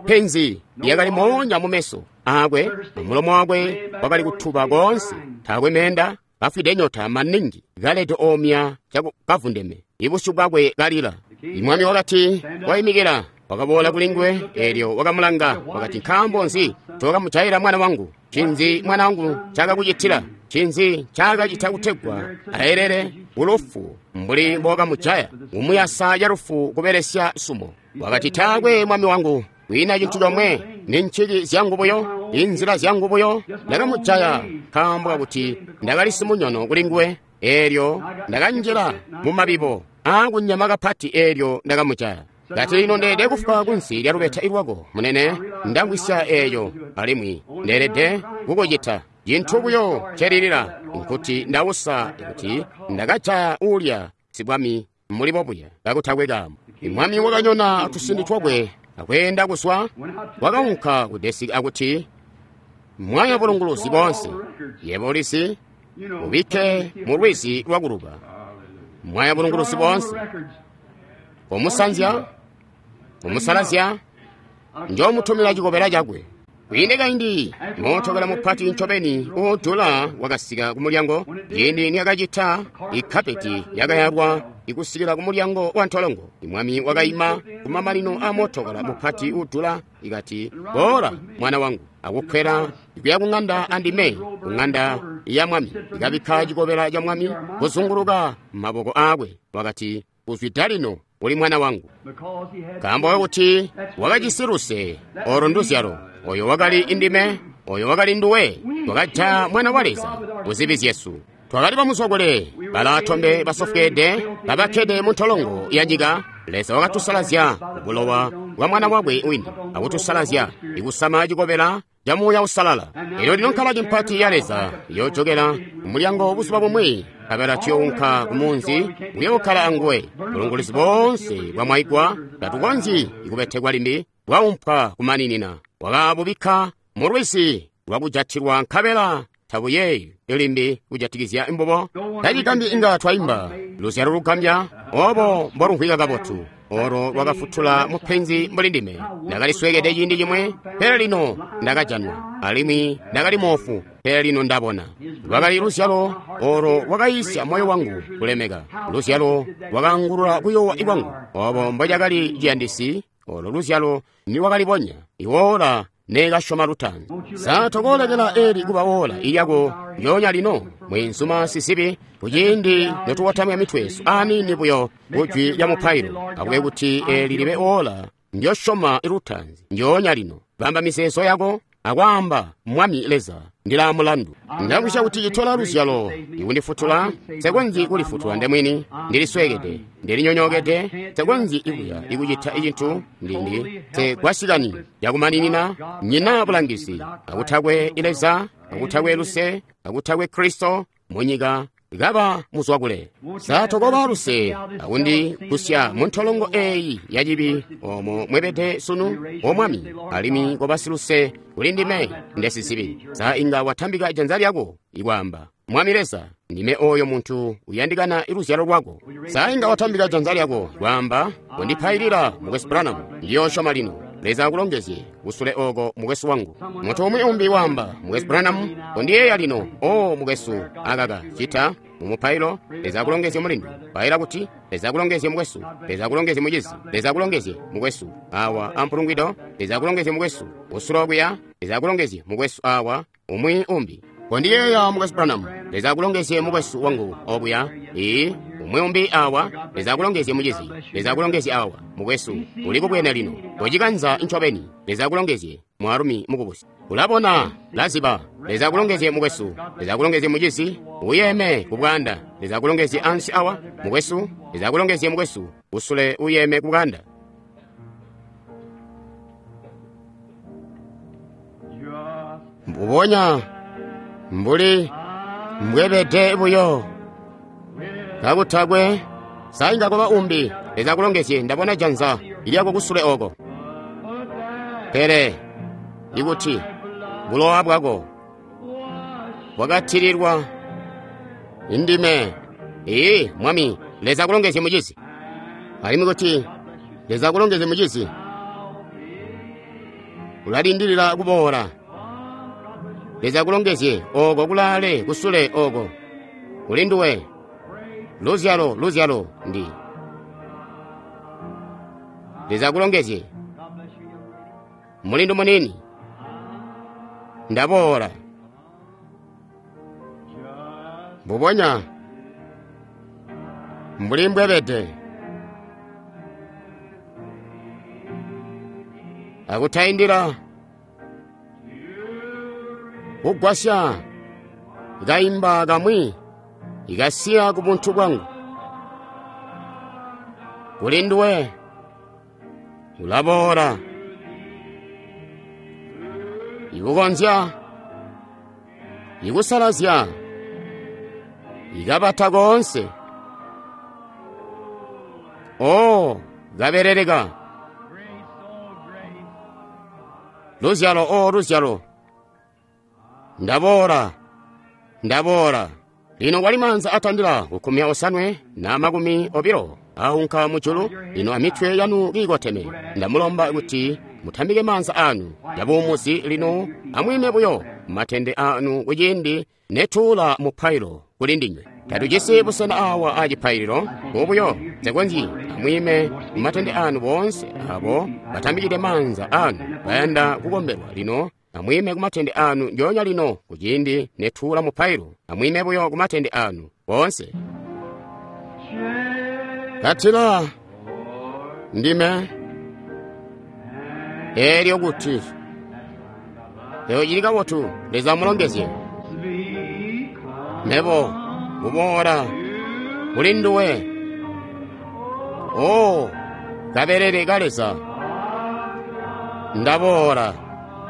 penzi lyakali moonya mumeso aakwe, mulomo wakwe wakali kutuba koonse, taakwe meenda, kafwide nyota maningi, kalede omya kavundeme, ibusyu bwakwe kalila. Imwami wakati wayimikila, wakaboola kuli nguwe, eelyo wakamulanga, wakati, nkaambo nzi tookamujayila mwana wangu? Ncinzi mwana wangu ncaakakucitila? Ncinzi ncaakacita kutegwa aelele kulufu mbuli mbookamujaya, kumuyasa calufu kubelesya sumo? Wakati, taakwe mwami wangu, kwiina cintu comwe, ni nciki zyangu buyo, inzila zyangu buyo. Ndakamujaya nkaambo kakuti ndakali simunyono kuli nguwe, eelyo ndakanjila mu mabibo aakunyama kapati, eelyo ndakamujaya. Kati, lino ndeelede kufwa kunsi lya lubeta lwako, munene. Ndamvwisya eeyo, alimwi ndeelede kukucita. Cintu buyo ncelilila nkuti ndausa kuti ndakajaya uulya sibwami muli bobuya kakutakwe kaambo. Imwami wakanyona tusindi twakwe akweenda kuzwa, wakaunka ku desiki akuti, mwaya bulunguluzi boonse, yebo ulizi, ubikke mu lwizi lwakuluba. Mwaya bulunguluzi boonse, komusanzya, komusalazya, njoomutumira cikobela cakwe. Kwiinde kaindi, mootokala mupati ncobeni uudula wakasika kumulyango. Ciindi niyakacita, ikapeti yakayalwa ikusikila kumulyango wa ntolongo. Imwami wakaima kumamanino a mootokala mupati uudula, ikati, boola mwana wangu, akukwela ikuya kuŋanda andime, kuŋanda ya mwami. Ikabikka cikobela ca mwami kuzunguluka maboko aakwe. Wakati, kuzwida lino Uli mwana wangu. Nkaambo kuti wakajisi luse, olo nduzyalo. Oyo wakali indime, oyo wakali nduwe. Twakajaya mwana wa Leza kuzibi zyesu. Twakali bamuzwakule, balatombe basofweede, babakkede mu ntolongo ya nyika. Leza wakatusalazya bulowa bwa mwana wakwe wini, akutusalazya ikusama cikobela ca Muuya Uusalala. Elyo lino nkalaki mpati ya Leza iyojokela mulyango buzuba bumwi, nkabela tuyounka ku munzi kuyookkala anguwe. Bulunguluzi boonse bwamwaigwa, tatukonzyi kubetekwa limbi, bwaumpwa kumaninina. Wakabubikka mu lwizi lwakujatilwa, nkabela tabuyeeyi limbi kujatikizya mbubo. Tacigambi inga twaimba luzyalo lugambya obo mbolumvwika kabotu, olo lwakafutula mupenzi mbuli ndime. Ndakalisweekede ciindi cimwe, pele lino ndakajanwa, alimwi ndakali moofu, pele lino ndabona. Lwakali luzyalo olo lwakayisya moyo wangu kulemeka, luzyalo lwakaangulula kuyoowa kwangu. Obo mbocakali ciyandisi olo luzyalo niwakalibonya iwoola neekasyoma lutaanzi. Sa tokoolekela eli kuba woola ilyako lyoonya lino, mweenzuma sizibi, kuciindi notukotamya mitwe yesu aniini buyo kujwi lya mupailo, akube kuti eli libe woola ndyosyoma lutaanzi ndyoonya lino. Bamba mizeezo yako akwaamba, Mwami Leza, ndila mulandu. Ndakwisya kuti citola luzyalo ikundifutula, nsekonzyi kulifutula ndemwini. Ndilisweekede, ndilinyonyookede, nsekonzyi ikuya ikucita cintu ndindi nsekwasikani yakumaninina. Nyina bulangizi, akutakwe Leza, akutakwe luse, akutakwe Kristo munyika kaba muzwakule. Sa tokoba luse akundi kusya mu ntolongo eyi yacibi omo mwebede sunu, o Mwami, alimwi koba siluse kuli ndime ndesizibi. Sa inga watambika janza lyako ikwaamba, Mwami Leza, ndime oyo muntu uyandikana luzyalo lwako. Sa inga watambika janza lyako kwaamba, kondipailila, Mukwesu Branham, ndiyoosyoma lino. Leza akulongezye kusule oko, mukwesu wangu. Muntu umwi umbi waamba, Mukwesu Branham, kondiyeeya lino. O mukwesu, akaka cita mu mupailo. Leza akulongezye mulindu. Paila kuti Leza akulongezye mukwesu, Leza akulongezye mucizi, Leza akulongezye mukwesu awa ampulungwido, Leza akulongezye mukwesu kusule okuya, Leza akulongezye mukwesu awa umwi umbi. Kondiyeeya, Mukwesu Branham. Leza akulongezye mukwesu wangu obuya. Ee, umwi umbi awa. Leza akulongezye mucizi. Leza akulongezye awa mukwesu uli kubwene lino. Kocikanza ncobeni. Leza akulongezye mwaalumi mukubusi. Ulabona, laziba. Leza akulongezye mukwesu. Leza akulongezye mucizi. Uyeme kubwanda. Leza akulongezye ansi awa mukwesu. Leza akulongezye mukwesu usule uyeme kubwanda. Mbubonya mbuli mbwebede buyo kakutakwe sainga kuba umbi. Leza akulongezye. Ndabona janza ilyako kusule oko. Pele ikuti bulowa bwako bwakatililwa indime. Ee Mwami, Leza akulongezye mucizi. Alimwi kuti Leza akulongezye mucizi, ulalindilila kuboola. Leza akulongezye oko kulaale kusule oko kuli nduwe. Luzyalo, luzyalo ndi. Leza akulongezye mulindu munini. Ndaboola mbubonya mbuli mbwebede akutaindila kugwasya kaimba kamwi ikasiya ku buntu bwangu. Kuli nduwe ulaboola ikukonzya ikusalazya ikabata koonse. O kaberereka luzyalo, o luzyalo. Ndaboola, ndaboola. Lino kwali maanza atandila kukkumi osanwe na makumi obilo aunka mujulu. Lino amitwe yanu kiikoteme, ndamulomba kuti mutambike maanza anu yabuumuzi. Lino amwiime buyo matende anu kuciindi netuula mupailo kuli ndinywe. Tatujisi busena awa a cipaililo mubuyo nsekonzyi. Amwiime mumatende anu boonse abo batambikide maanza anu bayanda kukombelwa. Lino amwiime kumatende anu ndyoonya lino kuciindi netuula mupailo. Amwiime buyo kumatende anu boonse. Katila Ndime eelyo kuti eyo cili kabotu. Leza amulongezye. Mebo kuboola kuli nduwe, o kabelele ka Leza, ndaboola.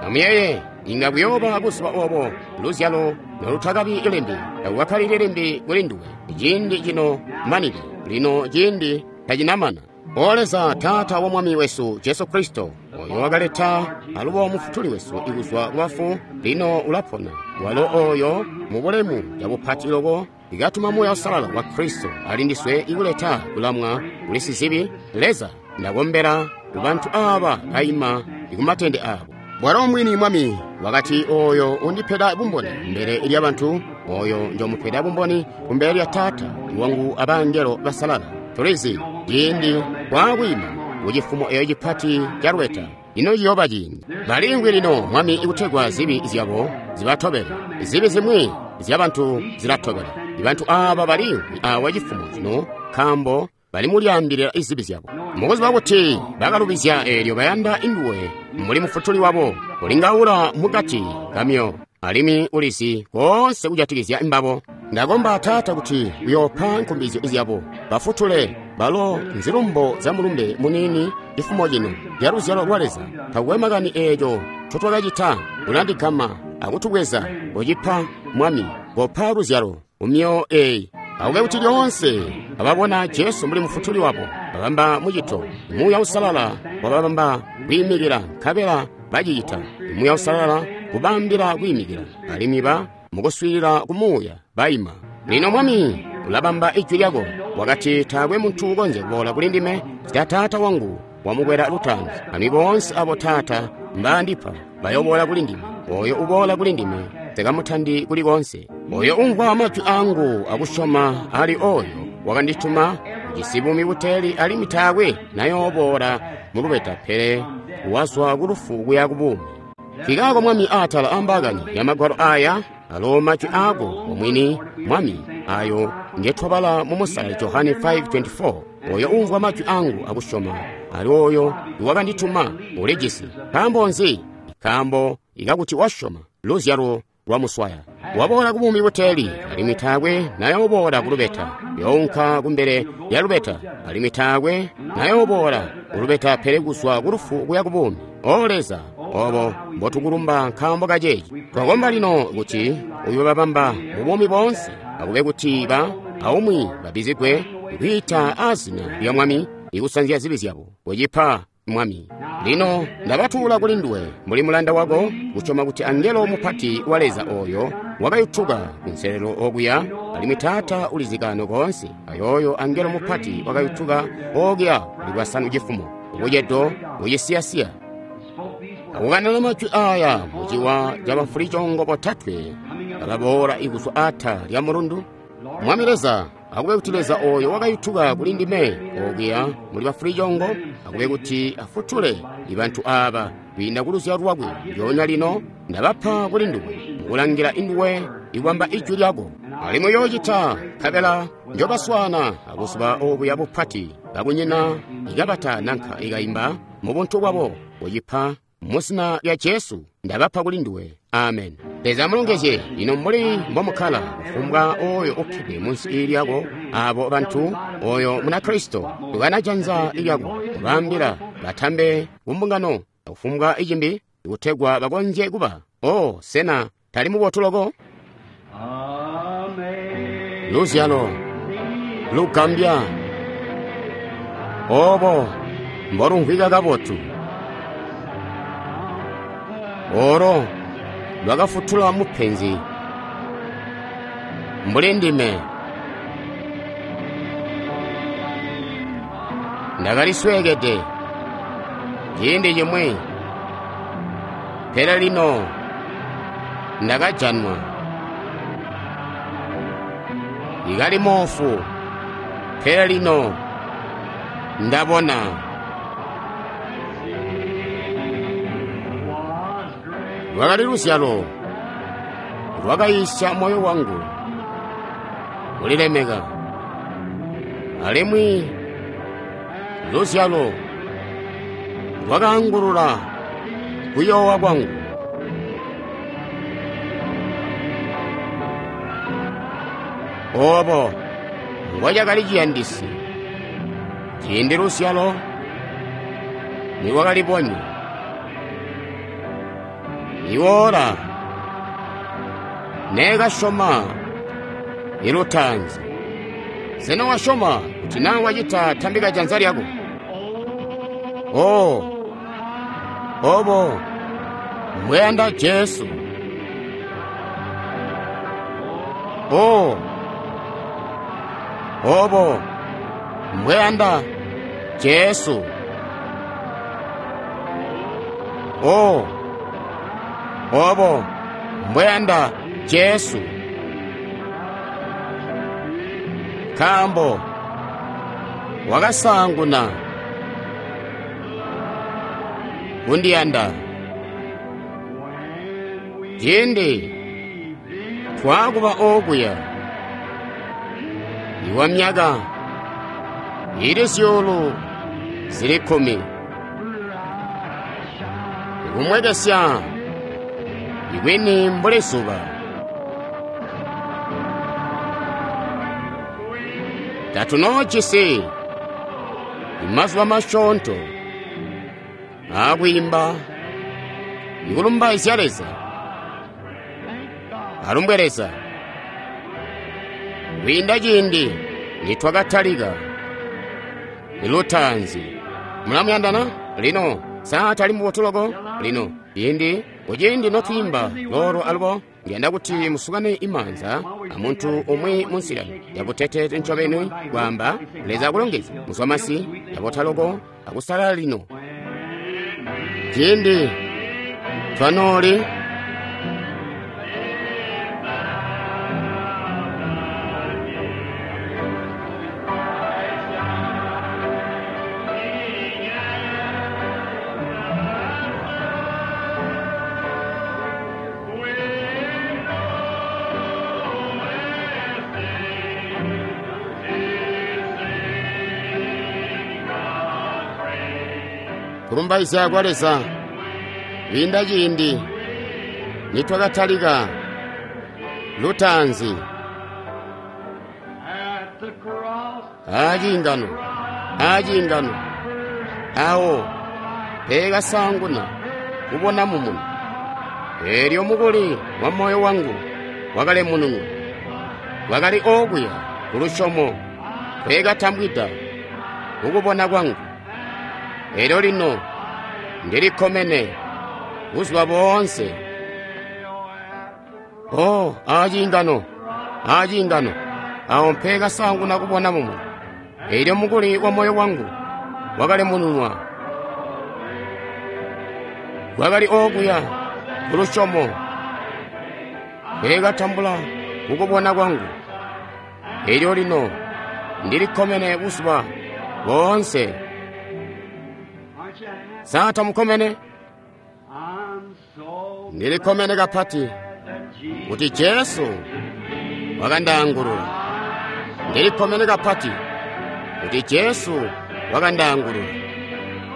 Amuyeye, inga kuyooba buzuba obo luzyalo nolutakabi limbi, takukakkalili limbi kuli nduwe. Ciindi cino manide, lino ciindi tacinamana. O Leza, Taata wa Mwami wesu Jesu Kristo, oyo wakaleta alubo Mufutuli wesu kuzwa kubafu, lino ulapona. Walo oyo mu bulemu bwabupati loko ikatuma Muuya Uusalala wa Kristo ali ndiswe ikuleta kulamwa kuli sizibi. Leza, ndakombera kubantu aba baima kumatende abo. Bwalo mwini Mwami wakati, oyo undipeda bumboni mbele lya bantu, oyo njomupeda bumboni kumbele lya Taata wangu abangelo basalala. Tulizi ciindi kwakwima kucifumo eyo cipati ca lweta. Ino ciyooba ciindi balingwi lino Mwami ikutegwa zibi zyabo zibatobele. Zibi zimwi zyabantu zilatobela ibantu aba balingwi awa cifumo cino, nkaambo bali mulyaambilila izibi zyabo mukuziba kuti bakalubizya. Eelyo bayanda induwe muli Mufutuli wabo, ulingaula mukati kamyo alimwi ulizi koonse kujatikizya mbabo. Ndakomba Taata kuti uyoopa nkumbizyo zyabo, bafutule balo nzilumbo za mulumbe munini cifumo cino lya luzyalo lwa Leza. Takukwe makani eeco ncotwakacita, ulandigama akutubweza kucipa Mwami, kopa luzyalo kumyoyo eyi. Akube kuti lyoonse ababona Jesu mbuli Mufutuli wabo, babamba mucito. Muuya Uusalala wababamba kwiimikila, nkabela bacicita. Muuya Uusalala kubambila kwiimikila, alimwi ba mukuswiilila ku Muuya baima. Lino Mwami ulabamba ijwi lyako. Wakati taakwe muntu ukonzya kuboola kuli ndime sita Taata wangu wamukwela lutaanzi. Alimwi boonse abo Taata mbaandipa bayoboola kuli ndime. Oyo uboola kuli ndime sekamutandi kuli konse. Oyo umvwa majwi angu akusyoma ali oyo wakandituma ujisi buumi buteeli, alimwi taakwe nayooboola mu lubeta, pele wazwa ku lufu kuya ku buumi. Kikaako Mwami atala ambakani ya magwalo aya, alo majwi ako omwini Mwami ayo ngetwabala mu Musale Johane five twenty-four. Oyo umvwa majwi angu akusyoma ali oyo wakandituma ulijisi. Nkaambo nzi? Nkaambo ikakuti wasyoma luzyalo lwamuswaya, waboola ku buumi buteeli, alimwi taakwe nayooboola ku lubeta. Younka kumbele lya lubeta, alimwi taakwe nayooboola ku lubeta, pele kuzwa ku lufu kuya ku buumi. O Leza, obo mbotukulumba nkaambo kaceeci. Twakomba lino kuti uyobabamba mu buumi boonse, akube kuti ba aumwi babizigwe kwiita azina lya Mwami ikusanzya zibi zyabo. Kucipa Mwami. Lino ndabatuula kuli nduwe mbuli mulanda wako, kusyoma kuti angelo mupati wa Leza oyo wakayutuka kunselelo okuya, alimwi Taata ulizikano koonse. Ayoyo angelo mupati wakayutuka okuya kuli bwasanu cifumo ubucedo bucisiyasiya, akukanana majwi aya muciwa ca bafulicongo botatwe bakaboola ikuzwa ata lya mulundu. Mwami Leza, akube kuti Leza oyo wakayutuka kuli ndime okuya muli bafulicongo, akube kuti afutule ibantu aba kwiinda ku luzyalo lwakwe. Lyoonya lino ndabapa kuli nduwe, mukulangila induwe ikubamba ijwi lyako. Alimwi uyoocita, nkabela njobaswaana abuzuba obuya bupati, kakunyina ikabata nanka ikaimba mu buntu bwabo. Kucipa mu zina lya Jesu ndabapa kuli nduwe. Amen. Leza amulongezye. Lino mbuli mbomukkala, kufumbwa oyo ukkede munsi lyako, abo bantu, oyo Munakristo, tukana janza lyako, kubaambila batambe kumbungano, kufumbwa icimbi, kutegwa bakonzye kuba. O, sena tali mubotu loko? Luzyalo lugambya obo mbolumvwika kabotu, olo lwakafutula mupenzi mbuli ndime. Ndakalisweekede ciindi cimwi, pele lino ndakajanwa. Ikali moofu, pele lino ndabona. Lwakali luzyalo lwakayisya moyo wangu kulilemeka, alimwi luzyalo Lwakaangulula kuyoowa kwangu. Obo mbocakali ciyandisi ciindi luzyalo nilwakalibonya. Iwoola neekasyoma ilutaanzi. Sena wasyoma kuti naa wacita tambika janza lyako? Oh, obo mbweyanda Jesu. Oh, obo mbweyanda Jesu. Oh, obo mbweyanda Jesu. Nkaambo wakasaanguna kundiyanda. Ciindi twakuba okuya iwa myaka ili zyuulu zili kkumi, ikumwekesya ikwini mbuli zuba. Tatunoojisi imazuba masyoonto aakwiimba ikulumbaizya Leza. Alumbwe Leza. Kwiinda ciindi nitwakatalika ilutaanzi. Mulamuyandana? Lino saa tali mubotu loko? Lino ciindi kuciindi notwiimba loolo alubo, ndiyanda kuti musukane imaanza amuntu umwi munzila yabuteteete ncobeni kwaamba Leza akulongeze muzwamasi yabota loko akusalala lino. Ciindi twanooli kulumbaizya kwa Leza kwiinda ciindi nitwakatalika lutaanzi. Aciingano, aciingano, awo peekasaanguna kubona mumuni. Eelyo mukuli wa moyo wangu wakalemununwa, wakali okuya kulusyomo peekatambwida kukubona kwangu. Eelyo lino ndilikkomene buzuba boonse. Oh, aciingano, aciingano, awo mpeekasaanguna kubona mumuni. Eelyo mukuli wa moyo wangu wakalemununwa, wakali okuya kulusyomo peekatambula kukubona kwangu. Eelyo lino ndilikkomene buzuba boonse. Saa tamukkomene? Ndilikkomene kapati kuti Jesu wakandaangulula. Ndilikkomene kapati kuti Jesu wakandaangulula.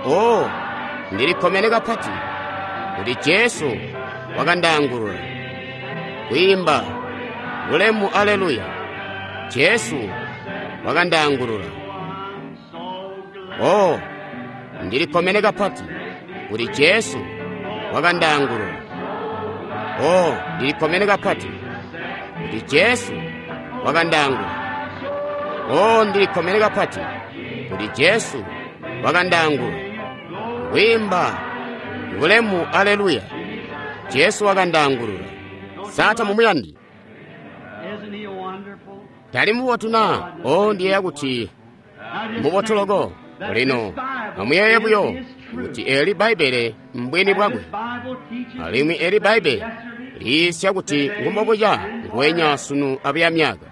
Oh, ndilikkomene kapati kuti Jesu wakandaangulula. Kwiimba bulemu aleluya, Jesu wakandaangulula. Oh, ndilikkomene kapati kuti Jesu wakandaangulula. Oh, ndilikkomene kapati kuti Jesu wakandaangulula. Oh, ndilikkomene kapati kuti Jesu wakandaangulula. Kwiimba bulemu aleluya, Jesu wakandaangulula. Saa tamumuyandi? Tali mubotu na? Oh, ndiyeeya kuti mubotu loko. Lino amuyeeye buyo kuti eli Bbaibbele mbwini bwakwe, alimwi eli Bbaibbele liisya kuti ngumbobuca nguwenya sunu abuya myaka.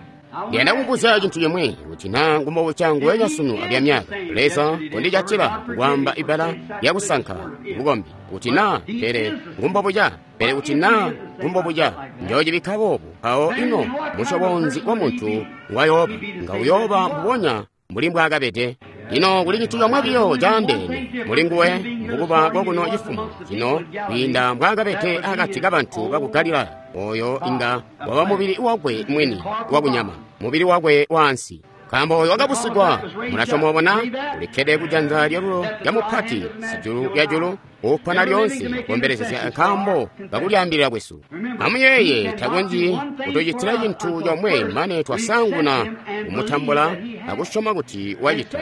Ndiyanda kubuzya cintu cimwi kuti naa ngumbobuca nguwenya sunu abuya myaka. Leza kondijatila kwaamba ibbala lyakusanka bukombi kuti naa pele ngumbobuca, pele kuti naa ngumbobuca njoocibikka boobu. Mpawo ino musyobo nzi wa muntu ngwayooba? Nga uyooba mbubonya mbuli mbwaakabede. Lino kuli cintu comwe biyo caandeene muli nguwe mukuba kokuno cifumo cino kwiinda mbwaakabede akati kabantu baku Galilaya. Oyo inga waba mubili wakwe mwini wakunyama, mubili wakwe waansi. Nkaambo oyo wakabusigwa, mulasyoma obona, ulikkede kujanza lyalulo lya mupati sijulu lyajulu, upona lyoonse kukombelezya nkaambo kakulyaambilila kwesu. Amuyeeye, takonzyi kutucitila cintu comwe mane twasanguna kumutambula akusyoma kuti wacita,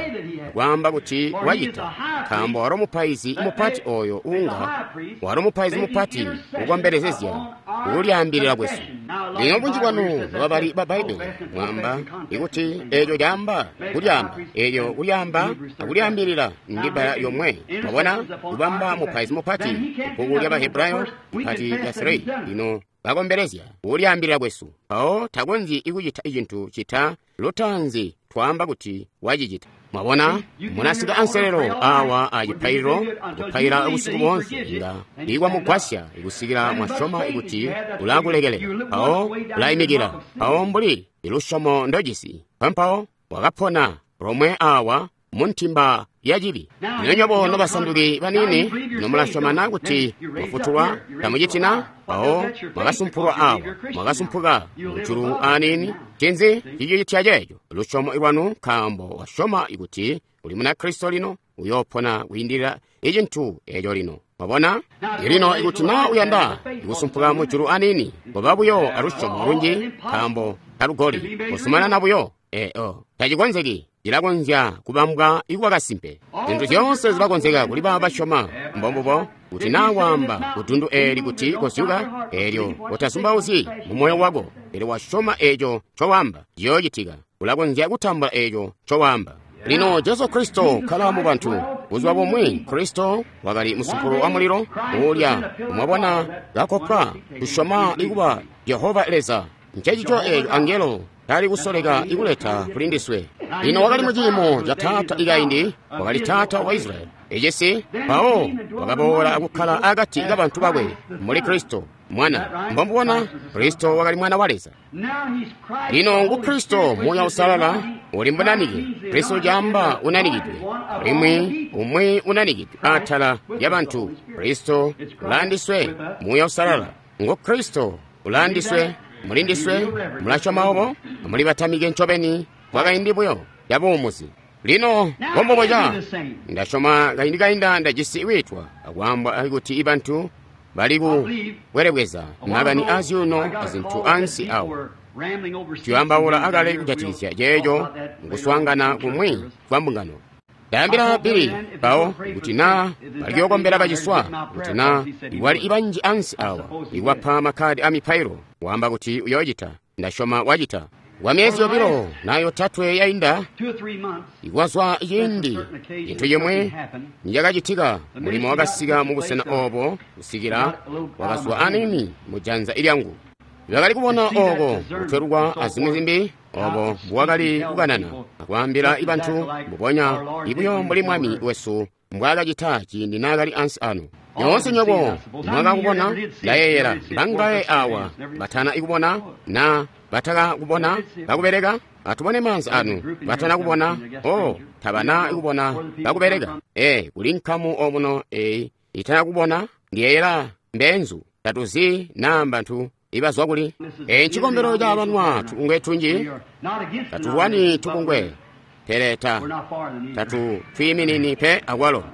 akwaamba kuti wacita, nkaambo walo mupaizi mupati oyo uunga walo mupaizi mupati ukombelezezya kulyaambilila kwesu. Lino bunji bwanu nobabali ba Bbaibbele mwaamba ikuti eeco caamba kulyaamba, eelyo kulyaamba akulyaambilila ndi bbala lyomwe. Mwabona, kubamba mupaizi mupati bbuku lya Bahebrayo ipati lya three. Lino bakombelezya kulyaambilila kwesu, mpawo takonzyi kucita cintu cita lutaanzi twaamba kuti wacicita. Mwabona, munasika anselelo awa acipaililo kupaila busiku boonse inga ikwamugwasya kusikila mwasyoma kuti ulakulekelela, mpawo ulaimikila, mpawo mbuli ilusyomo ndojisi, mpampawo wakapona lomwe awa muntimba ya cibi. Lino nywebo nobasanduki baniini, lino mulasyoma kuti mwafutulwa, tamucitina? Mpawo mwakasumpulwa awa, mwakasumpuka mujulu aniini. Ncinzi cicitya ceeco? Lusyomo lwanu, nkaambo wasyoma kuti uli Munakristo lino, uyoopona kwiindilila icintu eeco lino. Mwabona? Lino ikuti naa uyanda kusumpuka mujulu aniini, koba buyo alusyomo lunji, nkaambo talugoli, kuzumanana buyo. Ee, oh, tacikonzeki. Cilakonzya kubambwa ikuba kasimpe. Zintu zyoonse zilakonzeka kuli baabo basyoma. Mbombubo, kuti naa waamba kudundu eeli kuti kozyuka, eelyo utazumbauzyi mumoyo wako, pele wasyoma eeco ncowaamba, ciyoocitika. Ulakonzya kutambula eeco ncowaamba. Lino Jesu Kristo kkala mu bantu. Buzuba bumwi Kristo wakali musumpulo wa mulilo uulya, mwabona kakopwa kusyoma ikuba Jehova Leza. Ncencico eeco angelo tali kusoleka ikuleta kuli ndiswe. Lino wakali muciimo ca taata ikaindi, wakali taata wa Israyeli ecisi, mpawo wakaboola akukkala akati kabantu bakwe muli Kristo mwana. Mbombubona, Kristo wakali mwana wa Leza. Lino ngu Kristo Muuya Uusalala uli mbunanike. Kristo caamba unanikidwe, alimwi umwi unanikidwe atala lya bantu. Kristo ulaandiswe, Muuya Uusalala ngu Kristo ulaandiswe, mulindiswe, mulasyoma obo, muli batamike ncobeni kwakaindi buyo yabuumuzi. Lino mbombuboca ndasyoma kaindi kainda ndajisi kwiitwa akwaambwa kuti ibantu bali kubwelebweza makani azyuuno azintu ansi awo. Tuyambaula akale kujatikizya ceeco nkuswaangana kumwi kwa mbungano. Ndaambila Bili mpawo kuti naa balikuyookombela baciswa, kuti naa iwali ibanji ansi awa iwapa makkadi amipailo, waamba kuti uyoocita. Ndasyoma wacita. Kwa myezi yobilo na yotatwe yainda, ikwazwa ciindi cintu cimwe nicakacitika, mulimo wakasika mubusena obo kusikila wakazwa aniini mujanza ilyangu. Bakali kubona oko kutwelukwa azimwi zimbi, obo mbwakali kukanana akwaambila ibantu mbubonya ibuyo mbuli Mwami wesu mbwaakacita ciindi naakali ansi ano. Nyoonse nywebo mwakakubona, ndayeeyela mbangaye awa batana ikubona na bataka kubona bakubeleka. Atubone maanzi anu batana kubona, oh, tabana ikubona bakubeleka. E, kuli nkamu omuno eyi itana kubona, ndiyeeyela mbenzu tatuzi naa mbantu ibazwa kuli. E, ncikombelo ca banwa tubungwe tunji, tatulwani tubungwe, pele ta tatu twiiminini pe akwalo.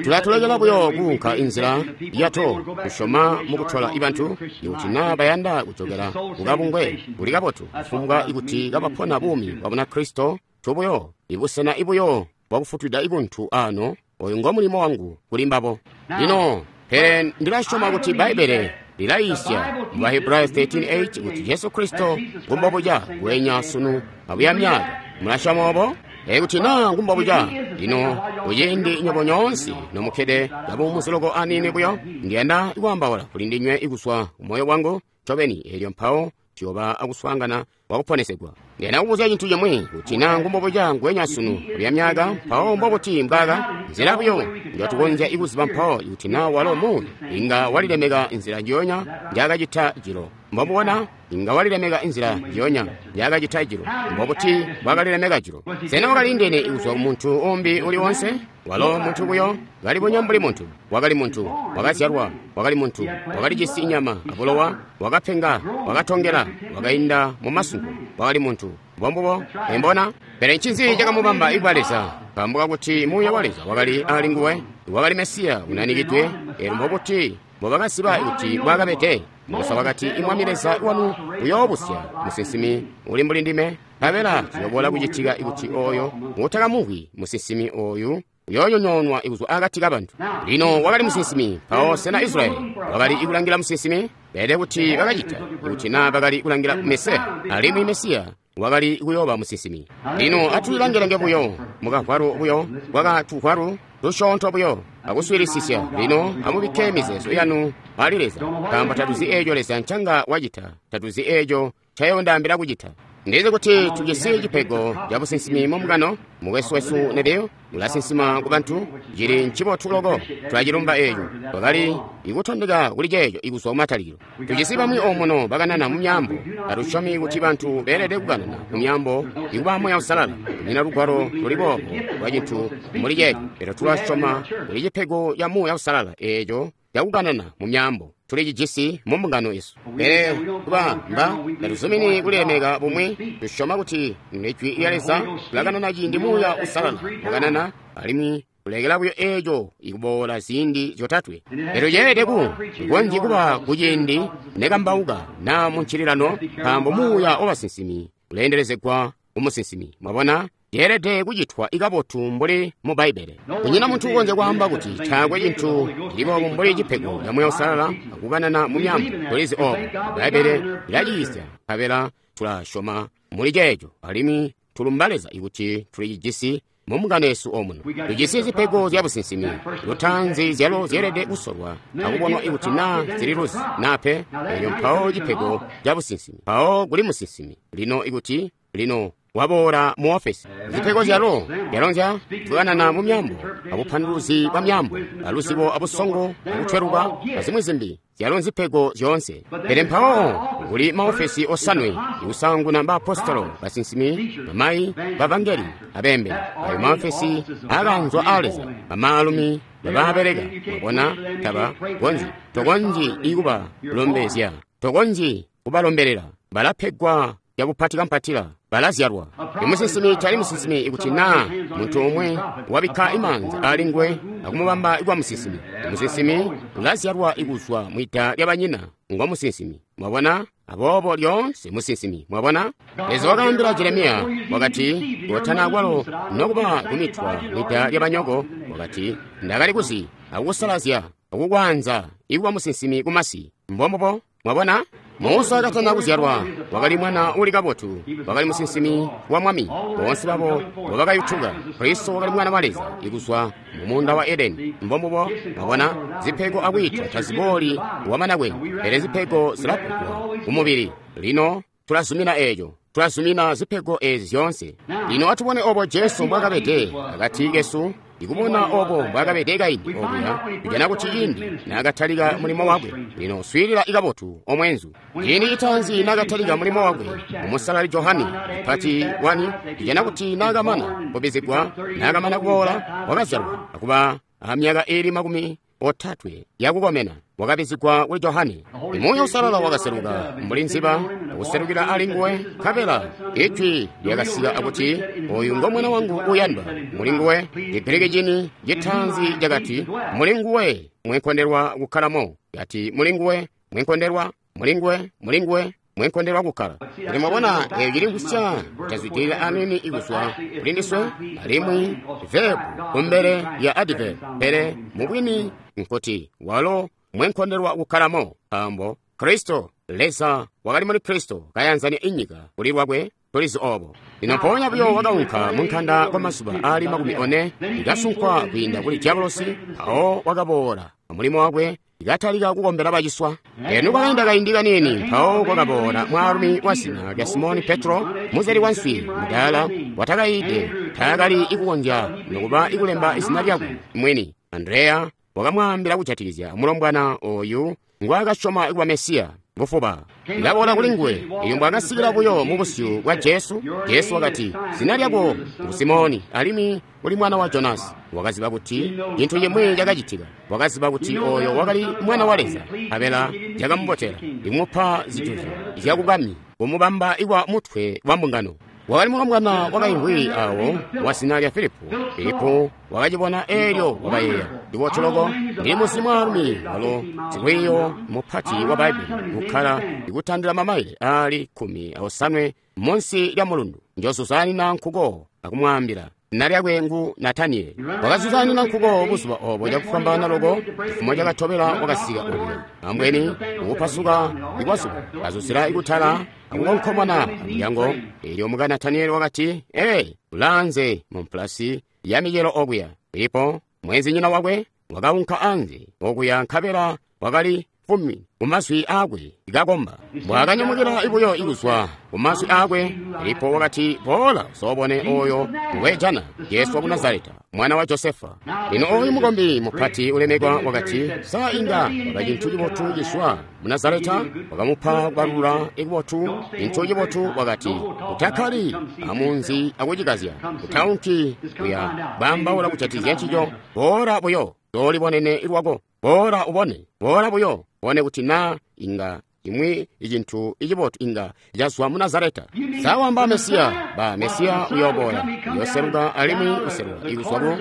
Tulatulekela buyo kuunka inzila yato kusyoma mukutola ibantu ikuti naa bayanda kujokela kukabungwe kuli kabotu, kufumbwa ikuti kabapona buumi bwa Bunakristo tubuyo ibusena ibuyo bwakufutwida ibuntu ano. Oyu ngo mulimo wangu kuli mbabo. Lino pele ndilasyoma kuti Bbaibbele lilayiisya mu Bahebrayo thirteen eight kuti Jesu Kristo ngumbobuca ngweenya sunu abuya myaka. Mulasyoma obo? Ekuti naa ngumbobuca, lino kuciindi nywebo nyoonse nomukkede kabuumuzi loko aniini buyo, ndiyanda kwaambaula kuli ndinywe ikuswa kumoyo wangu ncobeni, eelyo mpawo tuyooba akuswaangana kwakuponesegwa. Ndiyanda kubuzya cintu cimwi, kuti naa ngumbobuca ngweenya sunu abuya myaka, mpawo mbobuti mbwaaka nzila buyo njotukonzya ikuziba mpawo ikuti naa walo muuya inga walilemeka nzila njiyonya njaakacita jilo. Mbomubona inga walilemeka inzila njiyonya yakacita jilo. Mbobuti bwakalilemeka jilo? Sena wakaliindene kuzwa muntu umbi uli wonse? Walo muntu buyo, kalibonya mbuli muntu. Wakali muntu, wakazyalwa, wakali muntu, wakalijisi inyama abulowa, wakapenga, wakatongela, wakainda mu masunko, wakali muntu. Mbombubo, embona? Pele ncinzi cakamubamba ikuba Leza? Nkaambo kakuti Muuya wa Leza wakali ali nguwe, wakali Mesiya unanikidwe. Elyo mbobuti mbobakaziba kuti bwakabede? Musa wakati, Imwami Leza wanu uyoobusya musinsimi uli mbuli ndime, nkabela ciyoboola kucitika ikuti oyo utakamumvwi musinsimi oyu uyoonyonyoonwa kuzwa akati kabantu. Lino wakali musinsimi. Mpawo sena Israyeli wakali kulangila musinsimi? Beelede kuti bakacita, kuti naa bakali kulangila Mesiya, alimwi Mesiya wakali kuyooba musinsimi. Lino atulilangelange buyo mukavwalu buyo bwakatuvwalu tusyoonto buyo akuswiilisisya. Lino amubikke mizeezo yanu ali Leza, nkaambo tatuzi eeco Leza ncanga wacita, tatuzi eeco ncayondaambila kucita. Ndizi kuti tujisi cipego ca businsimi mumukano. Mukwesu wesu Neville ulasinsima ku bantu, cili ncibotu loko, tulacilumba eeco. Twakali ikutondeka kuli ceeco ikuzwa kumatalikilo. Tujisi bamwi omuno bakanana mu myaambo. Tatusyomi kuti bantu beelede kukanana mu myaambo ikuba Muuya Uusalala. Kunyina lugwalo luli boobo lwa cintu muli ceeco, pele tulasyoma kuli cipego ca Muuya Uusalala eeco cakukanana mu myaambo. Tulicijisi mu mbungano yesu. Pele kuba mba tatuzumini kulilemeka bumwi, tusyoma kuti Ijwi lya Leza tulakanana ciindi Muuya Uusalala wakanana, alimwi kulekela buyo eeco ikuboola ziindi zyotatwe. Elyo ceelede ku konzyi kuba kuciindi nekambauka naa mu ncililano, nkaambo Muuya wabasinsimi uleendelezegwa kumusinsimi. Mwabona? Yeelede kucitwa ikabotu mbuli mu Bbaibbele. Kunyina muntu ukonzya kwaamba kuti taakwe cintu cili boobo mbuli cipego ca Muuya Uusalala akukanana mu myaambo. Tulizi oobo Bbaibbele lilaciyiisya, nkabela tulasyoma muli ceeco, alimwi tulumba Leza kuti tulicijisi mu mbungano yesu omuno. Tujisi zipego zya businsimi lutaanzi zyalo zyeelede kusolwa akubonwa ikuti naa zililuzi naa pe. Elyo mpawo cipego ca businsimi, mpawo kuli musinsimi. Lino ikuti lino waboola mu ofesi, zipego zyalo zyalonzya kukanana mu myaambo, abupanduluzi bwa myaambo, aluzibo, abusongo, akutweluka, azimwi zimbi, zyalo nzipego zyoonse. Pele mpawo kuli maofesi osanwe: ikusaanguna baapostolo, basinsimi, bamayi, bavangeli, abeembeli. Ayo maofesi aakaanzwa aa Leza, bamaalumi babaabeleka. Mwabona, taba konzyi, tokonzyi ikubalombezya, tokonzyi kubalombelela, balapegwa yabupatika-mpatila, balazyalwa. Imusinsimi tali musinsimi ikuti naa muntu umwe wabikka imaanza ali nguwe akumubamba kuba musinsimi. Musinsimi ulazyalwa ikuzwa mwida lyabanyina, ngo musinsimi. Mwabona? Aboobo lyoonse musinsimi. Mwabona? Leza wakaambila Jeremiya, wakati, kotana kwalo nokuba kumitwa mwida lyabanyoko, wakati, ndakali kuzi akukusalazya akukwaanza ikuba musinsimi kumasi. Mbombubo. Mwabona? Musa katana kuzyalwa wakali mwana uli kabotu, wakali musinsimi wa Mwami. Boonse babo mbobakayutuka. Kristo wakali mwana wa Leza ikuzwa mu muunda wa Edeni. Mbombubo. Mwabona? Zipego akwiitwa tazibooli wamana kwe, pele zipego zilapegwa kumubili. Lino tulazumina eeco, tulazumina zipego eezi zyoonse. Lino atubone obo Jesu mbwakabede akati kesu. Ikubona obo mbwakabede kaindi okuya, tujana kuti ciindi naakatalika mulimo wakwe. Lino swiilila ikabotu omwenzu. Ciindi citaanzi naakatalika mulimo wakwe umusalali Johane mupati wani, tujana kuti naakamana kubizigwa, naakamana kuboola, wakazyalwa akuba amyaka iili makumi otatwe yakukomena, wakabizigwa kuli Johane. Muuya Uusalala wakaseluka mbuli nziba akuselukila ali nguwe, nkabela ijwi lyakasika akuti, oyu ngo mwana wangu uyandwa, muli nguwe. Chigiriki chini chitaanzi chakati, muli nguwe mwenkondelwa kukhalamo. Yati muli nguwe mwenkondelwa, muli nguwe, muli nguwe mwenkondelwa kukkala. Kuti mwabona eyo cili nkusya tazwidilila anini ikuzwa kuli ndiswe, alimwi verb kumbele ya adverb, pele mubwini nkuti walo mwenkondelwa kukhalamo, nkaambo Kristo Leza wakali muli Kristo kayanzania inyika kuli lwakwe. Tulizi obo. Lino mpoonya buyo wakaunka mu nkanda kwa mazuba aali makumi one, ikasunkwa kwiinda kuli Diabolosi. Mpawo wakaboola mulimo wakwe, ikatalika kukombela baciswa. Eno kwakainda kaindi kaniini, mpawo kwakaboola mwaalumi wa zina lya Simoni Petro, muzeli wa nswi mudaala watakayiide, taakali ikukonzya nokuba ikulemba izina lyakwe mwini. Andreya wakamwaambila kujatikizya mulombwana oyu ngwaakasyoma kuba Mesiya. bufuba. Ndaboola kuli nguwe. Elyo mbwaakasikila buyo mu busyu bwa Jesu, Jesu wakati, zina lyako ngu Simoni, alimwi uli mwana wa Jonasi. Wakaziba kuti cintu cimwi cakacitika. Wakaziba kuti oyo wakali mwana wa Leza. Abela cakamubotela imupa zijuzyo zyakubwami, kumubamba ikwa mutwe wa mbungano. Wakali mulombwana wakaimvwi awo wa zina lya Filipo. Filipo wakacibona eelyo wakayeeya, ndibotu loko, ndili muzi mwaalumi walo sikwiiyo mupati wa Bbaibbele ukkala ikutandila mamaile aali kkumi aosanwe munsi lya mulundu. Njozuzanina nkuko akumwaambila. Zina lyakwe ngu Nataniyeli. Wakazuzanina nkuko buzuba obo cakufwambaana loko. Cifumo cakatobela wakasika okuya. Ambweni ukupasuka ikwazuba kazuzila ikutala akukonkomona amulyango. Eelyo muka Nataniyeli wakati, ee, ulaanze mu mpulasi ya micelo okuya. Filipo mwenzinyina wakwe wakaunka anze okuya, nkabela wakali fumi kumazwi aakwe ikakomba. Mbwaakanyamukila buyo ikuzwa kumazwi aakwe, Filipo wakati, boola uzoobone oyo ngwejana, Jesu waku Nazareta, mwana wa Josefa. Lino oyu mukombi mupati ulemekwa wakati, sa inga waba cintu cibotu cizwa mu Nazareta? Wakamupa kubalula ikubotu, cintu cibotu. Wakati, utakkali amunzi akucikazya, utaunki kuya bambaula kujatikizya ncico. Boola buyo zoolibonene lwako. Boola ubone, boola buyo ubone kuti na inga imwi icintu icibotu inga cazwa mu Nazareta. Sawamba Mesiya, ba Mesiya uyoboola, uyoseluka alimwi useluka ikuzwa ku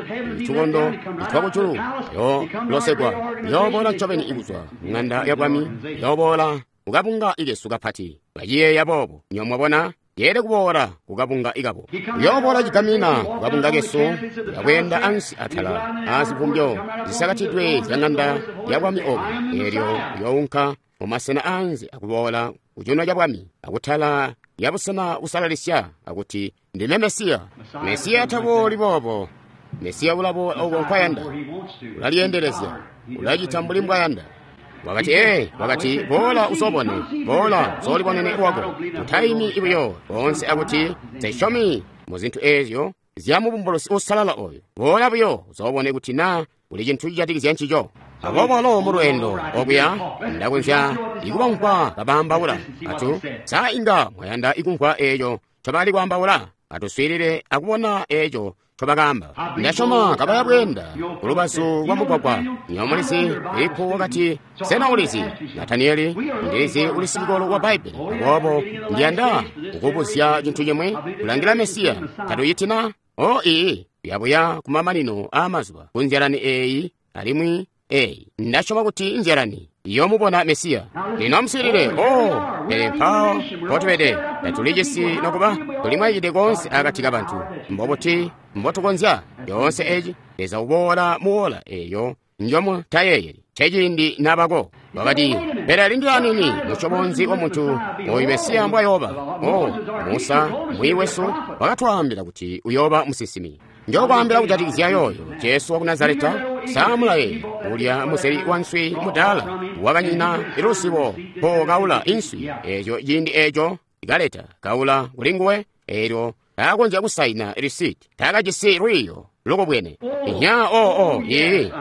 tukondo itwakujulu, uyolosegwa, uyoboola ncobeni ikuzwa ng'anda ya bwami, uyoboola kukabunga ikesu kapati. Baciyeeya boobo, nyo mwabona, yeele kuboola kukabunga ikabo. Uyoboola cigamina kukabunga kesu, yakweenda ansi atala azivumbyo zisakatidwe zya ng'anda ya bwami obo. Eelyo uyounka mumasena anze akuboola kucuuno ca bwami, akutala ya busena busalalisya, akuti ndime Mesiya. Mesiya tabooli boobo. Mesiya ulaboola oko nkwayanda, ulalyendelezya, ulacita mbuli mbwayanda. Wakati, ee, wakati, boola uzobone, boola uzoolibonene lwako. Utaimi buyo boonse akuti nsesyomi mu zintu eezyo zya mubumbulusi uusalala oyo. Boola buyo uzobone kuti na kuli cintu cijatikizya ncico. Aboobo alo mu lweendo okuya ndakonzya ikubamvwa kabaambaula. Atu, sa inga mwayanda ikumvwa eeco ncobali kwaambaula? Atuswiilile akubona eeco ncobakaamba. Ndasyoma kabaya bweenda kulubazu lwa mugwagwa. Nyo mulizi, Filipo wakati, sena ulizi, Nataniyeli, ndilizi uli sicikolo wa Bbaibbele. Aboobo ndiyanda kukubuzya cintu cimwe. Kulangila Mesiya tatuyitina? O ii, yabuya kumamanino aamazuba kunzyalani eeyi alimwi eeyi. Ndasyoma kuti nzyalani iyomubona Mesiya. Lino amuswiilile. O, pele mpawo mpotubede tatulijisi nokuba tulimwaikide koonse akati kabantu. Mbobuti mbotukonzya yoonse eci? Leza uboola muwola eyo njomu tayeeyeli. Ceciindi nabako. Wakati, pele lindila nini, musyobo nzi wa muntu oyu Mesiya mbwayooba? O, Musa mwiyi wesu wakatwaambila kuti uyooba musinsimi. Njokwaambila kujatikizya yooyo Jesu waku Nazareta. Samulaye ulya museli wa nswi mudaala wakanyina ilusibo po kaula inswi eeco ciindi eeco ikaleta kaula kuli nguwe, eelyo taakonzya kusaina risiti, taakajisi lwiiyo lukubwene. Inya oo oo ii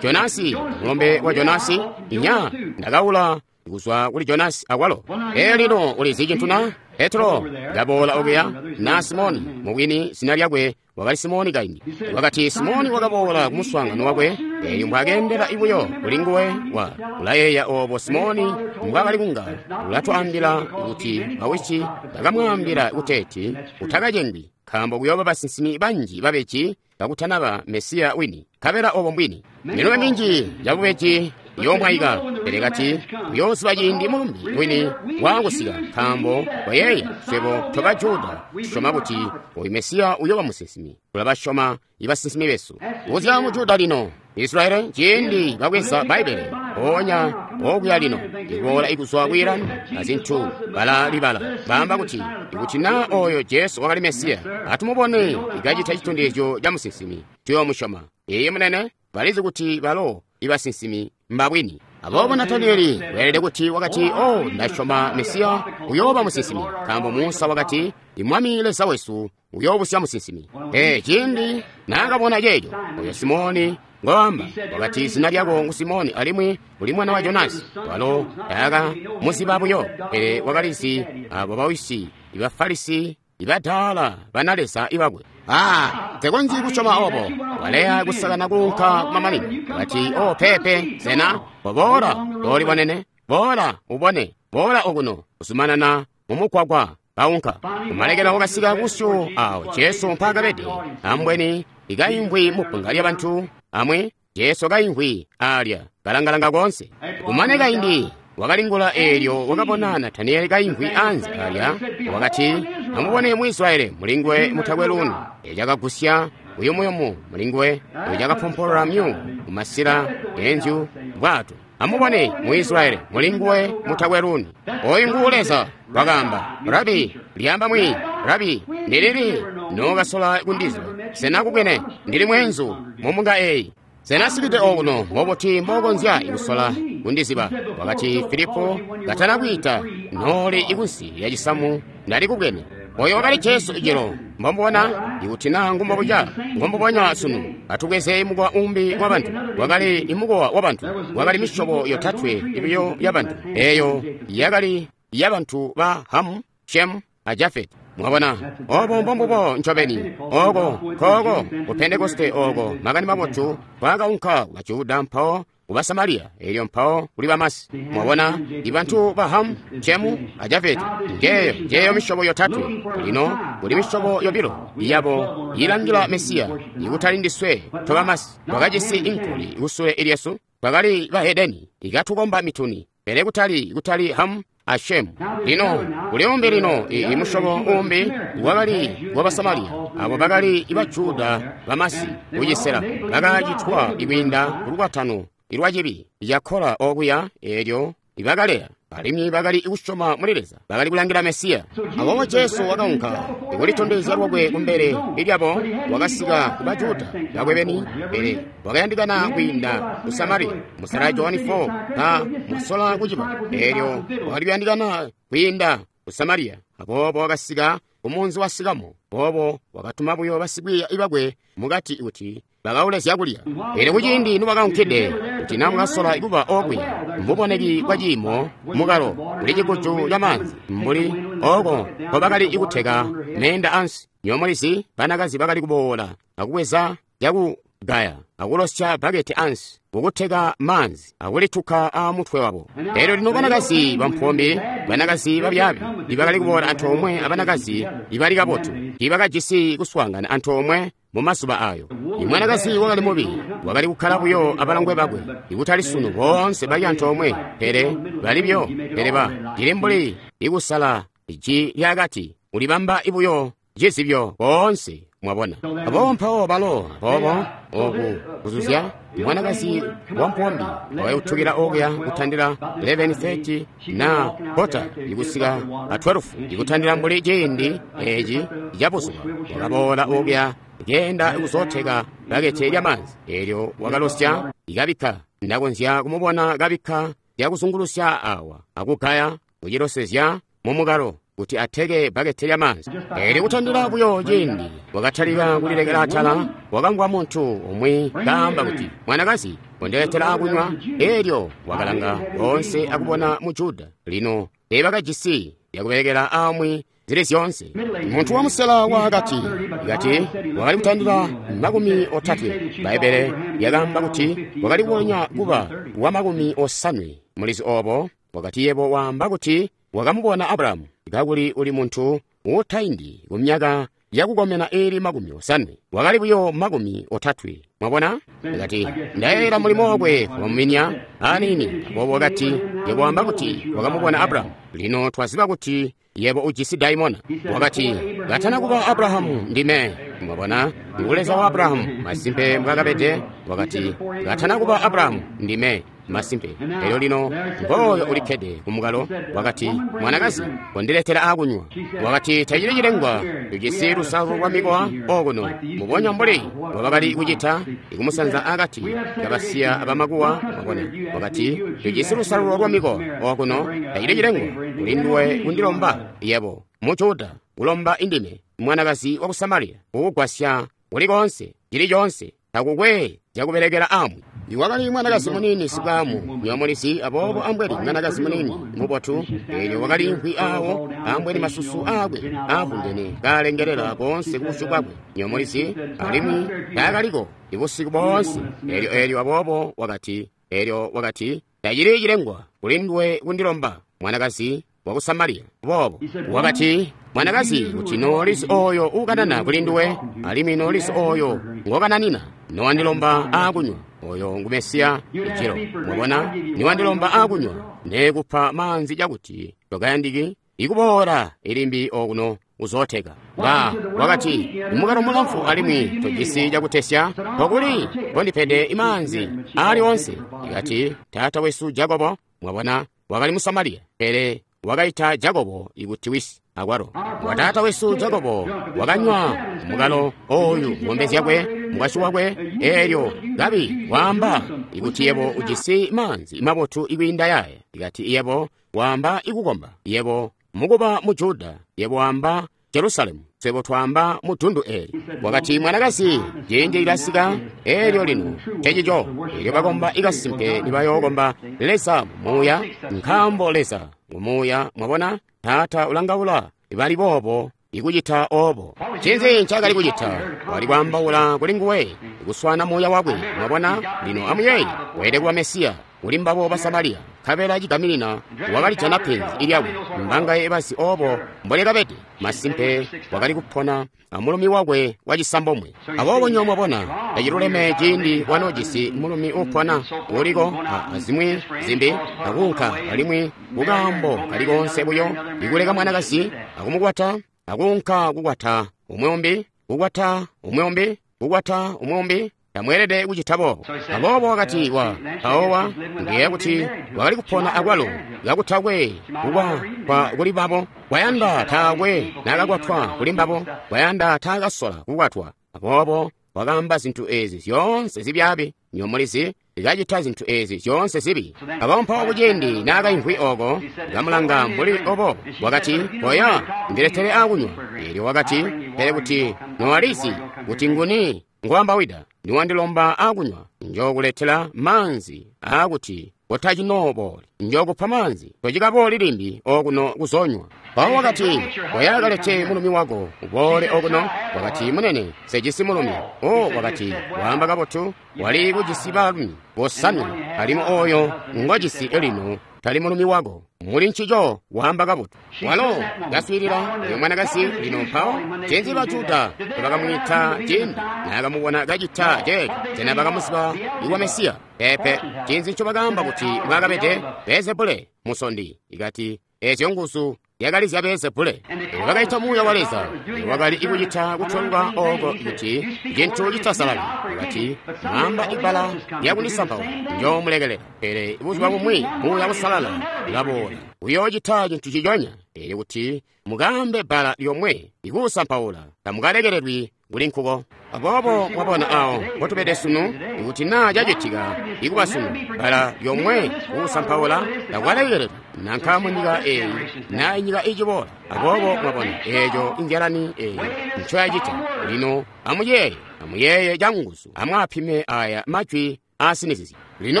Jonasi, mulombe wa Jonasi, inya ndakaula kuzwa kuli Jonasi akwalo. Ee lino ulizi cintu na? Petro ndaboola okuya na Simoni, mubwini zina lyakwe wakali Simoni kaindi. Wakati Simoni wakaboola kumuswaangano wakwe, eelyo mbwakeendela ibuyo kuli nguwe wa ulayeeya oobo Simoni mbwaakali kunga ulatwaambila kuti bawisi bakamwaambila kuteeti utakacengwi, nkaambo kuyooba basinsimi banji babeji kakutanaba Mesiya wini. Nkabela obo mbwini. Milumbe minji yabubeji iyoomwaika, pele kati uyooziba ciindi mulumbi wini waakusika, nkaambo koyeeya swebo toba Juda tusyoma kuti oyu Mesiya uyooba musinsimi. Tulabasyoma ibasinsimi besu. Kuzya mu Juda lino, Israeli ciindi babweza Bbaibbele mpoonya okuya lino ikuboola ikuzwa ku Iran azintu balalibala baamba kuti ikuti na oyo Jesu wakali Mesiya, atumubone ikacita citondezyo ca musinsimi, tuyoomusyoma. Iye munene, balizi kuti balo ibasinsimi mbabwini. Aboobo Nataniyeli weelede kuti wakati, o, ndasyoma Mesiya uyooba musinsimi, nkaambo Musa wakati, Mwami Leza wesu uyoobusya musinsimi. Ee, cindi naakabona ceeco, oyo Simoni ngoamba, wakati zina lyako ngu Simoni alimwi uli mwana wa Jonasi. Walo taaka muziba buyo, pele wakalizi abo bawisi, ibafarisi, ibadaala banaleza ibakwe. Ah, nsekonzyi kusyoma obo. Waleya kusakana kuunka kumamanino. Wakati, oh, pepe, sena, boola, boolibonene, boola, ubone, boola okuno, kuzumanana mumugwagwa, baunka. Kumalekelo wakasika kusyu awo Jesu mpaakabede, ambweni ikaimvwi mubbunga lyabantu, amwi Jesu kaimvwi alya, kalangalanga koonse. Kumane kaindi, wakalingula eelyo wakabona Natanieli kaimvwi anze alya, wakati, amubone Mwisraeli mulinguwe mutakwe luunu. Eco cakagusya buyumuyumu mulinguwe, eco cakapompolola myu kumasila enzyu bwato. Amubone Mwisraeli mulinguwe mutakwe luunu. Oyu ngu Leza, wakaamba, Rabi, lyamba mwi, Rabi, ndilili nookasola kundizwa, sena kubwene ndili mweenzu mumunga eyi. Sena sikide okuno mbobuti mbokonzya ikusola kundiziba. Wakati Filipo katana kwiita nooli ikunsi ya cisamu ndali kubwene. Oyo wakali Jesu ijelo, mbomubona ikuti naa ngumbobuca ngombubonya sunu. Atubweze mukowa umbi wa bantu. Wakali imukowa wa bantu, wakali misyobo yotatwe ibiyo ya bantu. Eyo yakali ya bantu ba Hamu, Shemu a Jafeti. Mwabona, obo mbombubo ncobeni, oko koko ku Pentekoste oko makani mabotu kwakaunka ku Bajuda mpawo ku Basamariya, elyo mpawo kuli Bamasi. Mwabona, ibantu ba Hamu, Shemu a Jafeti, ngeyo njeyo misyobo yotatwe. Lino kuli misyobo yobilo yabo ilangila Mesiya, ikutali ndiswe tobamasi. Twakajisi inkuli kusule ilyesu, twakali bahedeni ikatukomba mituni, pele kutali kutali Hamu a Shemu. Lino kuli umbi lino i musyobo umbi wakali wa Basamariya, abo bakali Bajuda bamasi kucisela bakacitwa ikwiinda kulukwatano ilwacibi yakkola okuya eelyo ibakaleya, alimwi bakali kusyoma muli Leza, bakali kulangila Mesiya. Aboobo Jesu wakaunka ikulitondezya lwakwe kumbele lyabo, wakasika ku Bajuda bakwe beni, pele wakayandikana kwiinda ku Samariya. Musala Johani four ka mwasola kuciba, eelyo wakali kuyandikana kwiinda ku Samariya. Aboobo wakasika kumunzi wa Sikamo. Aboobo wakatuma buyo basikwiiya bakwe mukati kuti bakaule zyakulya. Pele kuciindi nibakaunkide, kuti naa mukasola kuba okuya mbuboneki bwa ciimo mukalo kuli cikucu ca maanzi mbuli oko nkobakali kuteka meenda ansi. Nywebo mulizi, banakazi bakali kuboola akubweza cakugaya akulosya baketi ansi kukuteka maanzi akulituka aamutwe wabo. Elyo lino banakazi bampombe, banakazi babyaabi ibakali kuboola antoomwe abanakazi ibali kabotu, ibakajisi kuswaangana antoomwe mumazuba ayo. Imwanakazi wakali mubi, wakali kukkala buyo abalongwe bakwe, ikutali sunu boonse bali antoomwe, pele bali buyo, pele ba cili mbuli ikusala iji lyakati, ulibamba ibuyo cizibyo boonse. Mwabona, aboobo mpawo balo aboobo oku kuzuzya mwanakazi wampombi wakayutukila okuya kutandila eleven thirty na kota ikusika a twelve ikutandila mbuli ciindi eci cabuzuba. Wakaboola okuya kenda kuzooteka bakete lyamanzi, elyo wakalosya ikabikka. Ndakonzya kumubona kabikka lyakuzungulusya awa akugaya kucilosezya mumukalo kuti ateke bakete lyamanzi. Elyo kutandila buyo ciindi wakatalika kulilekela atala, wakamvwa muntu umwi kaamba kuti, mwanakazi, kondiletela akunywa. Elyo wakalanga boonse akubona mu Juda. Lino teebakajisi lyakubelekela amwi zili zyoonse. Muntu wa musela wakati kati wakali kutandila makumi otatwe. Bbaibbele lyakaamba kuti wakali kubonya kuba wa makumi osanwe. Mulizi obo wakati, yebo waamba kuti wakamubona Abrahamu, kakuli uli muntu utaindi kumyaka yakukomena ili makumi osanwe. Wakali buyo makumi otatwe. Mwabona? Kati, ndayeeyela mulimo wakwe wamuminya aniini. Aboobo wakati, yebo waamba kuti wakamubona Abrahamu. Lino twaziba kuti yebo ujisi daimona. Wakati, katana kuba Abrahamu ndime. Mwabona, ngu Leza wa Abrahamu, masimpe mbwakabede. Wakati, katana kuba Abrahamu ndime, masimpe. Elyo lino ngooyo ulikkede kumukalo. Wakati, mwanakazi, kondiletela akunywa. Wakati, tacili cilengwa, tujisi lusalu lwa mikowa okuno, mubonya mbuli mbobakali kucita ikumusanza akati kabasiya abamakuwa. Mwabona, wakati, tujisi lusalulo lwa mikowa okuno, tacili cilengwa kuli nduwe kundilomba yebo mu Juda kulomba indime, mwanakazi waku Samaria, kukugwasya kuli koonse, cili coonse, takukwe zyakubelekela amwi. Iwakali mwanakazi munini sibwamu, nyomulizi, aboobo ambweni mwanakazi munini mubotu, eelyo wakaliimvwi awo, ambweni masusu aakwe aavundene kaalengelela koonse kubusyu bwakwe, nyomulizi, alimwi taakaliko ibusiku boonse. Eelyo eelyo aboobo wakati, eelyo wakati, tacili cilengwa kuli nduwe kundilomba, mwanakazi waku Samaria. Boobo wakati, mwanakazi, kuti noolizi oyo uukanana kuli nduwe, alimwi noolizi oyo ngokananina, nowandilomba aakunywa, oyo ngu Mesiya ijilo. Mwabona, niwandilomba aakunywa, neekupa maanzi cakuti tokayandiki ikuboola ilimbi okuno uzooteka. Ba wakati, mukalo mulamfu alimwi tojisi cakutesya, pokuli kondipede imaanzi aali onse. Ikati, taata wesu Jakobo, mwabona, wakali mu Samariya, pele wakaita Jakobo ikuti wisi akwalo. Wataata wesu Jakobo wakanywa mukalo oyu ng'ombe zyakwe, mukwasyi wakwe, eelyo kabi waamba ikuti yebo ujisi maanzi mabotu ikwiinda yaya. Ikati yebo waamba ikukomba, yebo mukuba mu Juda, yebo waamba Jerusalemu, swebo twaamba mu dundu eli. Wakati, mwanakazi, ciindi lilasika, eelyo lino ncecico, eelyo bakomba ikasimpe nibayookomba Leza mu muuya, nkaambo Leza ngu muuya. Mwabona, Taata ulangaula bali boobo ikucita oobo. Ncinzi ncaakali kucita? Wali kwaambaula kuli nguwe, kuswana muuya wakwe. Mwabona, lino amuyeeye, weelede kuba Mesiya kuli mbabo ba Samariya, nkabela cigaminina wakalijana penzi lyakwe. Mbangaye bazi oobo mbolyakabede. Masimpe wakali kupona amulumi wakwe wacisambomwe. Aboobo nyo mwabona, taciluleme ciindi wanoojisi mulumi uupona uliko azimwi zimbi akuunka alimwi kukaambo kali koonse buyo ikuleka mwanakazi akumukwata akuunka kukwata umwi umbi, kukwata umwi umbi, kukwata umwi umbi. Tamweelede kucita boobo. Aboobo wakati wa mpawo ngeya kuti wakali kupona akwalo kakutakwe kukwa kwa kuli babo, kwayanda taakwe naakakwatwa kuli mbabo, kwayanda taakasola kukwatwa. Aboobo wakaamba zintu ezi zyoonse zibyaabi, nyomulizi kacita zintu ezi zyoonse zibi. Aboobo mpawo kuciindi naakaimvwi oko kamulanga mbuli obo, wakati, koya ndiletere akunywa. Eelyo wakati, pele kuti nowalizi kuti nguni ngwambawida, niwandilomba akunywa, njookuletela maanzi aakuti kotacinooboli, njookupa maanzi tocikabooli limbi okuno kuzonywa. Mpawo wakati, koya kalete mulumi wako uboole okuno. Wakati, munene, sejisi mulumi. O wakati, waamba kabotu, wali kujisi baalumi bosanwe, alimwi oyo ngwajisi lino tali mulumi wako. Muli ncico waamba kabotu. Walo kaswiilila oyo mwanakazi lino. Mpawo ncinzi ba Juda tebakamwiita ciindi naakamubona kacita ceeco? Sena bakamuziba iwa Mesiya? Peepe. Ncinzi ncobakaamba kuti mbwaakabede? Beelzebule musondi. Ikati ezyo nguzu zyakali zya Beelzebule. Bakaita muuya wa Leza wakali ikucita kutwelwa oko kuti cintu citasalali. Wakati, mwaamba ibbala lyakundisampaula, njoomulekelela. Pele buzuba bumwi muuya usalala ulaboola, uyoocita cintu ciconya. Eelyo kuti mukaambe bbala lyomwe ikuusampaula, tamukalekelelwi kuli nkuko. Aboobo mwabona awo mpotubede sunu, ikuti naa cacitika ikuba sunu, bbala lyomwe kuusampaula takwalekelelwa, nanka munyika eeyi naa inyika iciboola. Aboobo mwabona eeco inzyalani eeyi ncoyacita. Lino amuyeeye, amuyeeye canguzu, amwaapime aya majwi aasinizizye. Lino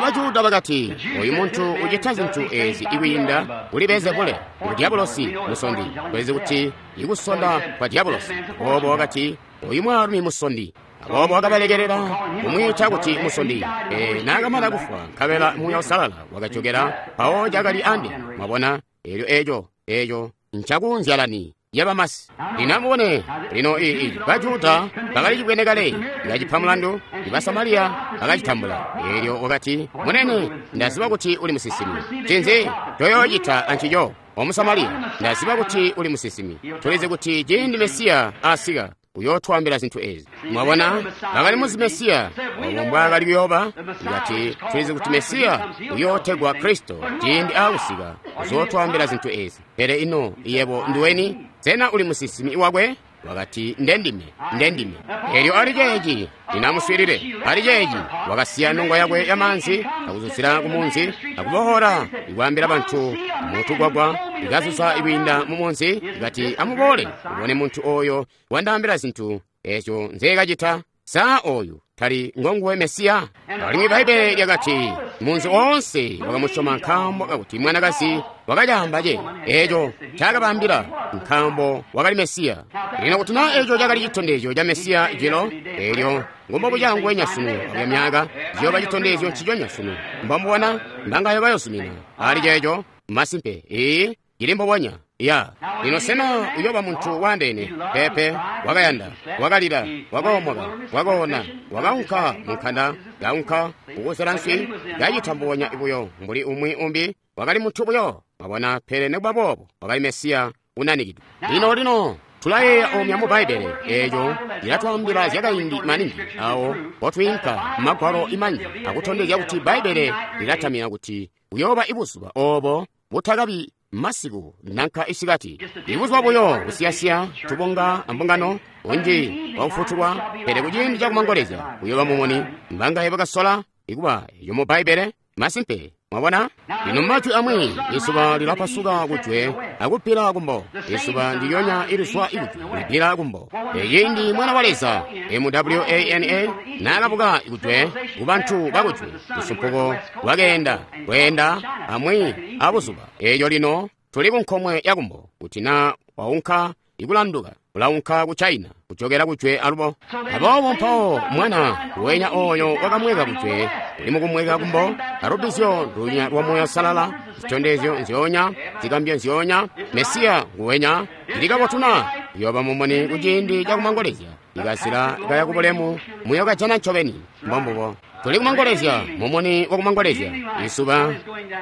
Bajuda bakati, oyu muntu ucita zintu ezi ikwiinda kuli Beelzebule, ngu Diabolosi musondi. Kwezi kuti ikusonda kwa Diabolosi. Aboobo wakati, oyu mwaalumi musondi. Aboobo wakabalekelela kumwiita kuti musondi. E, naakamana kufwa, nkabela muuya usalala wakajokela, mpawo cakali ande. Mwabona, eelyo eeco eeco ncakunzyalani yabamasi. Lino amubone, lino ii Bajuda bakali cibwene kale, kacipa mulandu, Basamariya bakacitambula. Eelyo wakati, munene, ndaziba kuti uli musinsimi. Ncinzi toyoocita ancico, o Musamariya? Ndaziba kuti uli musinsimi. Tulizi kuti ciindi Mesiya asika, uyootwaambila zintu ezi. Mwabona, bakali muzi Mesiya obo mbwaakali kuyooba. Ikati tulizi kuti Mesiya uyootegwa Kristo, ciindi aakusika uzootwaambila zintu ezi. Pele ino yebo nduweni? Sena uli musinsimi wakwe? Wakati, Nde ndime, nde ndime. Elyo ali ceeci, lino amuswiilile, ali ceeci wakasiya nongo yakwe ya maanzi akuzuzila ku munzi akubohola ikwaambila bantu mutugwagwa ikazuza ikwiinda mu munzi ikati, Amuboole ubone muntu oyo wandaambila zintu eco nzeekacita. Sa oyu tali ngonguwe Mesiya? Alimwi Bbaibbele lyakati munzi oonse wakamusyoma nkaambo kakuti mwanakazi wakacaamba ce eco ncaakabaambila, nkaambo wakali Mesiya. Lino kuti naa eco cakali citondezyo ca Mesiya jilo, elyo ngombobuca nguwenya sunu akuya myaaka, ciyooba citondezyo nciconya sunu. Mbomubona mbangayo bayozumina ali ceeco? Masimpe, ii cili mbubonya. Ya lino, sena uyooba muntu waandeene? Peepe. Wakayanda, wakalila, wakoomoka, wakoona, wakaunka munkanda, kaunka kukusela nswi, kacita mbubonya buyo mbuli umwi umbi. Wakali muntu buyo, mwabona, pele nekuba boobo wakali Mesiya unanikidwe. Lino lino tulayeeya omya mu Bbaibbele, eeco cilatwaambila zyakaindi maningi awo potwiinka mumagwalo imanji akutondezya kuti Bbaibbele lilatamina kuti uyooba ibuzuba obo butakabi masiku nanka isikati, ibuzuba buyo kusiyasiya tubunga ambungano unji wakufutulwa, pele kuciindi cakumangolezya kuyooba mumuni. Mbangaye bakasola ikuba eyo mu Bbaibbele? Masimpe, mwabona. Lino majwi amwi, izuba lilapasuka kujwe akubbila kumbo. Izuba ndilyonya ilizwa ikujwe libbila kumbo. Eciindi Mwana wa Leza M W A N A naakabuka ikujwe kubantu bakujwe, lusumpuko lwakeenda lweenda amwi abuzuba. Eeyo lino tuli kunkomwe yakumbo. Kuti na waunka ikulanduka, ulaunka ku China kujokera kujwe alubo. Aboobo mpawo mwana wenya oyo wakamweka kujwe uli mukumweka kumbo, alubbizyo ndunya lwa Moya Salala, zitondezyo nzyoonya, zigambyo nzyoonya, Mesiya nguwenya. Cili kabotu na uyooba mumuni kuciindi cakumangolezya, ikazila kaya kubulemu muyokajana ncobeni. Mbombubo, tuli kumangolezya, mumuni wakumangolezya, izuba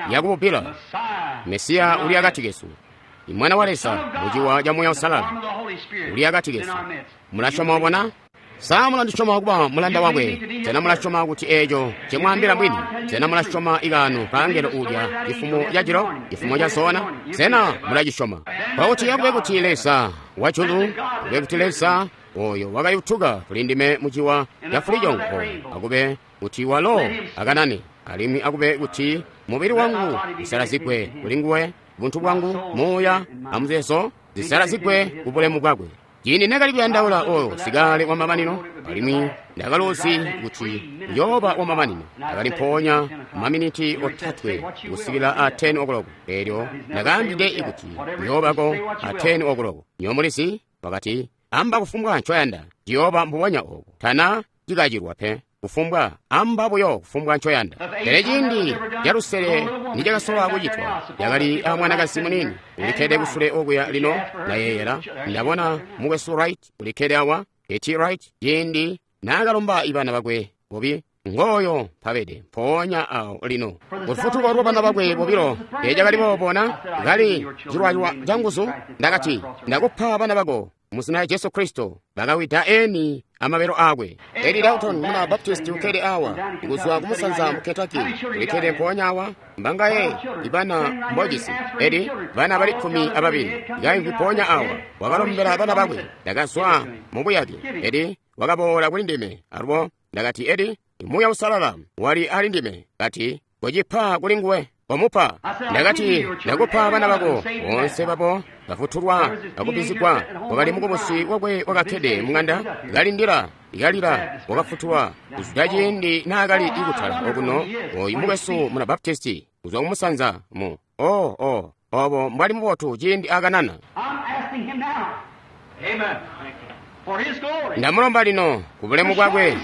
lyakububbila. Mesiya uli akati kesu. Imwana wa Leza muciwa ca Moya Usalala uli akati kesu. Mulasyoma obona? Sa mulandisyoma kuba mulanda wakwe? Sena mulasyoma kuti eeco ncemwaambila bwini? Sena mulasyoma ikaano kaangelo uulya cifumo ca jilo, cifumo ca zona? Sena mulacisyoma? Kwakuti akube kuti Leza wajulu, akube kuti Leza oyo wakayutuka kuli ndime muciwa ca fulicongo, akube kuti walo akanane, alimwi akube kuti mubili wangu usalazigwe kuli nguwe, buntu bwangu, muuya amuzeezo zisalazigwe ku bulemu bwakwe. Ciindi nekali kuyandaula oyo sikale wamamanino, alimwi ndakaluzi kuti uyooba wamamanino, ndakali mpoonya maminiti otatwe kusikila a ten o'clock. Elyo ndakaambide kuti uyoobako a ten o'clock. Nywebo mulizi, wakati, Amba kufumbwa ncoyanda, ciyooba mbubonya obo. Tana cikacilwa pe. Kufumbwa, amba buyo kufumbwa ncoyanda. Pele ciindi calusele nicakasola kucitwa, yakali a mwanakazi muniini ulikkede kusule okuya lino. Ndayeeyela ndabona mukwesu Wright ulikkede awa, Eti Wright, ciindi naakalomba ibana bakwe bobi. Ngooyo mpabede mpoonya awo lino, lufutuko lwa bana bakwe bobilo. Ecakali boobona kali cilwalwa canguzu. Ndakati, Ndakupa bana bako muzina lya Jesu Kristo. Bakawida eni amabelo akwe. Edi Dalton muna Baptist ukkede awa kuzwa kumusanza mu Kentucky, ulikkede mpoonya awa. Mbangaye ibana mbojisi, Edi? Bana bali kkumi ababili kaimvwi mpoonya awa. Wakalombela bana bakwe. Ndakazwa mu buyake, Edi wakaboola kuli ndime alubo. Ndakati, Edi, Muuya Usalala wali ali ndime, kati, Kocipa kuli nguwe. Komupa. Ndakati, Ndakupa bana bako boonse babo bafutulwa akubbizigwa. Wakali mukubusi wakwe wakakkede mung'anda kalindila ikalila, wakafutulwa kuzwida ciindi naakali ikutala okuno. Oyu mukwesu muna Baptisti kuzwa kumusanza mu o o obo mbwali mubotu ciindi akanana. I'm asking him now. Amen. For his glory. Ndamulomba lino ku bulemu bwakwe,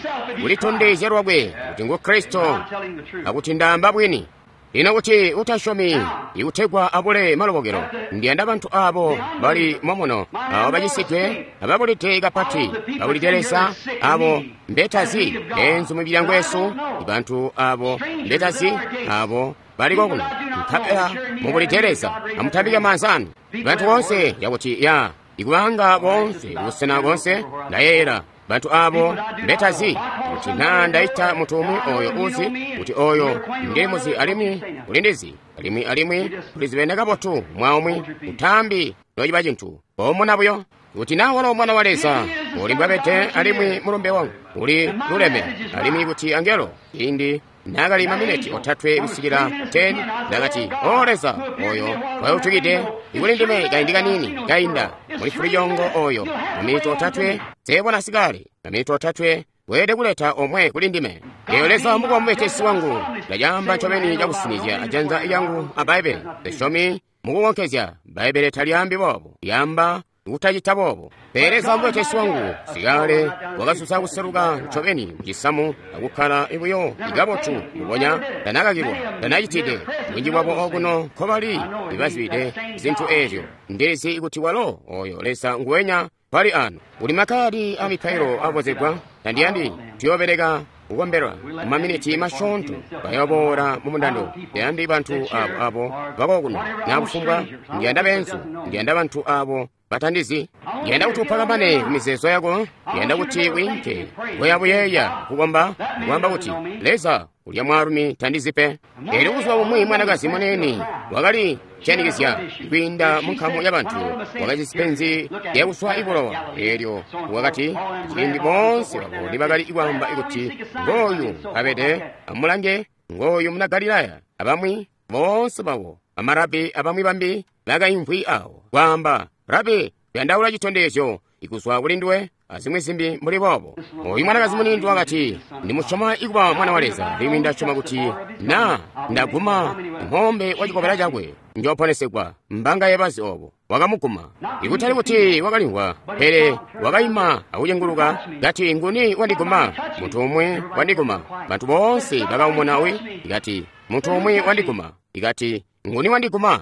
kulitondezya lwakwe kuti ngu Kristo, I'm telling the truth. akuti ndaamba bwini. Lino kuti utasyomi ikutegwa abule malobokelo, ndiyanda bantu abo bali momuno, abo bacisidwe, ababulide kapati, babulide Leza, abo mbetazi enzu mumilyango yesu, ibantu abo mbetazi abo baliko kuno nkabela mubulide Leza, amutambike maanza anu. Bantu bonse yakuti ya ikubanga bonse busena bonse, ndayeeyela bantu abo mbetazi kuti Kuti naa ndaita muntu umwi oyo uzi kuti oyo ndimuzi alimwi ulindizi alimwi alimwi tulizibene kabotu mwaumwi utambi nociba cintu pomuna buyo. Kuti naa walo mwana wa Leza uli mbwabede alimwi mulumbe wangu uli luleme alimwi kuti angelo ciindi naakali maminiti otatwe kusikila ten ndakati o Leza oyo wayutukide ikuli ndime kaindi kanini kainda muli fulijongo oyo maminiti otatwe seebona sikale maminiti otatwe weelede kuleta omwe kuli ndime. Eyo Leza mukuba mubetesi wangu ndacaamba ncobeni cakusinizya ajanza lyangu a Bbaibbele. Sisyomi mukukonkezya Bbaibbele talyaambi boobo, lyaamba kutacita boobo. Pele Leza mubetesi wangu sikale wakasusa kuseluka ncobeni mucisamu akukkala buyo ikabotu mubonya tanakakilwa tanacitide. Bunji bwabo okuno nkobali ibazibide zintu eezyo. Ndilizi kuti walo oyo Leza nguwenya pali ano. Uli makadi a mipailo abozegwa tandiyandi tuyobeleka kukombelwa mumaminiti masyoonto bayoboola mu mundando. Ndiyandi bantu abo abo bakokuno nakufumbwa ndiyanda benzu ndiyanda bantu abo batandizi. Ndiyanda kuti upakamane ku mizeezo yako. Ndiyanda kuti wiinke koyabuyeeya kukomba kuamba kuti Leza ulya mwaalumi tandizi pe. Eelyo buzuba bumwi mwanakazi muniini wakali ciyanikizya kwiinda mu nkamu yabantu wakajisi penzi lyakuswa ibulowa. Eelyo wakati ciindi boonse babo nibakali kwaamba kuti ngooyu abede amulange ngooyu muna Galilaya abamwi boonse babo amarabi abamwi bambi bakaimvwi awo kwaamba Rabi kuyandaula citondezyo ikuzwa kuli nduwe azimwi zimbi mbuli boobo. Oyu mwanakazi muniini wakati ndimusyoma ikuba mwana wa Leza alimwi ndasyoma kuti na ndaguma nkombe wa cikobela cakwe njoponesegwa. Mbanga yebazi obo wakamuguma. Ikutali kuti wakalimvwa pele wakaima akucenguluka kati nguni wandiguma? Muntu umwi wandiguma. Bantu boonse bakaumuna wi ikati muntu umwi wandiguma. Ikati nguni wandiguma?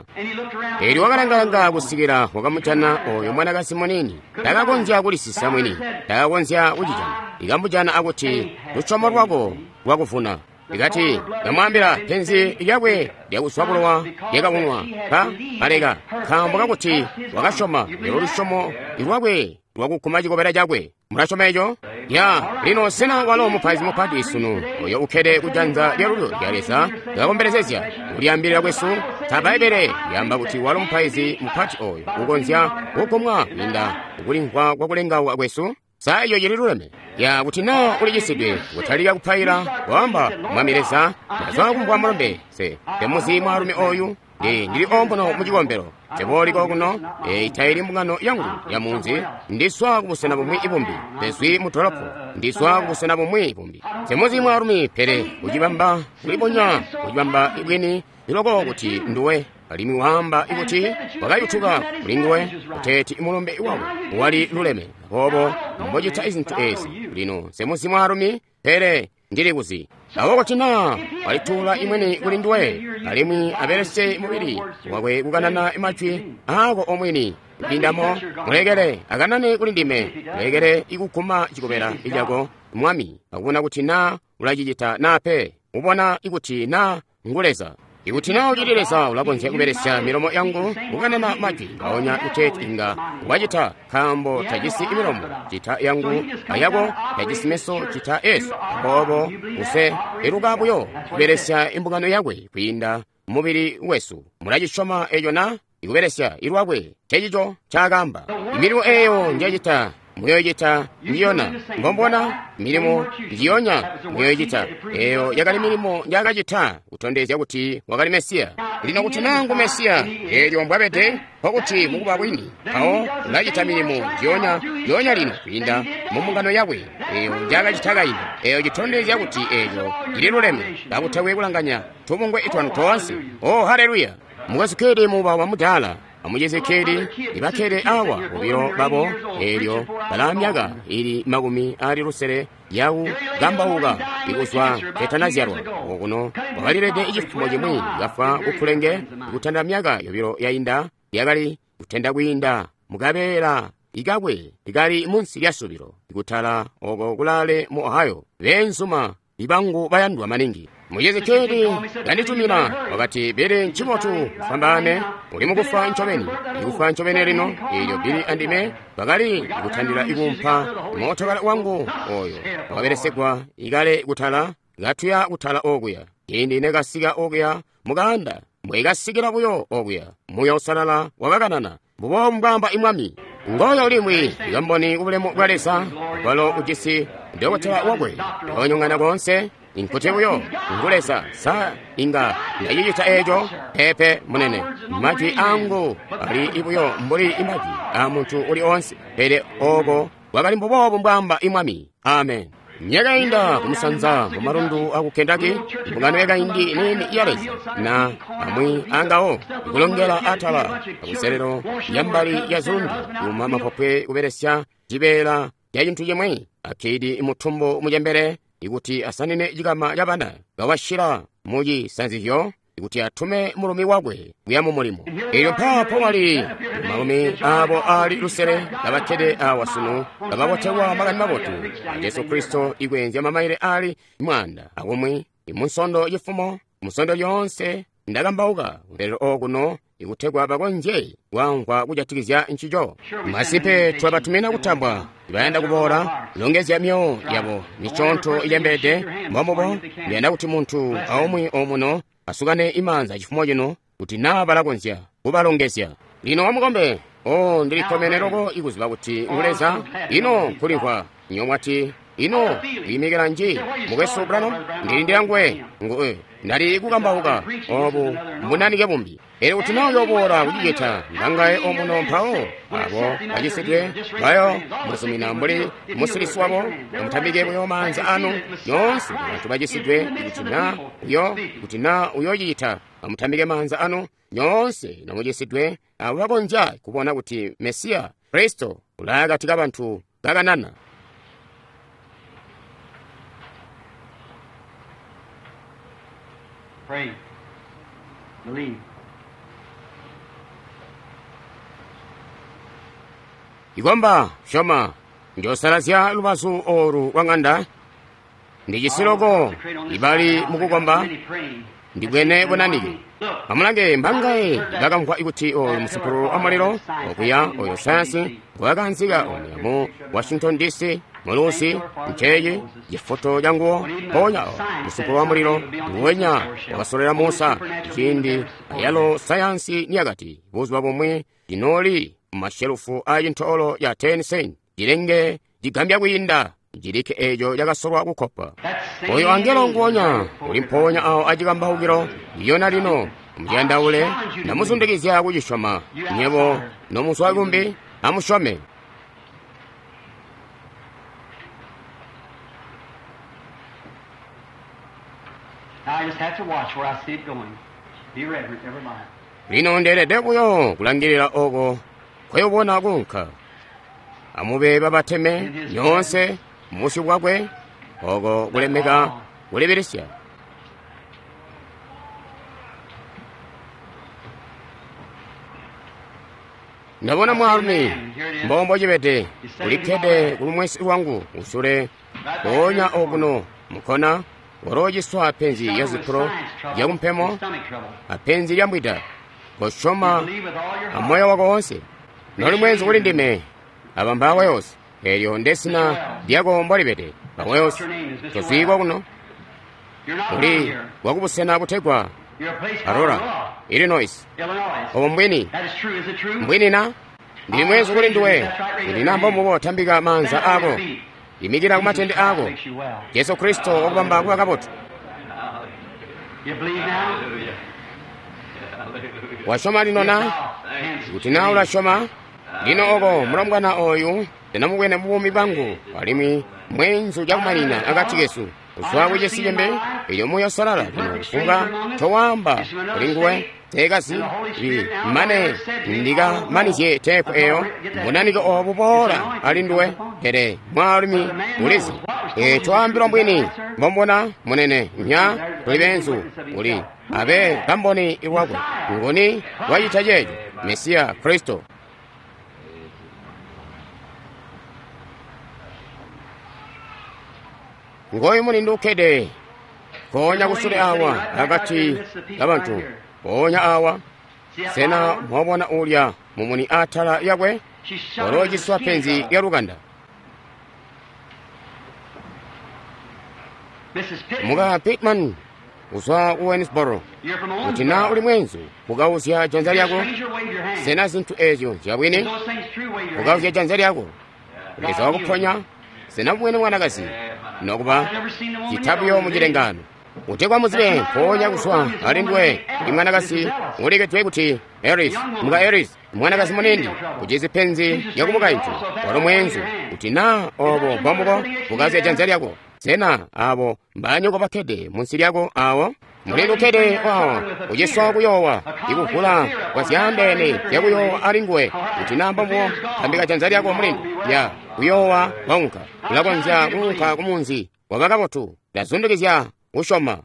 Eelyo wakalangalanga kusikila wakamujana oyo mwanakazi muniini. Takakonzya kulisisa mwini, takakonzya kucijana. Ikamujana akuti lusyomo lwako lwakuvuna. Ikati kamwaambila penzi lyakwe lyakuswa bulowa lyakaunwa pa aleka nkaambo kakuti wakasyoma lelo lusyomo lwakwe lwakuguma cikobela cakwe. Mulasyoma eco? Ya lino sena walo mupaizi mupati sunu oyo ukkede kujanza lyalulyo lya Leza kakombelezezya kulyaambilila kwesu? Ta Bbaibbele lyaamba kuti walo mupaizi mupati oyo ukonzya kugumwa kwiinda kulimvwa kwakulengauka kwesu? Sa iyo cili luleme? Ya kuti naa ulicisidwe kutalika kupaila kwaamba Mwami Leza ndazwa kumvwa mulumbe se temuzi mwaalumi oyu ndi ndili ombono mu cikombelo teboliko kuno eyi taili mbungano yangu ya munzi ndiswa kubusena bumwi ibumbi tezwi mu dolopo ndiswa kubusena bumwi bumbi temuzi mwaalumi pele kucibamba kulibonya kucibamba ibwini iloko kuti nduwe alimwi waamba ikuti wakayutuka kuli nguwe kuteeti mulumbe wawe wali luleme. Aboobo mbocita izintu ezi lino semuzi mwaalumi pele ndili kuzi. Awo kuti naa walituula imweni kuli nduwe alimwi abelese mubili wakwe kukanana majwi ako omwini kwiindamo mulekele akanane kuli ndime mulekele ikuguma cikobela icako Mwami akubona kuti naa ulacicita naa pe ubona ikuti naa ngu Leza. Ikuti naa ucili Leza ulakonzya kubelesya milomo yangu kukanana majwi ngaonya kuteeti inga wacita nkaambo tajisi milomo cita yangu ayako tajisi meso cita esu. Aboobo use iluka buyo kubelesya imbungano yakwe kwiinda mubili wesu. Mulacisyoma eco na? Ikubelesya ilwakwe cecico ncaakaamba. Milimo eeyo njacita muyoyicita ndiyona mbombona milimo njiyonya muyoyicita. Eyo yakali milimo njakacita kutondezya kuti wakali Mesiya. Lino kuti nangu Mesiya eelyo mbwabede nkokuti mukuba bwini mpawo ulacita milimo njiyonya njiyonya lino kwiinda mu mbungano yakwe eyo njakacita kaindi. Eyo citondezya kuti eeco cililuleme kakutakwe kulanganya tubungwe itwanu toonse. Oh haleluya! Mukwesu Kedi muba wa mudaala amucizi Kedi ibakkede awa bobilo babo eelyo balaa myaka ili makumi ali lusele yaku kambauka ikuzwa ketanazyalwa. Okuno wakalilede icifumo cimwi kafwa kukhulenge kutanda myaka yobilo yainda yakali kutenda kwiinda mukabeela ikakwe ikali munsi lya subilo ikutala oko kulaale mu Ohio. Beenzuma ibangu bayandwa maningi. Muchizi Kedi yanditumina wakati, Bili ncibotu ufwambaane, uli mukufa ncobeni, ikufa ncobeni lino. Eelyo Bili andime bakali kutandila ikumpa mootokala wangu oyo wakabelesegwa ikale kutala katuya kutala okuya. Ciindi nekasika okuya mukanda, mbwekasikila buyo okuya, Muuya Uusalala wakakanana, mbubo mbwaamba imwami. Ngoyo limwi kamboni kubulemu bwa Leza, walo ujisi dokotela wakwe onyongana konse. Nkuti buyo ngu Leza. Sa inga ndacicita eeco? Peepe munene, majwi angu ali ibuyo mbuli imajwi a muntu uli onse, pele oko kwakali mbuboobu mbwaamba imwami. Amen. Myaka yainda kumusanza mu malundu aku Kentucky, mbungano yakaindi nini ya Leza na amwi angawo ikulongela atala akuselelo yambali ya zundu yuma mapopwe kubelesya cibeela ca cintu cimwi akidi mutumbu mucembele ikuti asanine cikama ca bana kawashila mucisanzizyo ikuti atume mulumi wakwe kuya mu mulimo. Eelyo mpaapo wali malumi abo ali lusele kabakkede awa sunu kababotelwa makani mabotu a Jesu Kristo ikweenzya mamaile ali mwanda akumwi imunsondo cifumo musondo lyoonse ndakambauka lero okuno ikutegwa bakonzye kwamvwa kujatikizya ncico. Masipe twabatumina kutambwa bayanda kuboola longezya myoyo yabo miconto icembeede. Mbombubo ndiyanda kuti muntu aumwi omuno asukane imanza cifumo cino kuti naa balakonzya kubalongezya. Lino wamukombe, o ndilikkomene loko ikuziba kuti ngu Leza. Ino nkulimvwa nyomwati ino kuyimikila nji mukwesu Branham ndilindila nguwe nguwe ndali kukambauka obu mbunanike bumbi. Pele kuti naa uyoboola kucicita ngangaye omuno mpawo abo bacisidwe bayo muzumina mbuli musilisi wabo, amutambike buyo maanza anu yoonse bantu bacisidwe kuti naa uyo kuti naa uyocita amutambike maanza anu nyoonse namucisidwe abo bakonzya kubona kuti Mesiya Kristo ulaakati kabantu kakanana. Pray. Believe. Ikomba, syoma, njosalazya lubazu olu lwa ng'anda. Ndijisi loko ibali mukukomba, ndibwene bunanike. Amulange mbangaye bakamvwa ikuti oyu musupulu wa mulilo okuya oyo sayansi ngwakaanzika omuya mu Washington D C mulusi nceeci cifoto canguwo. Mpoonya musupulu wa mulilo nguwenya wakasolera Musa ciindi ayalo sayansi niyakati buzuba bumwi cinooli mumashelufu a cintoolo ya ten cent cilenge cigambya kwiinda cilikke eeco cakasolwa kukkopa. Oyo angelo nguwonya uli mpoonya awo acikambaukilo iyona lino muciyandaule ndamuzundikizya kucisyoma. Nyebo nomuzwa kumbi amusyome. Now I just have to watch where I see it going. Be reverent, everybody. Lino ndeelede buyo kulangilila oko kweyobona kunka. Amube babateme nyoonse mubusyu bwakwe oko kulemeka kulibilisya. Ndabona mwaalumi mbombo cibede ulikkede kulumwesi lwangu usule mpoonya okuno mukkona walociswa penzi ya zipulo lyakumpemo apenzi lya mbwida. Kosyoma amoyo wako wonse. Noli mwenzi kuli ndime aba mbawa yonse elyo ndesina lyako mbolibede bawa yonse tozwikwa kuno uli wakubusena butegwa Aurora, Illinois. Obo mbwini mbwini na ndili mwenzi kuli nduwe ndina mbombubo tambika manza ako imikira kumatende ako. Jesu Kristo wakubamba kuba kabotu. You believe now? Wasyoma lino na kuti naa ulasyoma lino oko mulombwana oyu ndinamubwene mubuumi bwangu alimwi mwenzu cakumanina akati kesu kuzwa kucisi cimbi elyo Muuya Uusalala lino kufumbwa towamba kuli nguwe teekazi li mane ndikamanizye teepu eyo mbunanike obu boola ali nduwe. Pele mwaalumi ulizi e twaambilwa mbwini mbombona munene nya tuli benzu uli abe kamboni iwakwe nguni wacita ceeco Mesiya Kristo. Ngoyu mulindu ukkede nkoonya kusule awa akati kabantu mpoonya awa. Sena mwabona ulya mumuni atala yakwe? Walociswa penzi lya lukanda. Muka Pittman uzwa ku Waynesboro, kuti na uli mwenzu kukauzya janza lyako. Sena zinthu ezyo nzyabwini? Kukauzya janza lyako. Leza wakuponya. Sena bwene mwanakazi nokuba citabuyo mucilengano utekwa muzibe mpoonya kuzwa ali ndiwe ndi mwanakazi ulekedwe kuti Eris, muka Eris, mwanakazi munini ujizi penzi lyakumukaintu walo mwenzu kuti na obo mbombuko kukauzya janza lyako. Sena abo mbanyoko bakkede munsi lyako awo? Mulindu ukkede wawo uciswa kuyowa ikuvula kwa zyaandeene zyakuyowa ali nguwe kuti na mbombuko tambika janza lyako mulindu ya kuyowa waunka ulakonzya kuunka kumunzi waba kabotu. Ndazundikizya kusyoma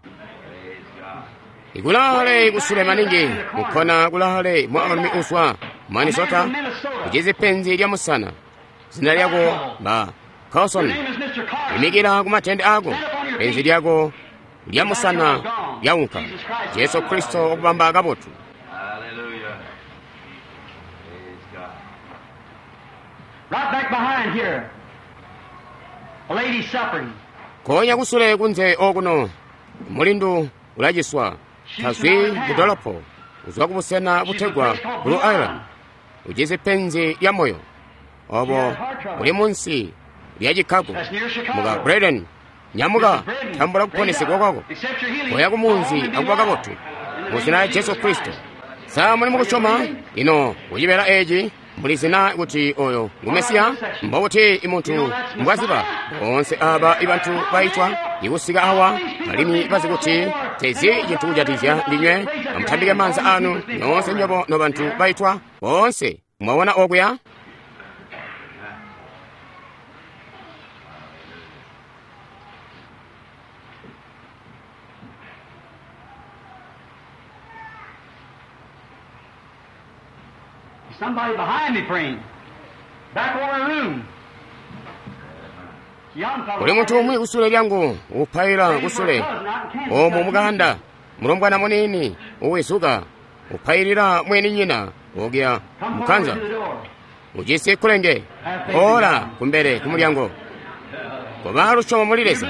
ikulale kusule maningi mukhona kulale mwaalumi uswa Minnesota ujizi penzi lya musana. Zina lyako ba Carlson. Imikira kumatende ako. Penzi lyako lya musana lyaunka. Jesu Kristo wakubamba kabotu. Right back behind here, a lady suffering. Konya kusule kunze okuno mulindu ulaciswa tazwi mudolopo uzwa kubusena butegwa Blue Island. Ujizi penzi lya moyo obo uli munsi lya Chicago. Muka Braden nyamuka tambula kuponesedwa kwako koya kumunzi akuba kabotu mu zina lya Jesu Kristo. Sa muli mukusyoma ino kucibela eci muli zina kuti oyo ngu Mesiya? Mbokuti imuntu mbwaziba boonse aba ibantu baitwa ikusika awa alimwi bazi kuti tezi cintu kujatizya ndinywe. Amutambike maanza anu nyoonse nyobo no bantu baitwa boonse. Mwabona okuya? Somebody behind me praying. Back over the room. Young fellow. Kuli munthu umwe kusule lyangu upaila kusule omo mukanda mulombwana munini uwizuka upailira mwene nyina wokya Come mukhanza forward to the door. ujisi kulenge ora kumbele kumulyango koba lusyomo muli Leza.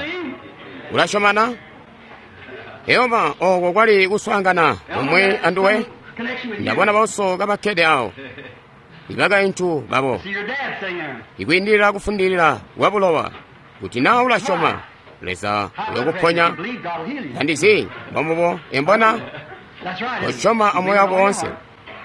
Ulasyomana? Yehova oko kwali kuswaangana omwe anduwe. Connection with you. Ndabona bauso kabakkede awo ibakaintu babo See your dad sitting there. ikwiindilira kufundilira kwa bulowa kuti nawe ulasyoma Leza uyokuponya. You believe God will heal you. Tandizi mbombubo embona That's right. isn't it? Osyoma You amoyo believe ako all your onse. heart.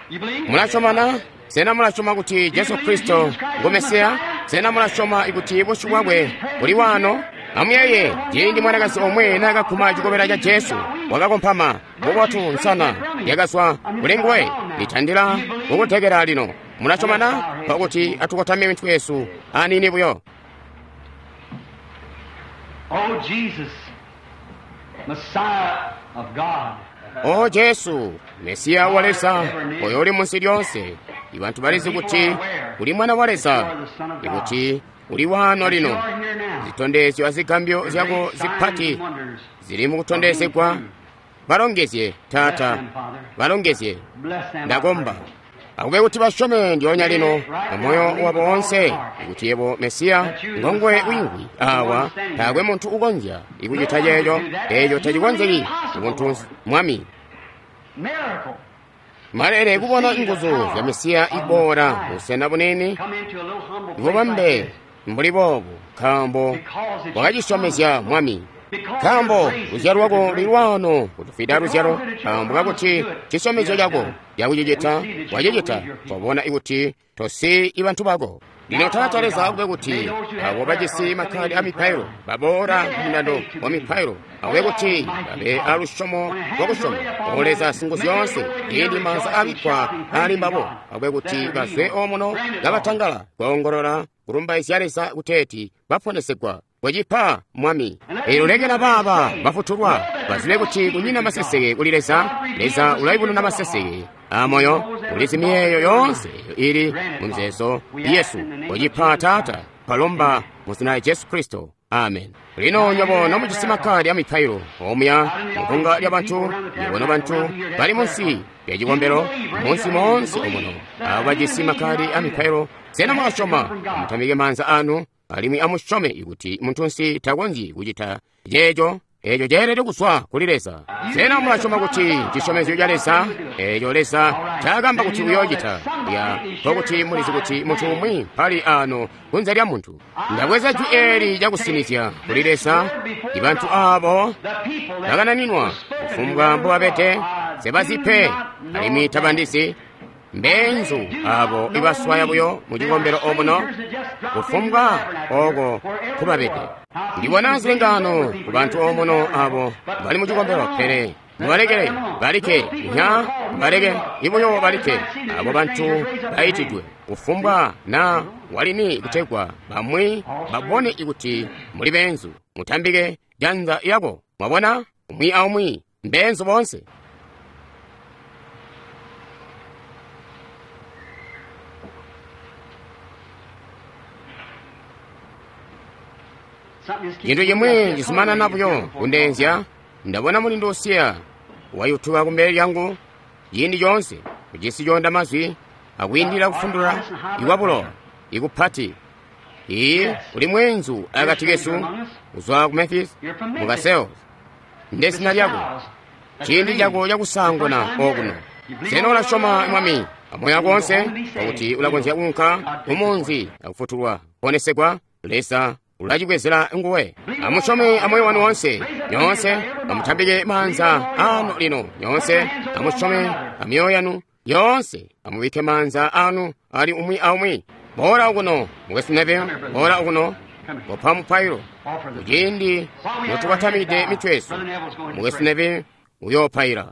You believe? Mulasyomana? Sena mulasyoma kuti Jesu Kristo ngu Mesiya? Sena mulasyoma ikuti busyu bwakwe buli wano? Amuyeye ciindi mwanakazi omwe naakakhuma cikobela ca Jesu wakakomphama bubotu nsana yakazwa kuli nguwe litandila kukuthekera lino. Mulasyomana? Pakuti atukotamye mitwe yesu anini buyo. Oh, Jesus, Messiah of God. O Jesu Mesiya wa Leza oyo uli munsi lyonse ibantu balizi kuti uli mwana wa Leza ikuti uli wano You lino. are here now. Zitondezyo azigambyo zyako zipati Signs and wonders. zili mukutondezegwa. Balongezye Taata, balongezye. Bless them. I Ndakomba pray. akube kuti basyome ndyonya lino amoyo wabo wonse kuti yebo Mesiya ngongwe wingwi awa taakwe munthu ukonzya ikuchita checho echo tachikonzeki munthu mwami. Miracle. Malere kubona nguzu zya Mesiya ibora busena bunene Come into a little humble place like ibubambe this. mbuli boobu nkaambo Because it's wakachisyomezya mwami. Because Nkaambo your grace is luzyalo lwako great. luli lwano kutufida luzyalo nkaambo kakuti chisyomezyo chako chakuchichita wachichita twabona ikuti tosi ibantu bako. Lino Taata Leza akube kuti abo bajisi makhadi a mipailo baboola mundando wa mipailo akube kuti babe alusyomo lwakusyoma o Leza Singuzyoonse ciindi maanza abikkwa ali mbabo akube kuti bazwe omuno kabatangala kuongolola kulumbaizya Leza kuteeti baponesegwa. Bwechipa mwami elo lekela baaba bafutulwa bazibe kuti kunyina maseseke kuli Leza. Leza ulayibonena maseseke amoyo ulizi miyeyo yonse ili mu mizeezo yesu. Bwechipa Taata palomba mu zina lya Jesu Kristo. Amen. Lino nywebo nomujisi makkaadi a mipailo omuya mubbunga lya bantu, nywebo nobantu bali munsi lya cikombelo, munsi moonse omuno, abo bajisi makkaadi a mipailo, sena mulasyoma? Amutambike maanza anu alimwi amusyome ikuti muntunsi takonzyi kucita ceeco. Eeco ceelede kuzwa kuli Leza. Sena mulasyoma kuti cisyomezyo ca Leza, eeco Leza ncaakamba kuti uyoocita, ya nkokuti mulizi kuti muntu umwi mpali ano kunze lya muntu. Ndabweza jwi eeli cakusinizya kuli Leza, ibantu aabo bakananinwa kufumbwa mbobabede, nsebazi pe alimwi tabandizi. Mbeenzu abo ibaswaya buyo mu cikombelo omuno, kufumbwa oko kubabede. Ndibona zilengaano ku bantu omuno abo bali mu cikombelo, pele mubalekele balike, nya baleke ibuyo balike abo bantu baitidwe kufumbwa na walini kutegwa bamwi babone ikuti muli beenzu. Mutambike janza lyako, mwabona, umwi aumwi mbeenzu boonse. Cintu cimwi cizumanana buyo kundeenzya. Ndabona mulindu usiya wayutuka kumbele lyangu ciindi coonse, kujisi coonda mazwi akwiindila kufundula ikwabulowa ikupati. Iyi uli mweenzu akati kesu kuzwa ku Memphis mukaseos. Ndezina lyako, ciindi cako cakusaanguna okuno. Sena ulasyoma Mwami amoyo wako onse pakuti ulakonzya kuunka kumunzi akufutulwa kuponesegwa? Leza ulacibwezela nguwe. Amusyome amoyo wanu wonse. Nyoonse amutambike maanza anu lino. Nyoonse amusyome amyoyo yanu yoonse. Amubike maanza anu ali umwi aumwi. Boola okuno, Mukwesu Neville, boola okuno. Kopa mupailo kuciindi notubatamide mitwe yesu. Mukwesu Neville uyoopaila.